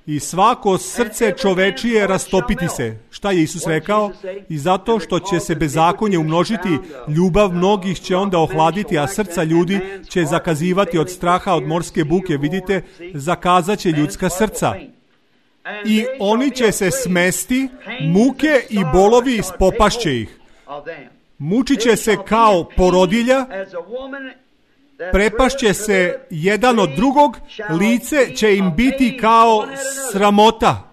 i svako srce čovečije rastopiti se. Šta je Isus rekao? I zato što će se bezakonje umnožiti, ljubav mnogih će onda ohladiti, a srca ljudi će zakazivati od straha, od morske buke. Vidite, zakazat će ljudska srca. I oni će se smesti, muke i bolovi spopašće ih. Mučit će se kao porodilja, prepašće se jedan od drugog, lice će im biti kao sramota.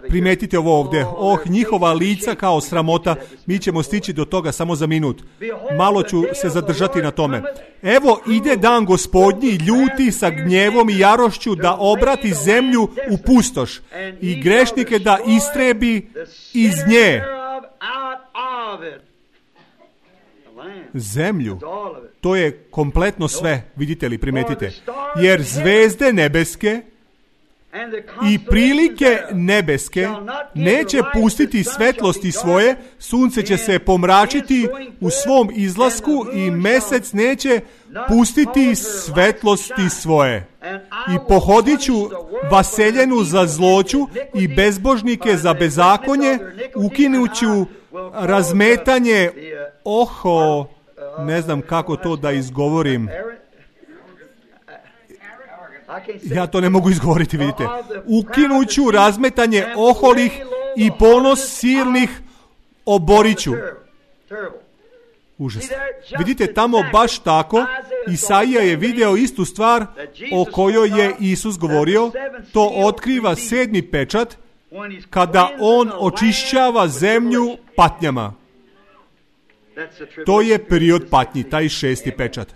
Primetite ovo ovdje. Oh, njihova lica kao sramota. Mi ćemo stići do toga samo za minut. Malo ću se zadržati na tome. Evo ide dan Gospodnji, ljuti sa gnjevom i jarošću da obrati zemlju u pustoš i grešnike da istrebi iz nje. Zemlju. To je kompletno sve, vidite li, primetite. Jer zvezde nebeske i prilike nebeske neće pustiti svetlosti svoje, sunce će se pomračiti u svom izlasku i mesec neće pustiti svetlosti svoje. I pohodit ću vaseljenu za zloću i bezbožnike za bezakonje, ukinuću razmetanje, oho, ne znam kako to da izgovorim. Ja to ne mogu izgovoriti, vidite. Ukinuću razmetanje oholih i ponos silnih oboriću. Užas. Vidite, tamo baš tako, Isaija je video istu stvar o kojoj je Isus govorio. To otkriva sedmi pečat, kada on očišćava zemlju patnjama. To je period patnji, taj šesti pečat.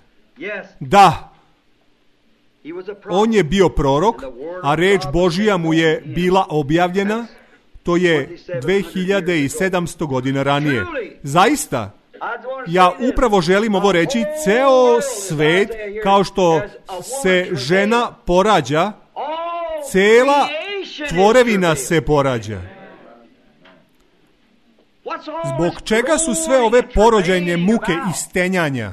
Da, on je bio prorok, a reč Božija mu je bila objavljena, to je dve hiljade sedamsto godina ranije. Zaista, ja upravo želim ovo reći, ceo svet, kao što se žena porađa, cela tvorevina se porađa. Zbog čega su sve ove porođajne muke i stenjanja?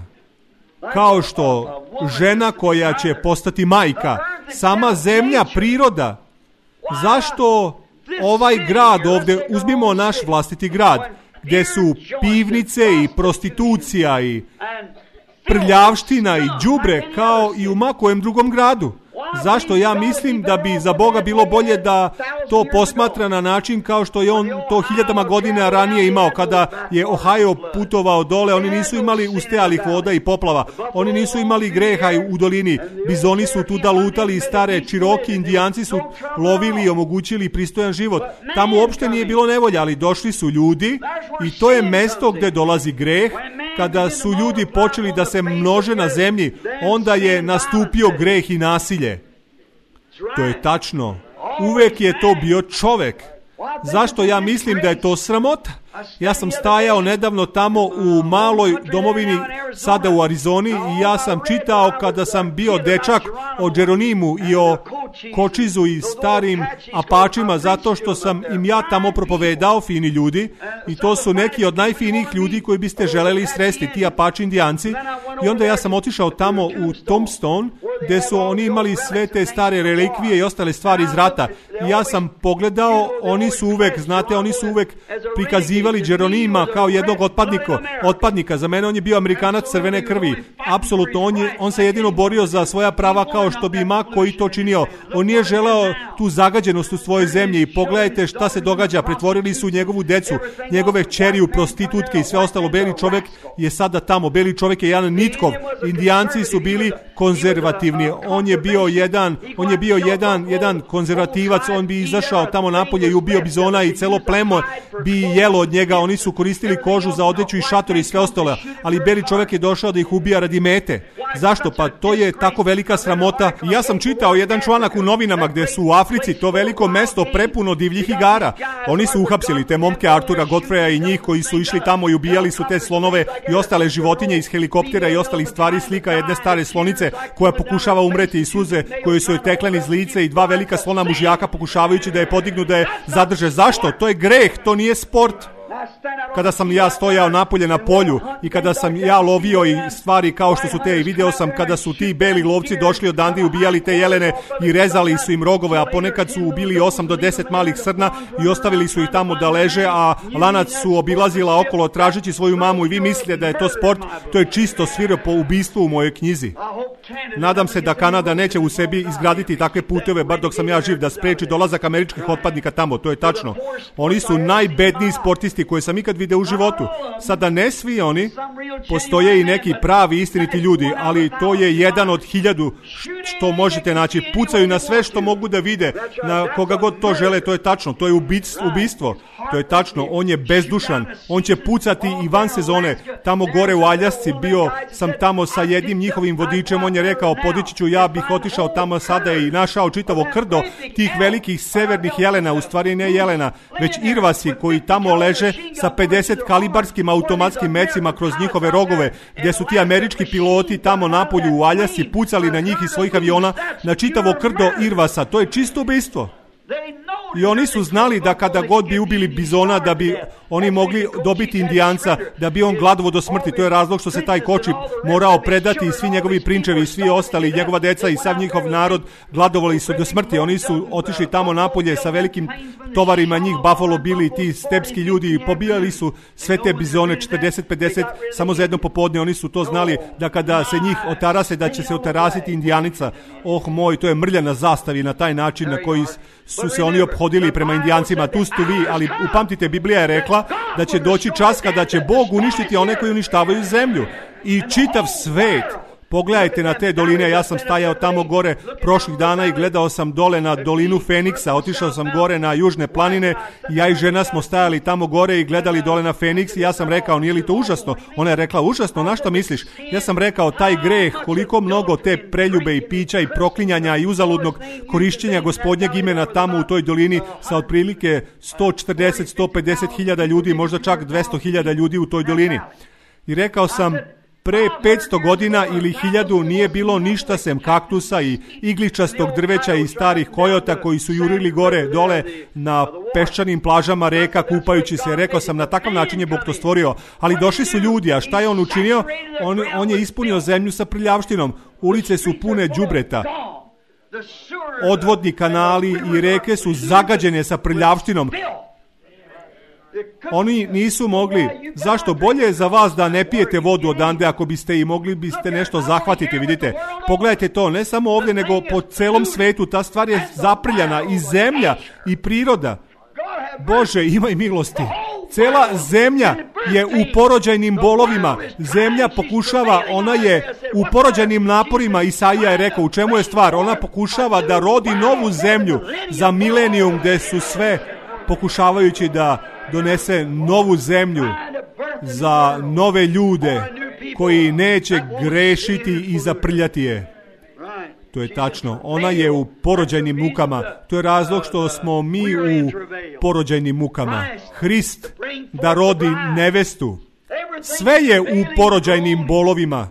Kao što žena koja će postati majka, sama zemlja, priroda. Zašto ovaj grad ovdje, uzmimo naš vlastiti grad, gdje su pivnice i prostitucija i prljavština i đubre kao i u makojem drugom gradu? Zašto? Ja mislim da bi za Boga bilo bolje da to posmatra na način kao što je on to hiljadama godina ranije imao kada je Ohio putovao dole. Oni nisu imali ustejalih voda i poplava. Oni nisu imali greha u dolini. Bizoni su tuda lutali, stare Čiroki, Indijanci su lovili i omogućili pristojan život. Tamo uopšte nije bilo nevolja, ali došli su ljudi i to je mesto gdje dolazi greh. Kada su ljudi počeli da se množe na zemlji, onda je nastupio greh i nasilje. To je tačno. Uvek je to bio čovek. Zašto ja mislim da je to sramota? Ja sam stajao nedavno tamo u maloj domovini, sada u Arizoni, i ja sam čitao kada sam bio dečak o Jeronimu i o Kočizu i starim Apačima, zato što sam im ja tamo propovedao, fini ljudi, i to su neki od najfinijih ljudi koji biste želeli sresti, ti Apači indijanci. I onda ja sam otišao tamo u Tombstone, gde su oni imali sve te stare relikvije i ostale stvari iz rata. I ja sam pogledao, oni su uvek, znate, oni su uvek prikazivali Jeronima kao jednog otpadnika. otpadnika. Za mene on je bio Amerikanac crvene krvi. Apsolutno, on, je, on se jedino borio za svoja prava kao što bi ma koji to činio. On nije želeo tu zagađenost u svojoj zemlji i pogledajte šta se događa. Pretvorili su njegovu decu, njegove kćeri u prostitutke i sve ostalo. Beli čovjek je sada tamo. Beli čovjek je jedan Nitkov. Indijanci su bili konzervativni. On je bio jedan, on je bio jedan, jedan konzervativac. On bi izašao tamo napolje i ubio bizona i celo plemo bi jelo od njega. Oni su koristili kožu za odeću i šator i sve ostalo. Ali beli čovjek je došao da ih ubija radi mete. Zašto? Pa to je tako velika sramota. I ja sam čitao jedan članak u novinama gdje su u Africi to veliko mesto prepuno divljih igara. Oni su uhapsili te momke Artura Godfreya i njih koji su išli tamo i ubijali su te slonove i ostale životinje iz helikoptera i ostalih stvari. Slika jedne stare slonice koja pokušava umreti i suze koje su joj tekle niz lice i dva velika slona mužjaka pokušavajući da je podignu, da je zadrže. Zašto? To je greh, to nije sport. Kada sam ja stojao napolje na polju i kada sam ja lovio i stvari kao što su te, i video sam kada su ti beli lovci došli odande i ubijali te jelene i rezali su im rogove, a ponekad su ubili osam do deset malih srna i ostavili su ih tamo da leže, a lanac su obilazila okolo tražeći svoju mamu. I vi mislite da je to sport? To je čisto svirepo ubistvo u mojoj knjizi. Nadam se da Kanada neće u sebi izgraditi takve puteve, bar dok sam ja živ, da spreči dolazak američkih otpadnika tamo. To je tačno. Oni su najbedniji sportisti koje sam ikad video u životu. Sada ne svi oni, postoje i neki pravi istiniti ljudi, ali to je jedan od hiljadu što možete naći. Pucaju na sve što mogu da vide, na koga god to žele. To je tačno, to je ubistvo. To je tačno, on je bezdušan. On će pucati i van sezone. Tamo gore u Aljasci bio sam tamo sa jednim njihovim vodičem. On je rekao, podići ću, ja bih otišao tamo sada i našao čitavo krdo tih velikih severnih jelena, u stvari ne jelena, već irvasi koji tamo leže sa pedeset kalibarskim automatskim mecima kroz njihove rogove, gdje su ti američki piloti tamo napolju u Aljasci pucali na njih iz svojih aviona na čitavo krdo irvasa. To je čisto ubistvo. I oni su znali da kada god bi ubili bizona, da bi oni mogli dobiti indijanca, da bi on gladovo do smrti. To je razlog što se taj koči morao predati i svi njegovi prinčevi i svi ostali, njegova deca i sav njihov narod gladovali su do smrti. Oni su otišli tamo napolje sa velikim tovarima, njih Buffalo bili ti stepski ljudi i pobijali su sve te bizone, četrdeset pedeset samo za jedno popodne. Oni su to znali da kada se njih otarase, da će se otarasiti indijanica. Oh moj, to je mrlja na zastavi na taj način na koji su se oni ophodili prema indijancima. Tu ste vi, ali upamtite, Biblija je rekla da će doći čas kada će Bog uništiti one koji uništavaju zemlju i čitav svet. Pogledajte na te doline, ja sam stajao tamo gore prošlih dana i gledao sam dole na dolinu Feniksa, otišao sam gore na južne planine, ja i žena smo stajali tamo gore i gledali dole na Feniks i ja sam rekao, nije li to užasno? Ona je rekla, užasno, na što misliš? Ja sam rekao, taj greh, koliko mnogo te preljube i pića i proklinjanja i uzaludnog korišćenja Gospodnjeg imena tamo u toj dolini sa otprilike sto četrdeset do sto pedeset hiljada ljudi, možda čak dvesta hiljada ljudi u toj dolini. I rekao sam, pre petsto godina ili hiljadu nije bilo ništa sem kaktusa i igličastog drveća i starih kojota koji su jurili gore dole na peščanim plažama reka kupajući se. Rekao sam, na takav način je Bog to stvorio. Ali došli su ljudi, a šta je on učinio? On, on je ispunio zemlju sa prljavštinom. Ulice su pune đubreta. Odvodni kanali i reke su zagađene sa prljavštinom. Oni nisu mogli. Zašto? Bolje je za vas da ne pijete vodu odande, ako biste i mogli biste nešto zahvatiti, vidite. Pogledajte to, ne samo ovdje, nego po celom svetu. Ta stvar je zaprljana i zemlja i priroda. Bože, imaj milosti. Cela zemlja je u porođajnim bolovima. Zemlja pokušava, ona je u porođajnim naporima. Isaija je rekao, u čemu je stvar? Ona pokušava da rodi novu zemlju za milenijum, gde su sve pokušavajući da donese novu zemlju za nove ljude koji neće grešiti i zaprljati je. To je tačno. Ona je u porođajnim mukama. To je razlog što smo mi u porođajnim mukama. Hrist da rodi nevestu. Sve je u porođajnim bolovima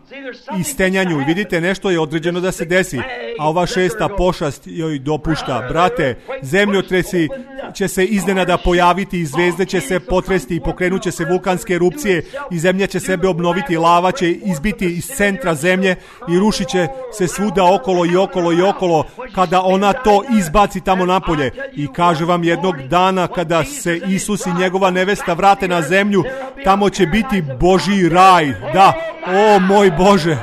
i stenjanju. I vidite, nešto je određeno da se desi. A ova šesta pošast joj dopušta. Brate, zemljotresi će se iznenada pojaviti i zvezde će se potresti i pokrenut će se vulkanske erupcije i zemlja će sebe obnoviti. Lava će izbiti iz centra zemlje i rušit će se svuda okolo i okolo i okolo kada ona to izbaci tamo napolje. I kaže vam, jednog dana kada se Isus i njegova nevesta vrate na zemlju, tamo će biti Božji raj. Da, o moj Bože.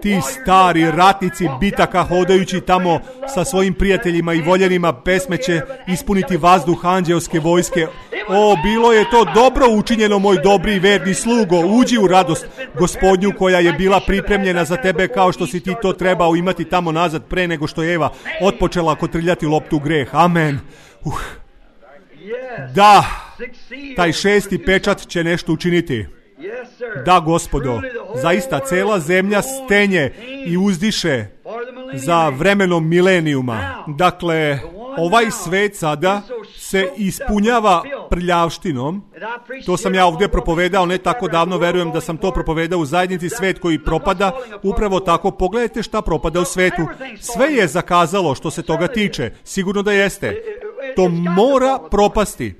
Ti stari ratnici bitaka hodajući tamo sa svojim prijateljima i voljenima, pesme će ispuniti vazduh anđelske vojske. O, bilo je to dobro učinjeno, moj dobri i verni slugo. Uđi u radost Gospodnju koja je bila pripremljena za tebe, kao što si ti to trebao imati tamo nazad pre nego što je Eva otpočela kotrljati loptu u greh. Amen. Uh. Da, taj šesti pečat će nešto učiniti. Da, Gospodo, zaista cela zemlja stenje i uzdiše za vremenom milenijuma. Dakle, ovaj svet sada se ispunjava prljavštinom. To sam ja ovdje propovedao ne tako davno, verujem da sam to propovedao u zajednici Svet koji propada. Upravo tako, pogledajte šta propada u svetu. Sve je zakazalo što se toga tiče. Sigurno da jeste. To mora propasti.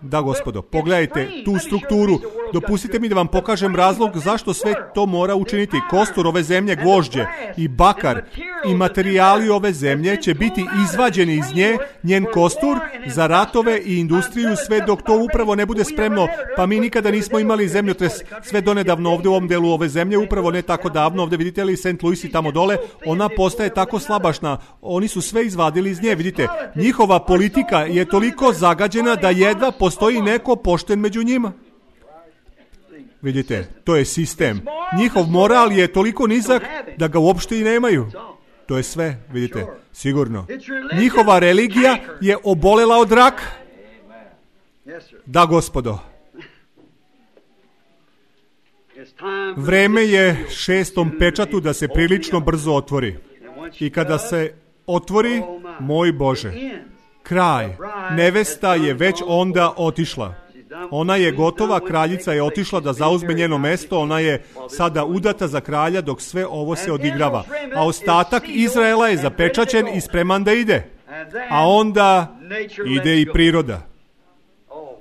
Da, Gospodo, pogledajte tu strukturu. Dopustite mi da vam pokažem razlog zašto sve to mora učiniti. Kostur ove zemlje, gvožđe i bakar i materijali ove zemlje će biti izvađeni iz nje, njen kostur, za ratove i industriju, sve dok to upravo ne bude spremno. Pa mi nikada nismo imali zemljotres sve donedavno ovdje u ovom delu ove zemlje, upravo ne tako davno. Ovdje vidite li Saint Louis i tamo dole, ona postaje tako slabašna. Oni su sve izvadili iz nje, vidite. Njihova politika je toliko zagađena da jedva postoji neko pošten među njima. Vidite, to je sistem. Njihov moral je toliko nizak da ga uopšte i nemaju. To je sve, vidite, sigurno. Njihova religija je obolela od raka. Da, Gospodo. Vreme je šestom pečatu da se prilično brzo otvori. I kada se otvori, moj Bože, kraj. Nevesta je već onda otišla. Ona je gotova, kraljica je otišla da zauzme njeno mesto, ona je sada udata za kralja dok sve ovo se odigrava. A ostatak Izraela je zapečaćen i spreman da ide. A onda ide i priroda.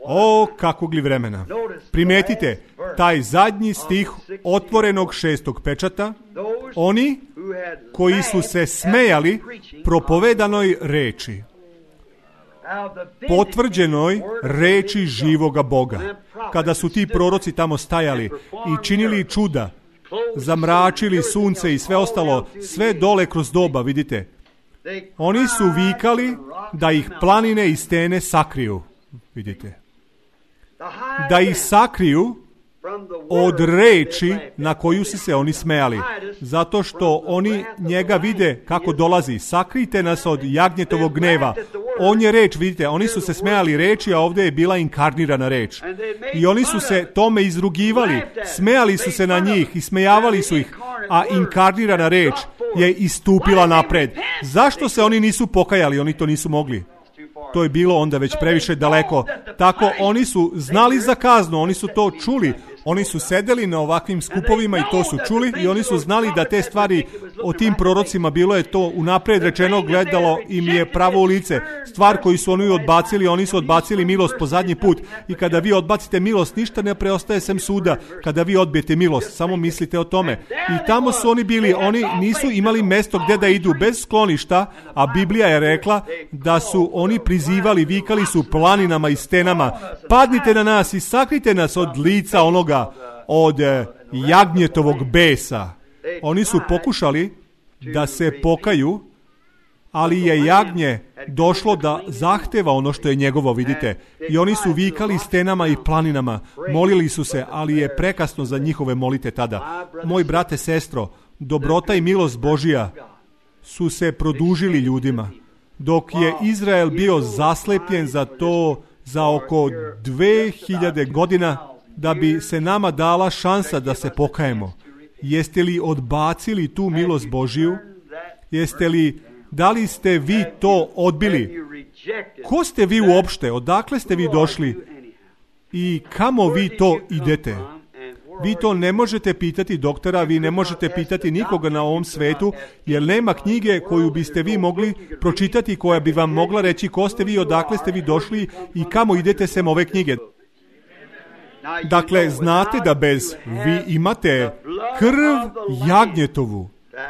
O, kakvog li vremena. Primetite, taj zadnji stih otvorenog šestog pečata, oni koji su se smejali propovedanoj reči, potvrđenoj reči živoga Boga. Kada su ti proroci tamo stajali i činili čuda, zamračili sunce i sve ostalo, sve dole kroz doba, vidite. Oni su vikali da ih planine i stene sakriju, vidite. Da ih sakriju od reči na koju su se oni smejali. Zato što oni njega vide kako dolazi. Sakrijte nas od jagnjetovog gneva. On je reč, vidite, oni su se smejali reči, a ovdje je bila inkarnirana reč. I oni su se tome izrugivali, smejali su se na njih i smejavali su ih, a inkarnirana reč je istupila napred. Zašto se oni nisu pokajali? Oni to nisu mogli. To je bilo onda već previše daleko. Tako oni su znali za kaznu, oni su to čuli. Oni su sedeli na ovakvim skupovima i to su čuli i oni su znali da te stvari o tim prorocima, bilo je to unapred rečeno, gledalo im je pravo u lice. Stvar koju su oni odbacili, oni su odbacili milost po zadnji put. I kada vi odbacite milost, ništa ne preostaje sem suda. Kada vi odbijete milost, samo mislite o tome. I tamo su oni bili, oni nisu imali mesto gdje da idu, bez skloništa, a Biblija je rekla da su oni prizivali, vikali su planinama i stenama, padnite na nas i sakrite nas od lica onoga, od jagnjetovog besa. Oni su pokušali da se pokaju, ali je jagnje došlo da zahteva ono što je njegovo, vidite. I oni su vikali stenama i planinama, molili su se, ali je prekasno za njihove molite tada. Moj brate, sestro, dobrota i milost Božija su se produžili ljudima. Dok je Izrael bio zaslepljen za to za oko dve hiljade godina, da bi se nama dala šansa da se pokajemo. Jeste li odbacili tu milost Božiju? Jeste li, da li ste vi to odbili? Ko ste vi uopšte? Odakle ste vi došli? I kamo vi to idete? Vi to ne možete pitati doktora, vi ne možete pitati nikoga na ovom svetu, jer nema knjige koju biste vi mogli pročitati, koja bi vam mogla reći ko ste vi, odakle ste vi došli i kamo idete sem ove knjige. Dakle, znate da bez vi imate krv jagnjetovu,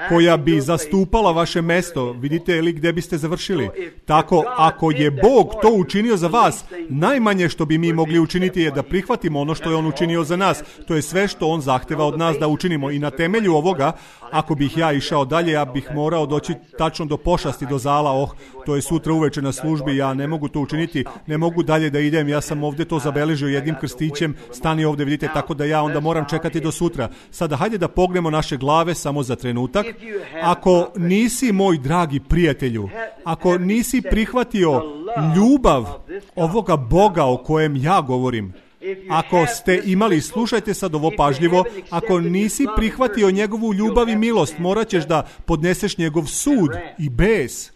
koja bi zastupala vaše mesto. Vidite li gdje biste završili? Tako, ako je Bog to učinio za vas, najmanje što bi mi mogli učiniti je da prihvatimo ono što je On učinio za nas. To je sve što On zahteva od nas da učinimo. I na temelju ovoga, ako bih ja išao dalje, ja bih morao doći tačno do pošasti, do zala. Oh, to je sutra uveče na službi, ja ne mogu to učiniti, ne mogu dalje da idem, ja sam ovdje to zabeležio jednim krstićem, stani ovdje, vidite, tako da ja onda moram čekati do sutra. Sada, hajde da pognemo naše glave samo za trenutak. Ako nisi, moj dragi prijatelju, ako nisi prihvatio ljubav ovoga Boga o kojem ja govorim, ako ste imali, slušajte sad ovo pažljivo, ako nisi prihvatio njegovu ljubav i milost, morat ćeš da podneseš njegov sud i bes.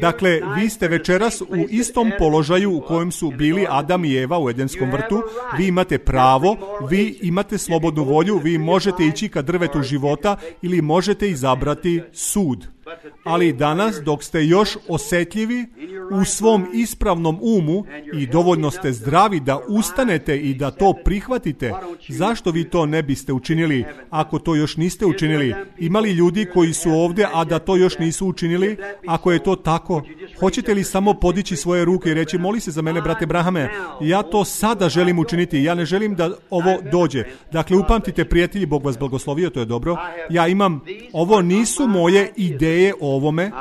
Dakle, vi ste večeras u istom položaju u kojem su bili Adam i Eva u Edenskom vrtu. Vi imate pravo, vi imate slobodnu volju, vi možete ići ka drvetu života ili možete izabrati sud. Ali danas, dok ste još osjetljivi u svom ispravnom umu i dovoljno ste zdravi da ustanete i da to prihvatite, zašto vi to ne biste učinili ako to još niste učinili? Ima li ljudi koji su ovdje, a da to još nisu učinili? Ako je to tako, hoćete li samo podići svoje ruke i reći, moli se za mene, brate Brahame, ja to sada želim učiniti, ja ne želim da ovo dođe. Dakle, upamtite, prijatelji, Bog vas blagoslovio, to je dobro. Ja imam, ovo nisu moje ideje o ovome,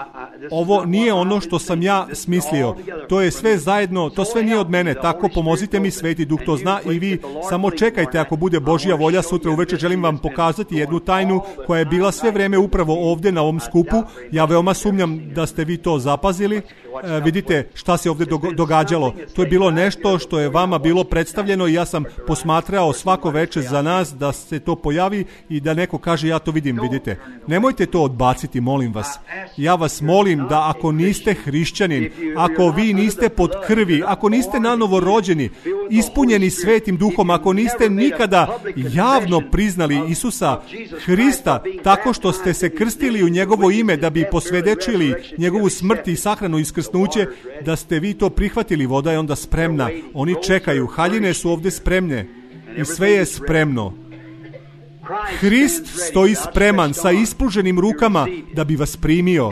ovo nije ono što sam ja smislio, to je sve zajedno, to sve nije od mene, tako pomozite mi, Sveti Duh to zna i vi samo čekajte, ako bude Božja volja, sutra uveče želim vam pokazati jednu tajnu koja je bila sve vrijeme upravo ovdje na ovom skupu. Ja veoma sumnjam da ste vi to zapazili. E, vidite šta se ovdje događalo. To je bilo nešto što je vama bilo predstavljeno i ja sam posmatrao svako večer za nas da se to pojavi i da neko kaže ja to vidim, vidite. Nemojte to odbaciti, molim vas. Ja vas molim da ako niste hrišćanin, ako vi niste pod krvi, ako niste nanovo rođeni, ispunjeni Svetim Duhom, ako niste nikada javno priznali Isusa Hrista tako što ste se krstili u njegovo ime da bi posvjedočili njegovu smrt i sahranu i iskrsnuće, da ste vi to prihvatili, voda je onda spremna. Oni čekaju, haljine su ovdje spremne i sve je spremno. Hrist stoji spreman sa ispruženim rukama da bi vas primio.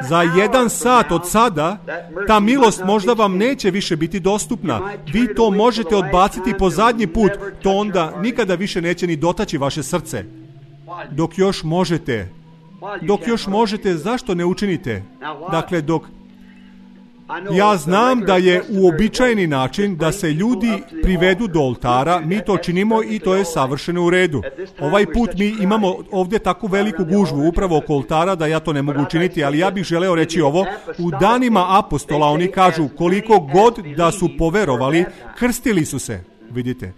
Za jedan sat od sada ta milost možda vam neće više biti dostupna. Vi to možete odbaciti po zadnji put, to onda nikada više neće ni dotaći vaše srce. Dok još možete, dok još možete, zašto ne učinite? Dakle, dok ja znam da je uobičajeni način da se ljudi privedu do oltara, mi to činimo i to je savršeno u redu. Ovaj put mi imamo ovdje takvu veliku gužvu upravo oko oltara da ja to ne mogu učiniti, ali ja bih želeo reći ovo. U danima apostola oni kažu koliko god da su poverovali, krstili su se, vidite.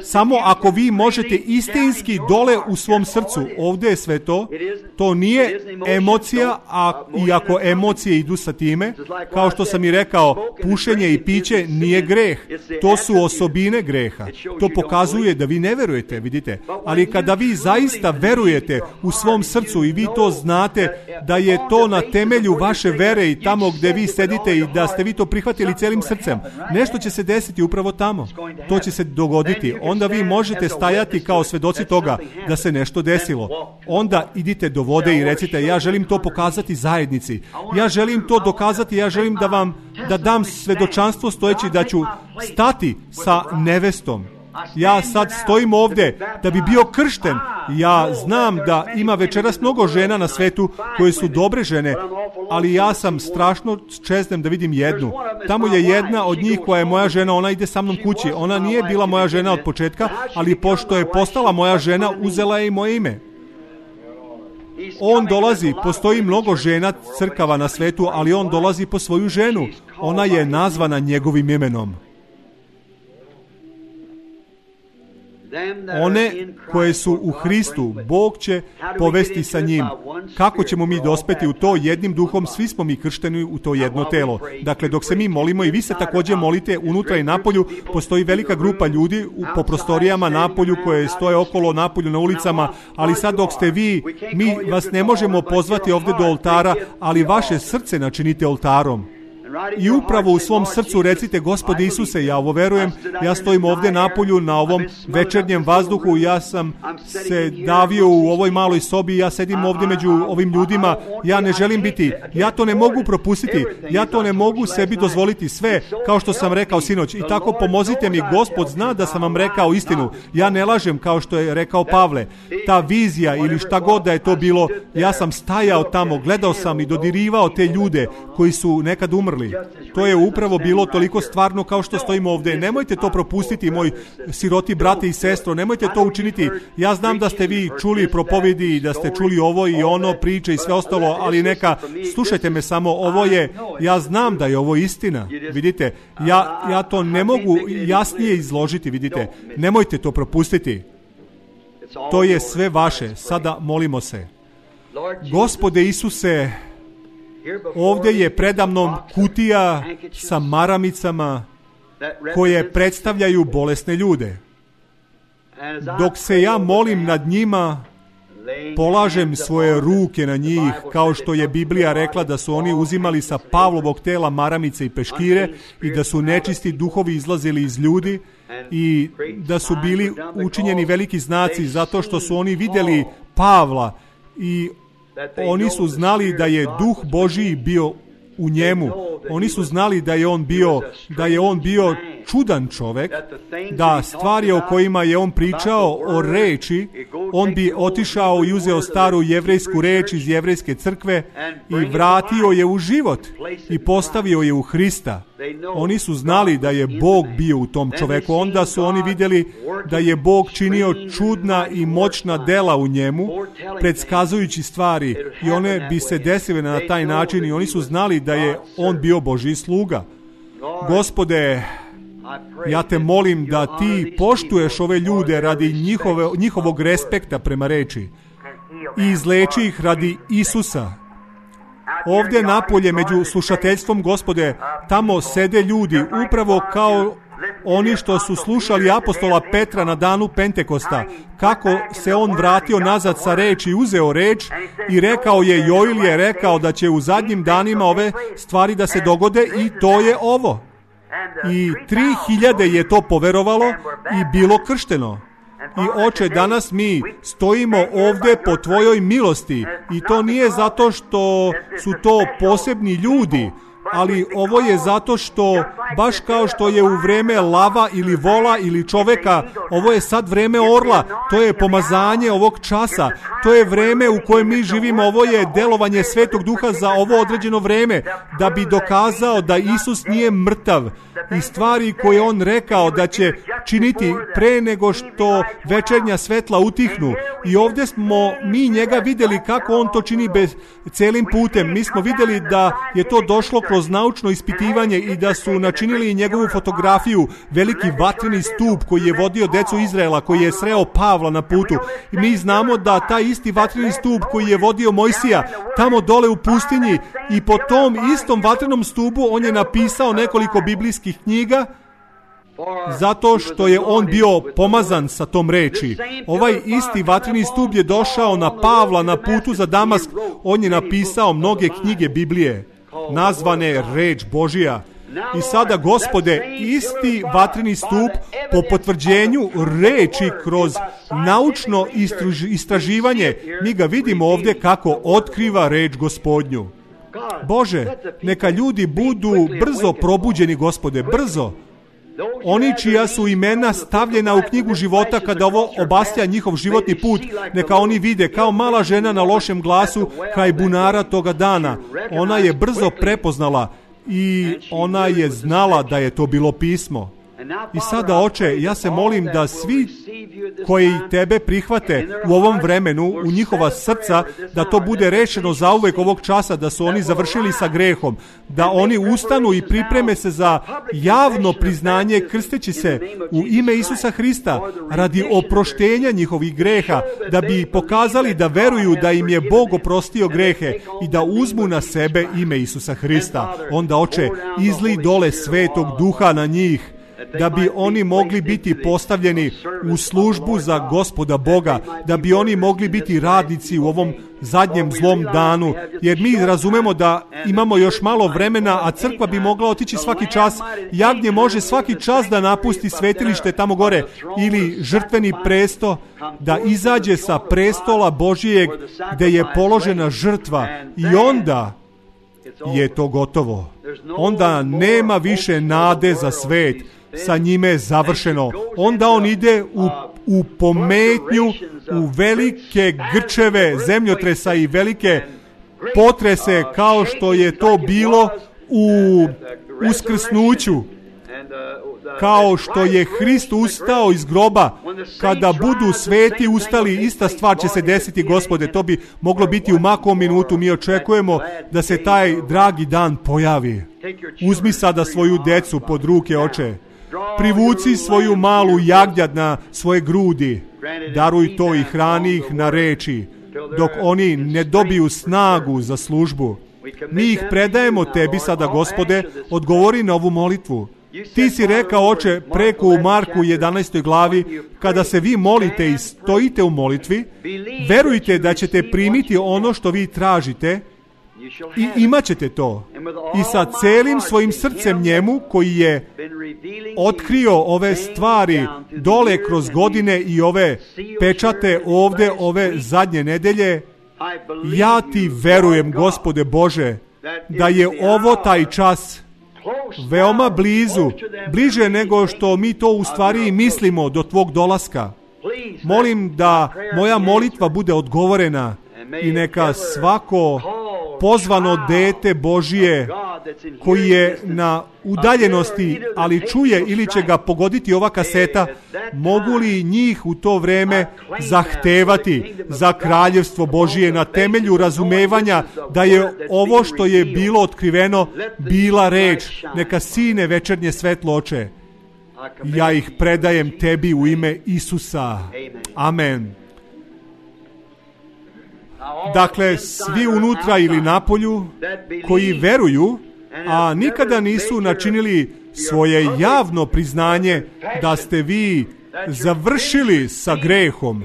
Samo ako vi možete istinski dole u svom srcu, ovdje je sve to, to nije emocija, a iako emocije idu sa time, kao što sam i rekao, pušenje i piće nije greh, to su osobine greha. To pokazuje da vi ne verujete, vidite, ali kada vi zaista verujete u svom srcu i vi to znate da je to na temelju vaše vere i tamo gdje vi sedite i da ste vi to prihvatili celim srcem, nešto će se desiti upravo tamo, to će se dogoditi. Onda vi možete stajati kao svedoci toga da se nešto desilo. Onda idite do vode i recite, ja želim to pokazati zajednici. Ja želim to dokazati, ja želim da vam da dam svedočanstvo stojeći da ću stati sa nevestom. Ja sad stojim ovdje da bi bio kršten. Ja znam da ima večeras mnogo žena na svetu koje su dobre žene, ali ja sam strašno čeznem da vidim jednu. Tamo je jedna od njih koja je moja žena, ona ide sa mnom kući. Ona nije bila moja žena od početka, ali pošto je postala moja žena, uzela je i moje ime. On dolazi, postoji mnogo žena crkava na svetu, ali on dolazi po svoju ženu. Ona je nazvana njegovim imenom. One koje su u Hristu, Bog će povesti sa njim. Kako ćemo mi dospeti u to? Jednim duhom, svi smo mi kršteni u to jedno telo. Dakle, dok se mi molimo i vi se također molite unutra i napolju, postoji velika grupa ljudi po prostorijama napolju koje stoje okolo napolju na ulicama, ali sad dok ste vi, mi vas ne možemo pozvati ovdje do oltara, ali vaše srce načinite oltarom. I upravo u svom srcu recite: Gospode Isuse, ja ovo verujem, ja stojim ovdje napolju na ovom večernjem vazduhu, ja sam se davio u ovoj maloj sobi, ja sedim ovdje među ovim ljudima, ja ne želim biti, ja to ne mogu propustiti, ja to ne mogu sebi dozvoliti sve, kao što sam rekao sinoć. I tako pomozite mi, Gospod zna da sam vam rekao istinu, ja ne lažem kao što je rekao Pavle. Ta vizija ili šta god da je to bilo, ja sam stajao tamo, gledao sam i dodirivao te ljude koji su nekad umrli. To je upravo bilo toliko stvarno kao što stojimo ovdje. Nemojte to propustiti, moj siroti brate i sestro, nemojte to učiniti. Ja znam da ste vi čuli propovedi i da ste čuli ovo i ono, priče i sve ostalo, ali neka, slušajte me samo, ovo je, ja znam da je ovo istina, vidite, ja, ja to ne mogu jasnije izložiti, vidite, nemojte to propustiti. To je sve vaše. Sada molimo se. Gospode Isuse, ovdje je predamnom kutija sa maramicama koje predstavljaju bolesne ljude. Dok se ja molim nad njima, polažem svoje ruke na njih, kao što je Biblija rekla da su oni uzimali sa Pavlovog tela maramice i peškire i da su nečisti duhovi izlazili iz ljudi i da su bili učinjeni veliki znaci zato što su oni vidjeli Pavla i oni su znali da je duh Božiji bio u njemu. Oni su znali da je on bio, da je on bio čudan čovjek, da stvari o kojima je on pričao o reči, on bi otišao i uzeo staru jevrejsku reč iz jevrejske crkve i vratio je u život i postavio je u Hrista. Oni su znali da je Bog bio u tom čovjeku. Onda su oni vidjeli da je Bog činio čudna i moćna dela u njemu, predskazujući stvari, i one bi se desile na taj način i oni su znali da je on bio Božji sluga. Gospode, ja te molim da ti poštuješ ove ljude radi njihove, njihovog respekta prema reči i izleči ih radi Isusa. Ovdje napolje među slušateljstvom, Gospode, tamo sede ljudi upravo kao oni što su slušali apostola Petra na danu Pentekosta, kako se on vratio nazad sa reči i uzeo reč i rekao je, Joil je rekao da će u zadnjim danima ove stvari da se dogode i to je ovo. I tri hiljade je to poverovalo i bilo kršteno. I Oče, danas mi stojimo ovdje po tvojoj milosti i to nije zato što su to posebni ljudi, ali ovo je zato što, baš kao što je u vrijeme lava ili vola ili čoveka, ovo je sad vrijeme orla, to je pomazanje ovog časa, to je vrijeme u kojem mi živimo, ovo je delovanje Svetog Duha za ovo određeno vrijeme, da bi dokazao da Isus nije mrtav i stvari koje on rekao da će činiti pre nego što večernja svetla utihnu. I ovdje smo mi njega vidjeli kako on to čini bez celim putem. Mi smo vidjeli da je to došlo kroz naučno ispitivanje i da su načinili njegovu fotografiju, veliki vatreni stup koji je vodio decu Izraela, koji je sreo Pavla na putu. I mi znamo da taj isti vatreni stup koji je vodio Mojsija tamo dole u pustinji i po tom istom vatrenom stupu on je napisao nekoliko biblijskih knjiga, zato što je on bio pomazan sa tom reči. Ovaj isti vatreni stup je došao na Pavla na putu za Damask. On je napisao mnoge knjige Biblije, nazvane Reč Božija. I sada, Gospode, isti vatreni stup po potvrđenju reči kroz naučno istraživanje, mi ga vidimo ovdje kako otkriva reč Gospodnju. Bože, neka ljudi budu brzo probuđeni, Gospode, brzo. Oni čija su imena stavljena u knjigu života kada ovo obastja njihov životni put, neka oni vide kao mala žena na lošem glasu kraj bunara toga dana. Ona je brzo prepoznala i ona je znala da je to bilo pismo. I sada, Oče, ja se molim da svi koji tebe prihvate u ovom vremenu, u njihova srca, da to bude rešeno zauvek ovog časa, da su oni završili sa grehom, da oni ustanu i pripreme se za javno priznanje krsteći se u ime Isusa Hrista radi oproštenja njihovih greha, da bi pokazali da veruju da im je Bog oprostio grehe i da uzmu na sebe ime Isusa Hrista. Onda, Oče, izli dole Svetog Duha na njih, da bi oni mogli biti postavljeni u službu za Gospoda Boga, da bi oni mogli biti radnici u ovom zadnjem zlom danu, jer mi razumemo da imamo još malo vremena, a crkva bi mogla otići svaki čas, jagnje može svaki čas da napusti svetilište tamo gore ili žrtveni presto, da izađe sa prestola Božijeg gde je položena žrtva i onda je to gotovo. Onda nema više nade za svet. Sa njime je završeno. Onda on ide u, u pometnju, u velike grčeve zemljotresa i velike potrese, kao što je to bilo u uskrsnuću, kao što je Hrist ustao iz groba. Kada budu sveti ustali, ista stvar će se desiti, Gospode. To bi moglo biti u makom minutu. Mi očekujemo da se taj dragi dan pojavi. Uzmi sada svoju decu pod ruke, Oče. Privuci svoju malu jagnjad na svoje grudi. Daruj to i hrani ih na reči, dok oni ne dobiju snagu za službu. Mi ih predajemo tebi sada, Gospode. Odgovori na ovu molitvu. Ti si rekao, Oče, preko u Marku jedanaestoj glavi, kada se vi molite i stojite u molitvi, verujte da ćete primiti ono što vi tražite i imat ćete to. I sa celim svojim srcem njemu, koji je otkrio ove stvari dole kroz godine i ove pečate ovde, ove zadnje nedelje, ja ti verujem, Gospode Bože, da je ovo taj čas veoma blizu, bliže nego što mi to u stvari mislimo do tvog dolaska. Molim da moja molitva bude odgovorena i neka svako pozvano dete Božije koji je na udaljenosti, ali čuje ili će ga pogoditi ova kaseta, mogu li njih u to vreme zahtevati za kraljevstvo Božije na temelju razumevanja da je ovo što je bilo otkriveno bila reč. Neka sine večernje svetlo, Oče, ja ih predajem tebi u ime Isusa. Amen. Dakle, svi unutra ili napolju koji veruju, a nikada nisu načinili svoje javno priznanje da ste vi završili sa grehom,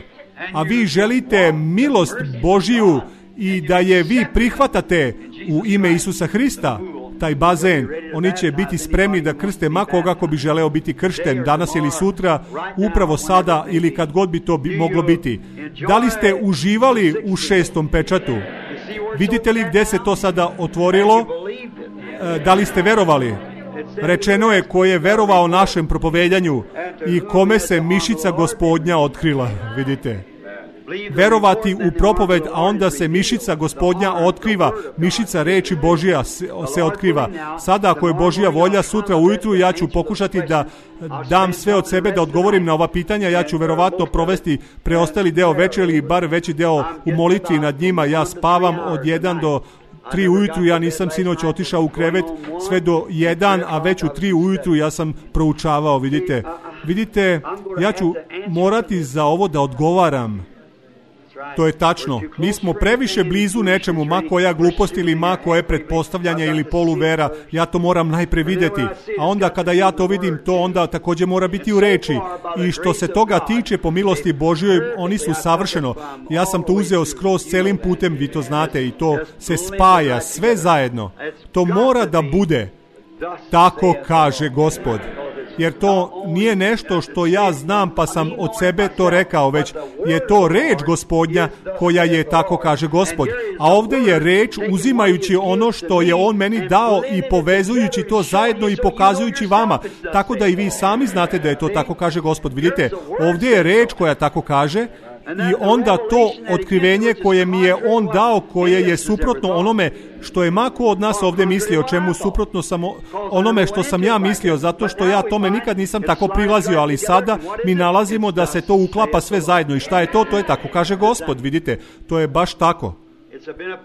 a vi želite milost Božiju i da je vi prihvatate u ime Isusa Hrista, taj bazen, oni će biti spremni da krste ma koga ko bi želeo biti kršten danas ili sutra, upravo sada ili kad god bi to bi moglo biti. Da li ste uživali u šestom pečatu? Vidite li gde se to sada otvorilo? Da li ste verovali? Rečeno je ko je verovao našem propovedanju i kome se mišica Gospodnja otkrila. Vidite. Verovati u propoved, a onda se mišica Gospodnja otkriva, mišica reči Božija se, se otkriva. Sada, ako je Božja volja, sutra ujutru ja ću pokušati da dam sve od sebe, da odgovorim na ova pitanja. Ja ću verovatno provesti preostali deo večeri ili bar veći deo u molitvi nad njima. Ja spavam od jedan do tri ujutru, ja nisam sinoć otišao u krevet sve do jedan, a već u tri ujutru ja sam proučavao, vidite. Vidite, ja ću morati za ovo da odgovaram. To je tačno. Mi smo previše blizu nečemu, ma koja glupost ili ma koje pretpostavljanje ili poluvera. Ja to moram najpre videti. A onda kada ja to vidim, to onda također mora biti u reči. I što se toga tiče, po milosti Božjoj, oni su savršeno. Ja sam to uzeo skroz celim putem, vi to znate, i to se spaja sve zajedno. To mora da bude. Tako kaže Gospod. Jer to nije nešto što ja znam pa sam od sebe to rekao, već je to reč Gospodnja koja je tako kaže Gospod. A ovdje je reč uzimajući ono što je On meni dao i povezujući to zajedno i pokazujući vama. Tako da i vi sami znate da je to tako kaže Gospod. Vidite, ovdje je reč koja tako kaže I onda to otkrivenje koje mi je on dao, koje je suprotno onome što je mako od nas ovdje mislio, čemu suprotno samo onome što sam ja mislio, zato što ja tome nikad nisam tako prilazio, ali sada mi nalazimo da se to uklapa sve zajedno. I šta je to? To je tako, kaže Gospod, vidite, to je baš tako.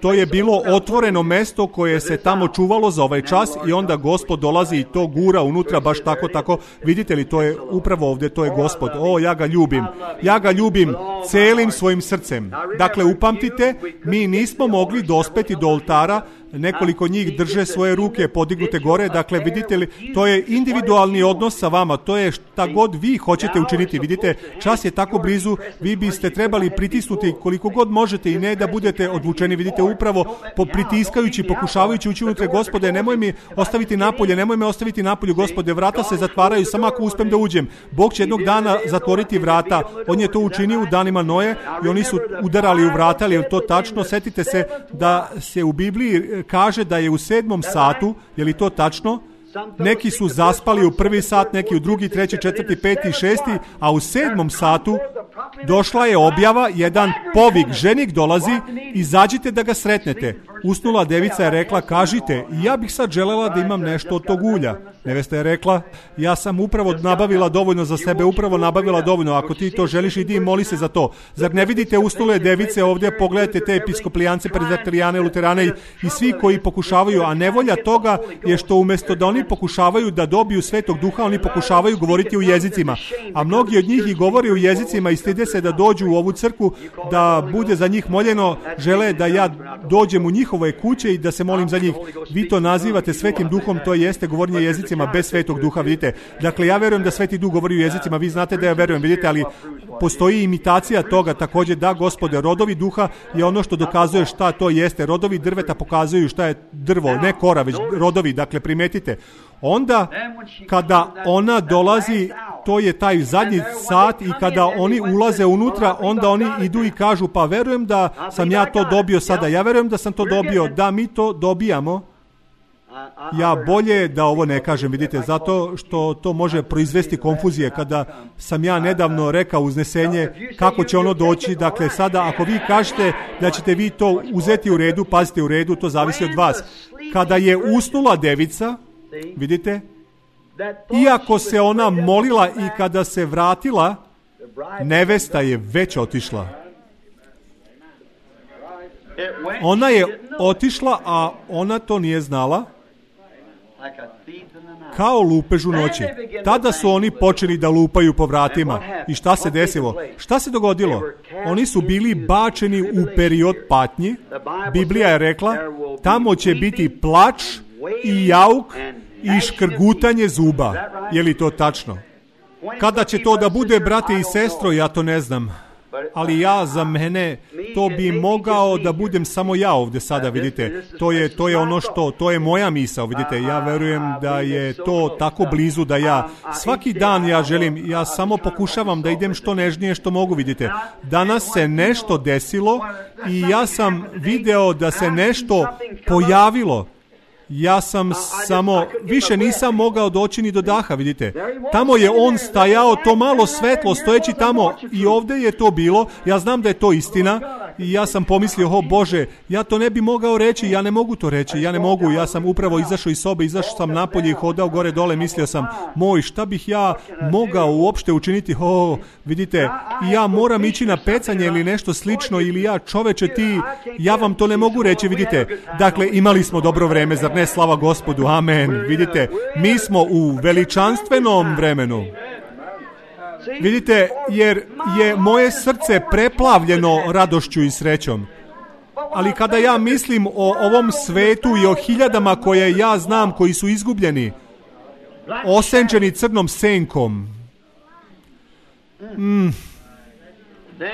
To je bilo otvoreno mesto koje se tamo čuvalo za ovaj čas i onda Gospod dolazi i to gura unutra baš tako, tako. Vidite li, to je upravo ovdje, to je Gospod. O, ja ga ljubim. Ja ga ljubim celim svojim srcem. Dakle, upamtite, mi nismo mogli dospeti do oltara, nekoliko njih drže svoje ruke podignute gore, dakle vidite li, to je individualni odnos sa vama, to je šta god vi hoćete učiniti, vidite, čas je tako blizu, vi biste trebali pritisnuti koliko god možete i ne da budete odlučeni, vidite, upravo po pritiskajući, pokušavajući ući unutra, Gospode, nemoj mi ostaviti napolje, nemoj me ostaviti napolju, Gospode, vrata se zatvaraju, samo ako uspem da uđem, Bog će jednog dana zatvoriti vrata, on je to učinio u danima Noje i oni su udarali u vrata, ali je to tačno, setite se da se u Bibliji kaže da je u sedmom satu, je li to tačno? Neki su zaspali u prvi sat, neki u drugi, treći, četvrti, peti, šesti, a u sedmom satu došla je objava, jedan povik, ženik dolazi, izađite da ga sretnete. Usnula devica je rekla, kažite, ja bih sad želela da imam nešto od tog ulja. Nevesta je rekla, ja sam upravo nabavila dovoljno za sebe, upravo nabavila dovoljno, ako ti to želiš, idi i moli se za to. Zar ne vidite usnule device ovdje, pogledajte te episkoplijance, prezbiterijane, luterane i, i svi koji pokušavaju, a nevolja toga je što umjesto da oni pokušavaju da dobiju Svetog Duha, oni pokušavaju govoriti u jezicima. A mnogi od njih i govori u jezicima i stide se da dođu u ovu crkvu, da bude za njih moljeno, žele da ja dođem u njihove kuće i da se molim za njih. Vi to nazivate Svetim Duhom, to jeste govorenje jezicima bez Svetog Duha, vidite. Dakle, ja verujem da Sveti Duh govori u jezicima, vi znate da ja verujem, vidite, ali postoji imitacija toga, također, da, Gospode, rodovi duha je ono što dokazuje šta to jeste. Rodovi drveta pokazuju šta je drvo, ne kora, već rodovi, dakle, primetite. Onda, kada ona dolazi, to je taj zadnji sat i kada oni ulaze unutra, onda oni idu i kažu, pa verujem da sam ja to dobio sada, ja verujem da sam to dobio, da mi to dobijamo. Ja bolje da ovo ne kažem, vidite, zato što to može proizvesti konfuzije. Kada sam ja nedavno rekao uznesenje kako će ono doći, dakle sada ako vi kažete da ćete vi to uzeti u redu, pazite, u redu, to zavisi od vas. Kada je usnula devica, vidite, iako se ona molila i kada se vratila, nevesta je već otišla. Ona je otišla, a ona to nije znala, kao lupež u noći. Tada su oni počeli da lupaju po vratima. I šta se desilo? Šta se dogodilo? Oni su bili bačeni u period patnji. Biblija je rekla, tamo će biti plač i jauk i škrgutanje zuba. Je li to tačno? Kada će to da bude, brate i sestro, ja to ne znam. Ali ja, za mene, to bi mogao da budem samo ja ovdje sada, vidite. To je, to je ono što, to je moja misao, vidite. Ja verujem da je to tako blizu da ja, svaki dan ja želim, ja samo pokušavam da idem što nežnije što mogu, vidite. Danas se nešto desilo i ja sam video da se nešto pojavilo. Ja sam samo, više nisam mogao doći ni do daha, vidite. Tamo je on stajao, to malo svetlo, stojeći tamo i ovdje je to bilo. Ja znam da je to istina i ja sam pomislio, o Bože, ja to ne bi mogao reći, ja ne mogu to reći, ja ne mogu. Ja sam upravo izašao iz sobe, izašao sam napolje i hodao gore dole, mislio sam, moj, šta bih ja mogao uopšte učiniti, o, vidite, ja moram ići na pecanje ili nešto slično, ili ja, čoveče, ti, ja vam to ne mogu reći, vidite. Dakle, imali smo dobro vreme, zar ne, slava Gospodu, amen. Vidite, mi smo u veličanstvenom vremenu. Vidite, jer je moje srce preplavljeno radošću i srećom. Ali kada ja mislim o ovom svetu i o hiljadama koje ja znam koji su izgubljeni, osenčeni crnom senkom, mm,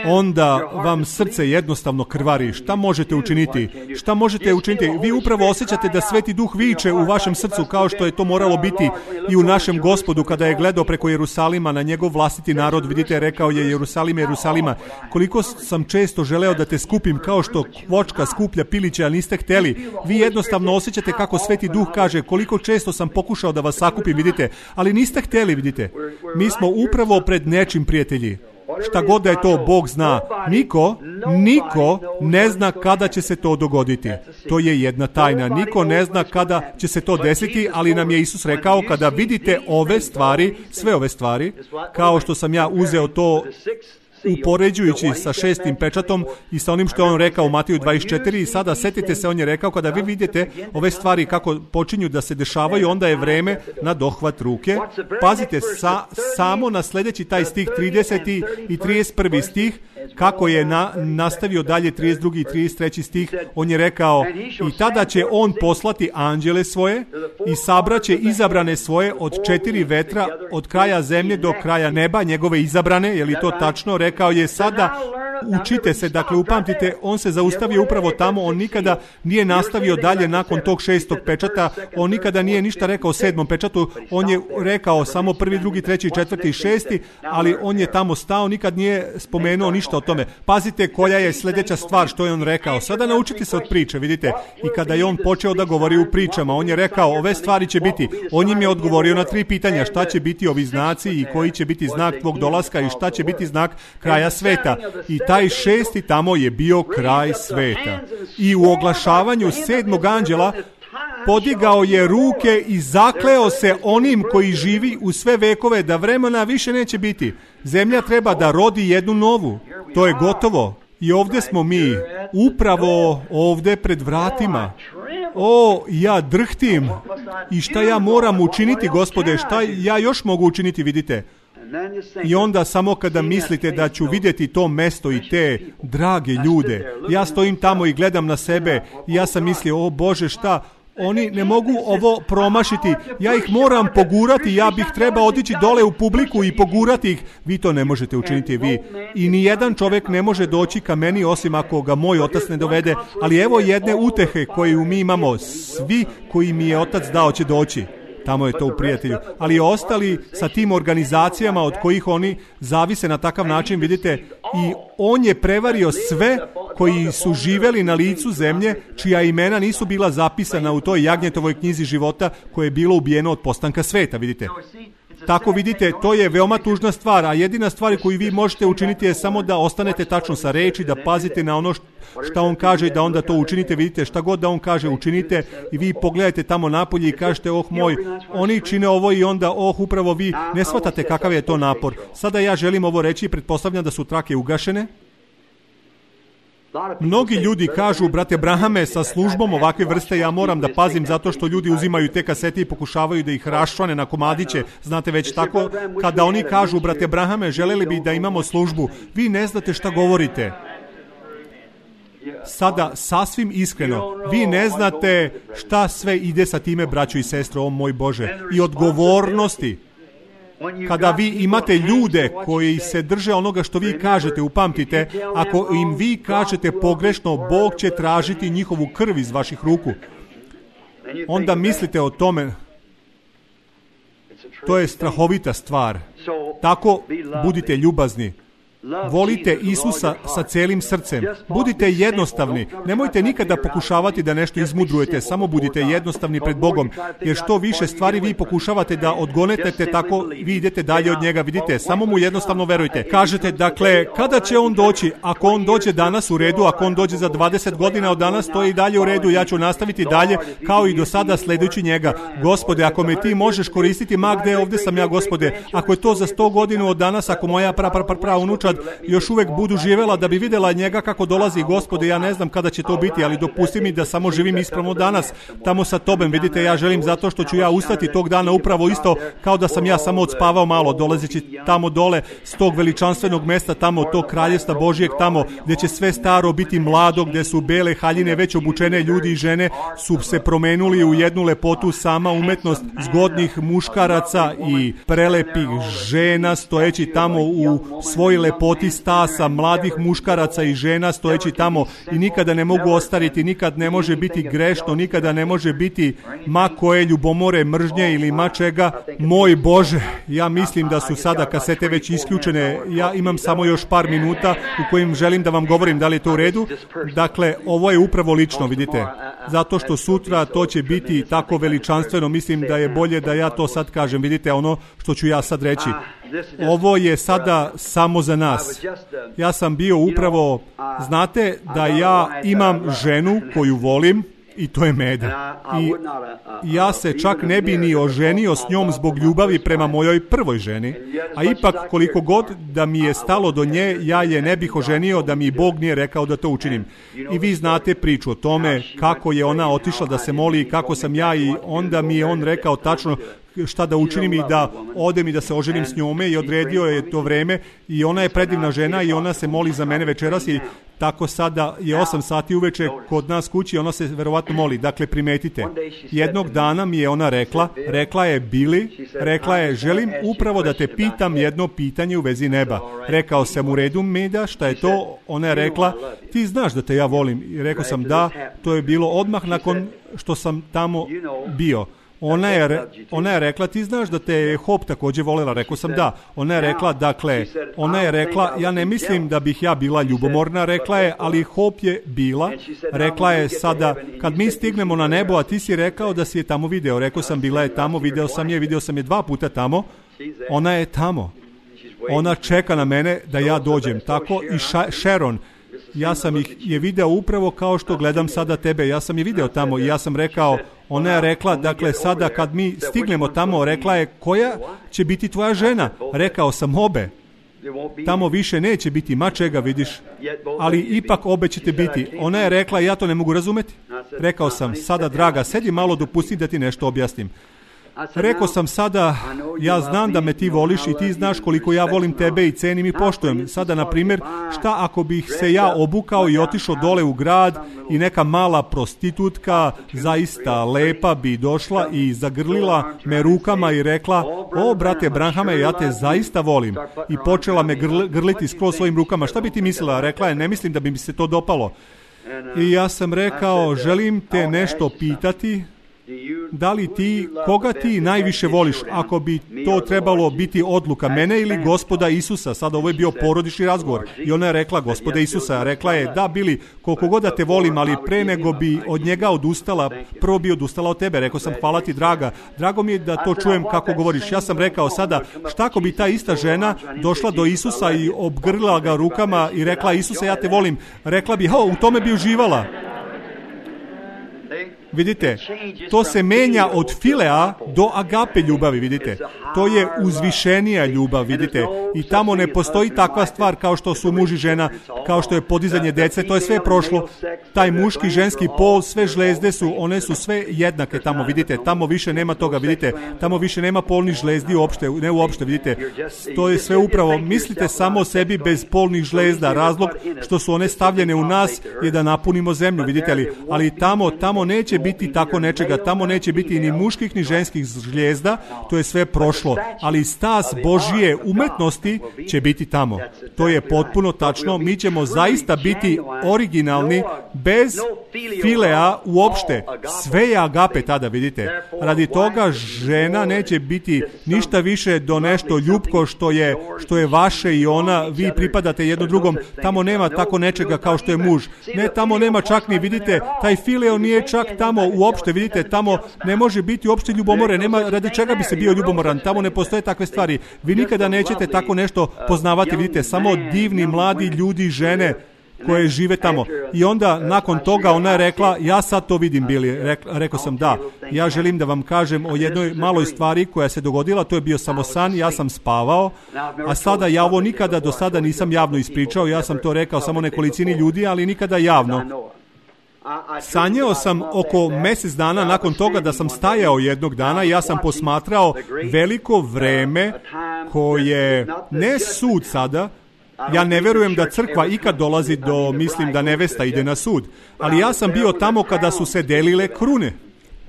onda vam srce jednostavno krvari. Šta možete učiniti? Šta možete učiniti? Vi upravo osjećate da Sveti Duh viče u vašem srcu, kao što je to moralo biti i u našem Gospodu kada je gledao preko Jerusalima na njegov vlastiti narod. Vidite, rekao je, Jerusalime, Jerusalima, koliko sam često želeo da te skupim kao što kvočka skuplja piliće, a niste hteli. Vi jednostavno osjećate kako Sveti Duh kaže, koliko često sam pokušao da vas sakupim, vidite, ali niste hteli, vidite. Mi smo upravo pred nečim, prijatelji. šta god da je to, Bog zna. Niko, niko ne zna kada će se to dogoditi. To je jedna tajna. Niko ne zna kada će se to desiti, ali nam je Isus rekao, kada vidite ove stvari, sve ove stvari, kao što sam ja uzeo to upoređujući sa šestim pečatom i sa onim što je on rekao u Matiju dvadeset četiri, i sada setite se, on je rekao, kada vi vidite ove stvari kako počinju da se dešavaju, onda je vreme na dohvat ruke. Pazite sa, samo na sljedeći taj stih, trideseti i trideset prvi stih, kako je na, nastavio dalje trideset drugi i trideset treći stih, on je rekao, i tada će on poslati anđele svoje i sabraće izabrane svoje od četiri vetra, od kraja zemlje do kraja neba, njegove izabrane, je li to tačno? Rekao je, sada učite se, dakle upamtite, on se zaustavio upravo tamo, on nikada nije nastavio dalje nakon tog šestog pečata, on nikada nije ništa rekao o sedmom pečatu, on je rekao samo prvi, drugi, treći, četvrti i šesti, ali on je tamo stao, nikad nije spomenuo ništa o tome. Pazite koja je sljedeća stvar što je on rekao. Sada naučite se od priče, vidite, i kada je on počeo da govori u pričama, on je rekao, ove stvari će biti, on im je odgovorio na tri pitanja, šta će biti ovi znaci i koji će biti znak tvog dolaska i šta će biti znak kraja sveta. I taj šesti tamo je bio kraj sveta. I u oglašavanju sedmog anđela podigao je ruke i zakleo se onim koji živi u sve vekove da vremena više neće biti. Zemlja treba da rodi jednu novu. To je gotovo. I ovdje smo mi, upravo ovdje pred vratima. O, ja drhtim. I šta ja moram učiniti, Gospode? Šta ja još mogu učiniti, vidite? I onda samo kada mislite da ću vidjeti to mesto i te drage ljude, ja stojim tamo i gledam na sebe i ja sam mislio, o Bože, šta? Oni ne mogu ovo promašiti, ja ih moram pogurati, ja bih trebao otići dole u publiku i pogurati ih. Vi to ne možete učiniti, vi. I ni jedan čovjek ne može doći ka meni osim ako ga moj otac ne dovede, ali evo jedne utehe koju mi imamo, svi koji mi je otac dao će doći. Tamo je to u prijatelju. Ali ostali sa tim organizacijama od kojih oni zavise na takav način, vidite, i on je prevario sve koji su živeli na licu zemlje, čija imena nisu bila zapisana u toj Jagnjetovoj knjizi života koje je bilo ubijeno od postanka sveta, vidite. Tako vidite, to je veoma tužna stvar, a jedina stvar koju vi možete učiniti je samo da ostanete tačno sa reči, da pazite na ono šta on kaže i da onda to učinite, vidite, šta god da on kaže učinite i vi pogledajte tamo napolje i kažete, oh moj, oni čine ovo i onda, oh upravo vi ne shvatate kakav je to napor. Sada ja želim ovo reći, pretpostavljam da su trake ugašene. Mnogi ljudi kažu, brate Brahame, sa službom ovakve vrste ja moram da pazim zato što ljudi uzimaju te kasete i pokušavaju da ih raščvane na komadiće. Znate već tako, kada oni kažu, brate Brahame, želeli bi da imamo službu, vi ne znate šta govorite. Sada, sasvim iskreno, vi ne znate šta sve ide sa time, braćo i sestro, o moj Bože, i odgovornosti. Kada vi imate ljude koji se drže onoga što vi kažete, upamtite, ako im vi kažete pogrešno, Bog će tražiti njihovu krv iz vaših ruku. Onda mislite o tome. To je strahovita stvar. Tako budite ljubazni. Volite Isusa sa celim srcem. Budite jednostavni. Nemojte nikada pokušavati da nešto izmudrujete. Samo budite jednostavni pred Bogom. Jer što više stvari vi pokušavate da odgonetete, tako vi idete dalje od njega. Vidite, samo mu jednostavno verujte. Kažete, dakle, kada će on doći? Ako on dođe danas, u redu. Ako on dođe za dvadeset godina od danas, to je i dalje u redu. Ja ću nastaviti dalje kao i do sada sledujući njega. Gospode, ako me ti možeš koristiti, ma gde, ovdje sam ja, Gospode. Ako je to za sto godina od danas, ako moja pra, pra, pra, pra unučad još uvek budu živela da bi vidjela njega kako dolazi, Gospode, ja ne znam kada će to biti, ali dopusti mi da samo živim ispravno danas, tamo sa tobem, vidite, ja želim zato što ću ja ustati tog dana upravo isto kao da sam ja samo odspavao malo, dolazeći tamo dole s tog veličanstvenog mesta, tamo tog kraljevstva Božijeg, tamo gdje će sve staro biti mlado, gdje su bele haljine već obučene, ljudi i žene su se promenuli u jednu lepotu, sama umetnost zgodnih muškaraca i prelepih žena stojeći tamo u svoj lepoti stasa, mladih muškaraca i žena stojeći tamo i nikada ne mogu ostariti, nikad ne može biti grešno, nikada ne može biti ma koje ljubomore, mržnje ili ma čega. Moj Bože, ja mislim da su sada kasete već isključene, ja imam samo još par minuta u kojim želim da vam govorim, da li je to u redu. Dakle, ovo je upravo lično, vidite, zato što sutra to će biti tako veličanstveno, mislim da je bolje da ja to sad kažem, vidite ono što ću ja sad reći. Ovo je sada samo za nas. Ja sam bio upravo, znate da ja imam ženu koju volim i to je Meda. I ja se čak ne bi ni oženio s njom zbog ljubavi prema mojoj prvoj ženi, a ipak koliko god da mi je stalo do nje, ja je ne bih oženio da mi Bog nije rekao da to učinim. I vi znate priču o tome kako je ona otišla da se moli i kako sam ja, i onda mi je on rekao tačno šta da učinim i da odem i da se oženim s njome, i odredio je to vreme, i ona je predivna žena i ona se moli za mene večeras, i tako sada je osam sati uveče kod nas kući, ona se verovatno moli. Dakle, primetite, jednog dana mi je ona rekla, rekla je Billy, rekla je, želim upravo da te pitam jedno pitanje u vezi neba. Rekao sam, u redu Meda, šta je to? Ona je rekla, ti znaš da te ja volim. I rekao sam da, to je bilo odmah nakon što sam tamo bio. Ona je, ona je rekla, ti znaš da te je Hop također volela. Rekao sam da. Ona je rekla, dakle, ona je rekla, ja ne mislim da bih ja bila ljubomorna, rekla je, ali Hop je bila. Rekla je sada, kad mi stignemo na nebo, a ti si rekao da si je tamo video. Rekao sam, bila je tamo, video sam je, video sam je dva puta tamo. Ona je tamo. Ona čeka na mene da ja dođem. Tako i Sharon. Ja sam ih je video upravo kao što gledam sada tebe. Ja sam je video tamo i ja sam rekao, ona je rekla, dakle, sada kad mi stignemo tamo, rekla je, koja će biti tvoja žena? Rekao sam, obe. Tamo više neće biti mačega, vidiš, ali ipak obe ćete biti. Ona je rekla, ja to ne mogu razumeti. Rekao sam, sada, draga, sedi malo, dopusti da ti nešto objasnim. Rekao sam sada, ja znam da me ti voliš i ti znaš koliko ja volim tebe i cenim i poštujem. Sada, na primjer, šta ako bih se ja obukao i otišao dole u grad i neka mala prostitutka, zaista lepa, bi došla i zagrlila me rukama i rekla, o, brate Branhame, ja te zaista volim. I počela me grl, grliti skroz svojim rukama. Šta bi ti mislila? Rekla je, ne mislim da bi mi se to dopalo. I ja sam rekao, želim te nešto pitati. Da li ti, koga ti najviše voliš, ako bi to trebalo biti odluka mene ili Gospoda Isusa? Sada ovo je bio porodični razgovor i ona je rekla Gospoda Isusa. Rekla je, da Billy, koliko god da te volim, ali pre nego bi od njega odustala, prvo bi odustala od tebe. Rekao sam, hvala ti, draga, drago mi je da to čujem kako govoriš. Ja sam rekao sada, šta ako bi ta ista žena došla do Isusa i obgrlila ga rukama i rekla, Isuse, ja te volim. Rekla bi, o, u tome bi uživala. Vidite, to se menja od filea do agape ljubavi, vidite. To je uzvišenija ljubav, vidite. I tamo ne postoji takva stvar kao što su muž i žena, kao što je podizanje dece, to je sve prošlo. Taj muški, ženski pol, sve žlezde su, one su sve jednake tamo, vidite. Tamo više nema toga, vidite. Tamo više nema polnih žlezdi uopšte, ne uopšte, vidite. To je sve upravo, mislite samo o sebi bez polnih žlezda. Razlog što su one stavljene u nas je da napunimo zemlju, vidite li. Ali tamo, tamo neće biti tako nečega, tamo neće biti ni muških ni ženskih žlijezda, to je sve prošlo, ali stas Božije umetnosti će biti tamo. To je potpuno tačno, mi ćemo zaista biti originalni, bez filea uopšte. Sve je agape tada, vidite. Radi toga žena neće biti ništa više do nešto ljubko što je, što je vaše i ona, vi pripadate jedno drugom. Tamo nema tako nečega kao što je muž. Ne, tamo nema čak ni, vidite, taj fileo nije čak tamo uopšte, vidite, tamo ne može biti uopšte ljubomore, nema radi čega bi se bio ljubomoran, tamo ne postoje takve stvari. Vi nikada nećete tako nešto poznavati, vidite, samo divni mladi ljudi, žene koje žive tamo. I onda nakon toga ona je rekla, ja sad to vidim, Billy. Rek, rekao sam, da, ja želim da vam kažem o jednoj maloj stvari koja se dogodila, to je bio samo san, ja sam spavao, a sada ja ovo nikada do sada nisam javno ispričao, ja sam to rekao samo nekolicini ljudi, ali nikada javno. Sanjao sam oko mjesec dana nakon toga da sam stajao jednog dana i ja sam posmatrao veliko vreme koje, ne sud sada, ja ne vjerujem da crkva ikad dolazi do, mislim da nevesta ide na sud, ali ja sam bio tamo kada su se delile krune.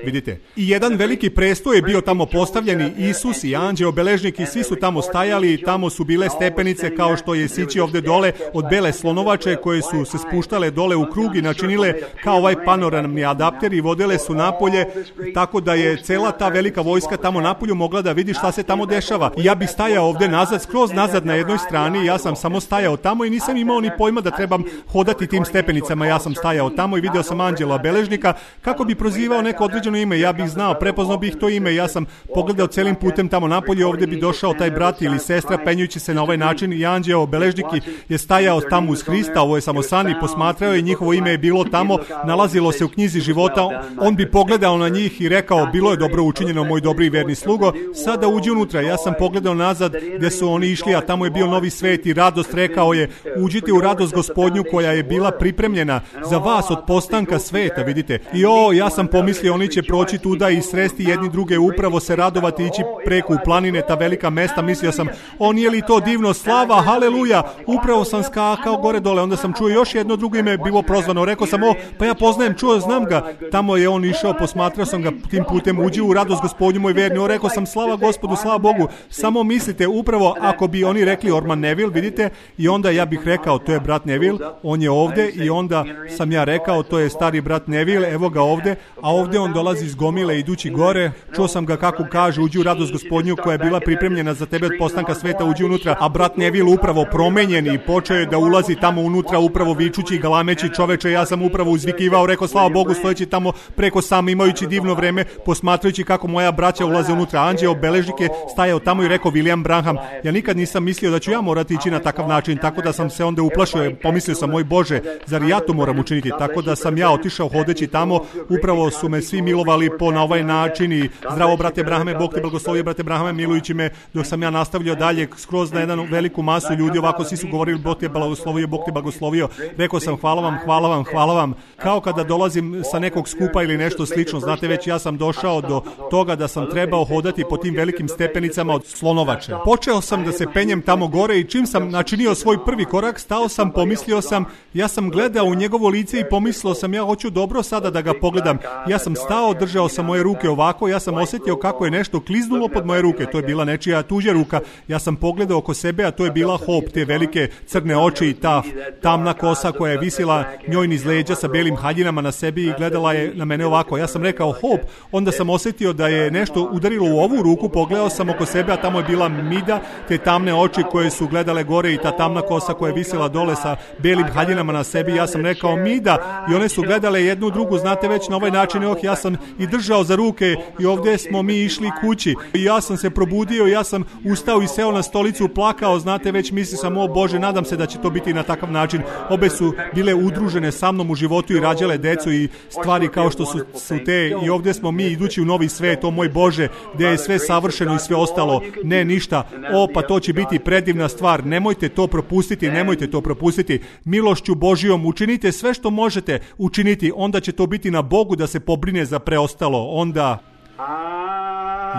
Vidite, i jedan veliki prestoj je bio tamo postavljeni, Isus i anđeo beležnik i svi su tamo stajali i tamo su bile stepenice kao što je sići ovdje dole od bele slonovače koje su se spuštale dole u krug i načinile kao ovaj panoramni adapter i vodile su napolje, tako da je cela ta velika vojska tamo napolju mogla da vidi šta se tamo dešava. I ja bih stajao ovdje nazad, skroz nazad na jednoj strani, ja sam samo stajao tamo i nisam imao ni pojma da trebam hodati tim stepenicama, ja sam stajao tamo i video sam anđela beležnika kako bi prozivao neko određeno gađano ime, ja bih znao, prepoznao bih to ime, ja sam pogledao celim putem tamo napolje, ovdje bi došao taj brat ili sestra penjući se na ovaj način i anđeo beležniki je stajao tamo uz Hrista, ovo je samo san, i posmatrao i njihovo ime je bilo tamo, nalazilo se u knjizi života, on bi pogledao na njih i rekao, bilo je dobro učinjeno, moj dobri i verni slugo, sada uđi unutra. Ja sam pogledao nazad gdje su oni išli, a tamo je bio novi svet i radost, rekao je, uđite u radost Gospodnju koja je bila pripremljena za vas od postanka sveta, vidite. I o, ja sam pomislio, oni će proći tuda i sresti jedni druge, upravo se radovati, ići preko u planine, ta velika mesta, mislio sam, o, nije li to divno, slava, haleluja, upravo sam skakao gore dole, onda sam čuo još jedno drugo ime, bilo prozvano, rekao sam, o, pa ja poznajem, čuo, znam ga, tamo je on išao, posmatrao sam ga tim putem, uđi u radost Gospodnju moj verni, o, rekao sam, slava Gospodu, slava Bogu, samo mislite, upravo ako bi oni rekli Orman Neville, vidite, i onda ja bih rekao, to je brat Neville, on je ovdje, i onda sam ja rekao, to je stari brat Neville, evo ga ovdje, a ovdje on dolazi iz gomile idući gore, čuo sam ga kako kaže, uđi u radost Gospodnju koja je bila pripremljena za tebe od postanka sveta, uđi unutra, a brat Neville upravo promenjen i počeo je da ulazi tamo unutra, upravo vičući i galameći, čoveče, ja sam upravo uzvikivao, rekao, slava Bogu, stojeći tamo preko sam, imajući divno vreme, posmatrajući kako moja braća ulaze unutra. Anđeo beležnik je stajao tamo i rekao, William Branham, ja nikad nisam mislio da ću ja morati ići na takav način, tako da sam se onda uplašio, pomislio sam, moj Bože, zar ja to moram učiniti, tako da sam ja otišao hodeći tamo, upravo su me svi milovali po na ovaj način i zdravo brate Brahame, Bog te blagoslovio brate Brahame, milujući me dok sam ja nastavljao dalje skroz na jednu veliku masu ljudi, ovako svi su govorili, Bog te blagoslovio, Bog te blagoslovio, rekao sam, hvala vam, hvala vam, hvala vam, kao kada dolazim sa nekog skupa ili nešto slično, znate već ja sam došao do toga da sam trebao hodati po tim velikim stepenicama od slonovače. Počeo sam da se penjem tamo gore i čim sam načinio svoj prvi korak, stao sam, pomislio sam, ja sam gledao u njegovo lice i pomislio sam, ja hoću dobro sada da ga pogledam. Ja sam stao, držao sam moje ruke ovako, ja sam osjetio kako je nešto kliznulo pod moje ruke, to je bila nečija tuđa ruka. Ja sam pogledao oko sebe, a to je bila Hope, te velike crne oči i ta tamna kosa koja je visila njoj niz leđa sa belim haljinama na sebi i gledala je na mene ovako. Ja sam rekao Hope, onda sam osjetio da je nešto udarilo u ovu ruku, pogledao sam oko sebe, a tamo je bila Mida, te tamne oči koje su gledale gore i ta tamna kosa koja je visila dole sa belim haljinama na sebi. Ja sam rekao Mida i one su gledale jednu drugu, znate već na ovaj način, oh, ja sam i držao za ruke i ovdje smo mi išli kući i ja sam se probudio, ja sam ustao i seo na stolicu, plakao, znate već, mislio sam, o Bože, nadam se da će to biti na takav način. Obe su bile udružene sa mnom u životu i rađale decu i stvari kao što su, su te, i ovdje smo mi idući u novi svet, o moj Bože, gdje je sve savršeno i sve ostalo, ne ništa, o pa to će biti predivna stvar, nemojte to propustiti, nemojte to propustiti, milošću Božijom učinite sve što možete učiniti, onda će to biti na Bogu da se pobrine za preostalo, onda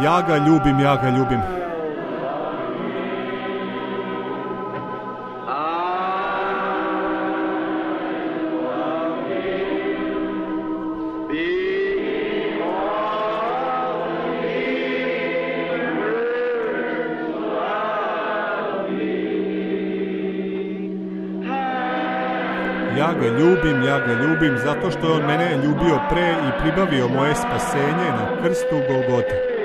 ja ga ljubim, ja ga ljubim. Ja ga ljubim, ja ga ljubim, zato što je on mene ljubio pre i pribavio moje spasenje na krstu Golgote.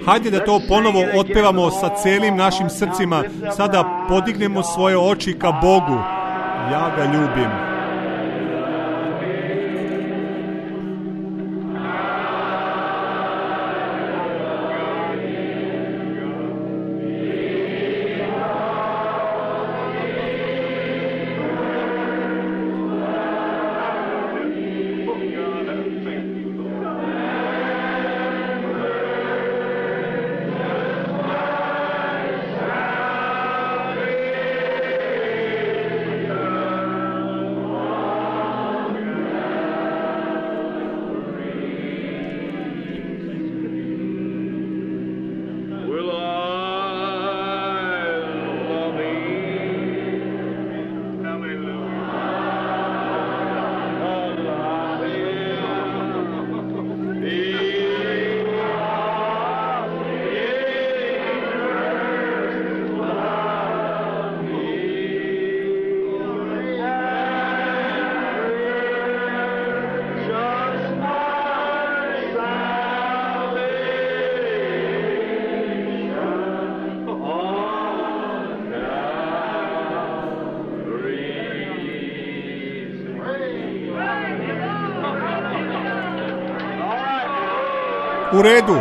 Hajde da to ponovo otpevamo sa celim našim srcima, sada podignemo svoje oči ka Bogu. Ja ga ljubim. U redu.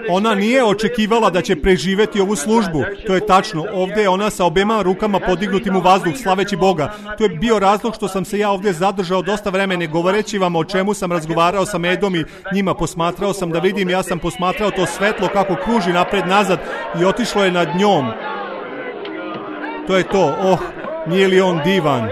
Ona nije očekivala da će preživjeti ovu službu. To je tačno. Ovdje je ona sa obema rukama podignutim u vazduh, slaveći Boga. To je bio razlog što sam se ja ovdje zadržao dosta vremena, govoreći vam o čemu sam razgovarao sa Medom i njima. Posmatrao sam da vidim, ja sam posmatrao to svetlo kako kruži napred nazad i otišlo je nad njom. To je to. Oh, nije li on divan?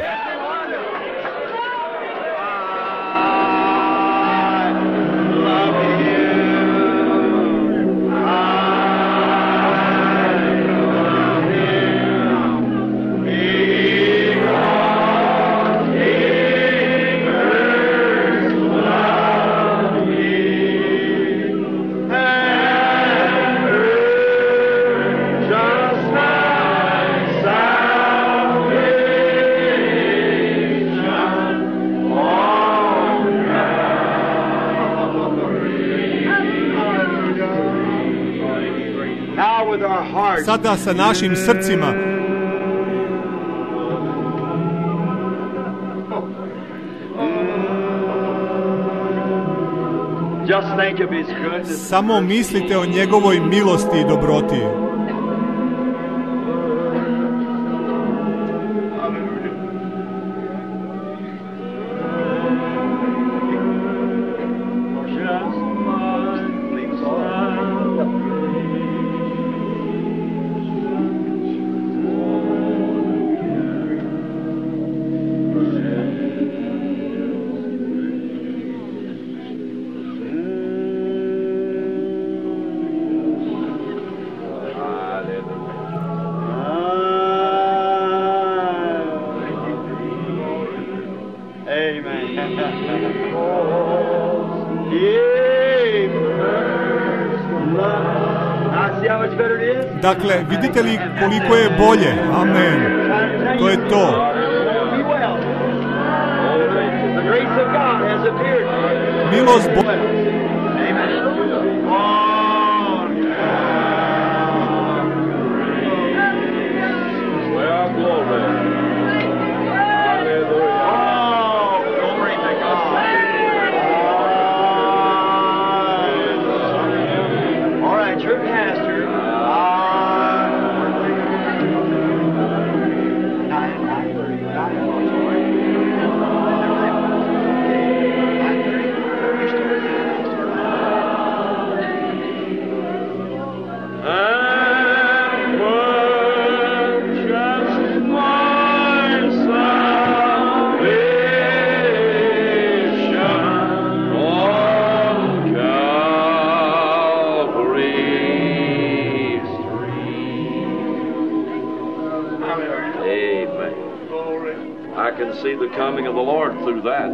Sada sa našim srcima samo mislite o njegovoj milosti i dobroti. Dakle, vidite li koliko je bolje? Amen. To je to. Milost Boga. See the coming of the Lord through that.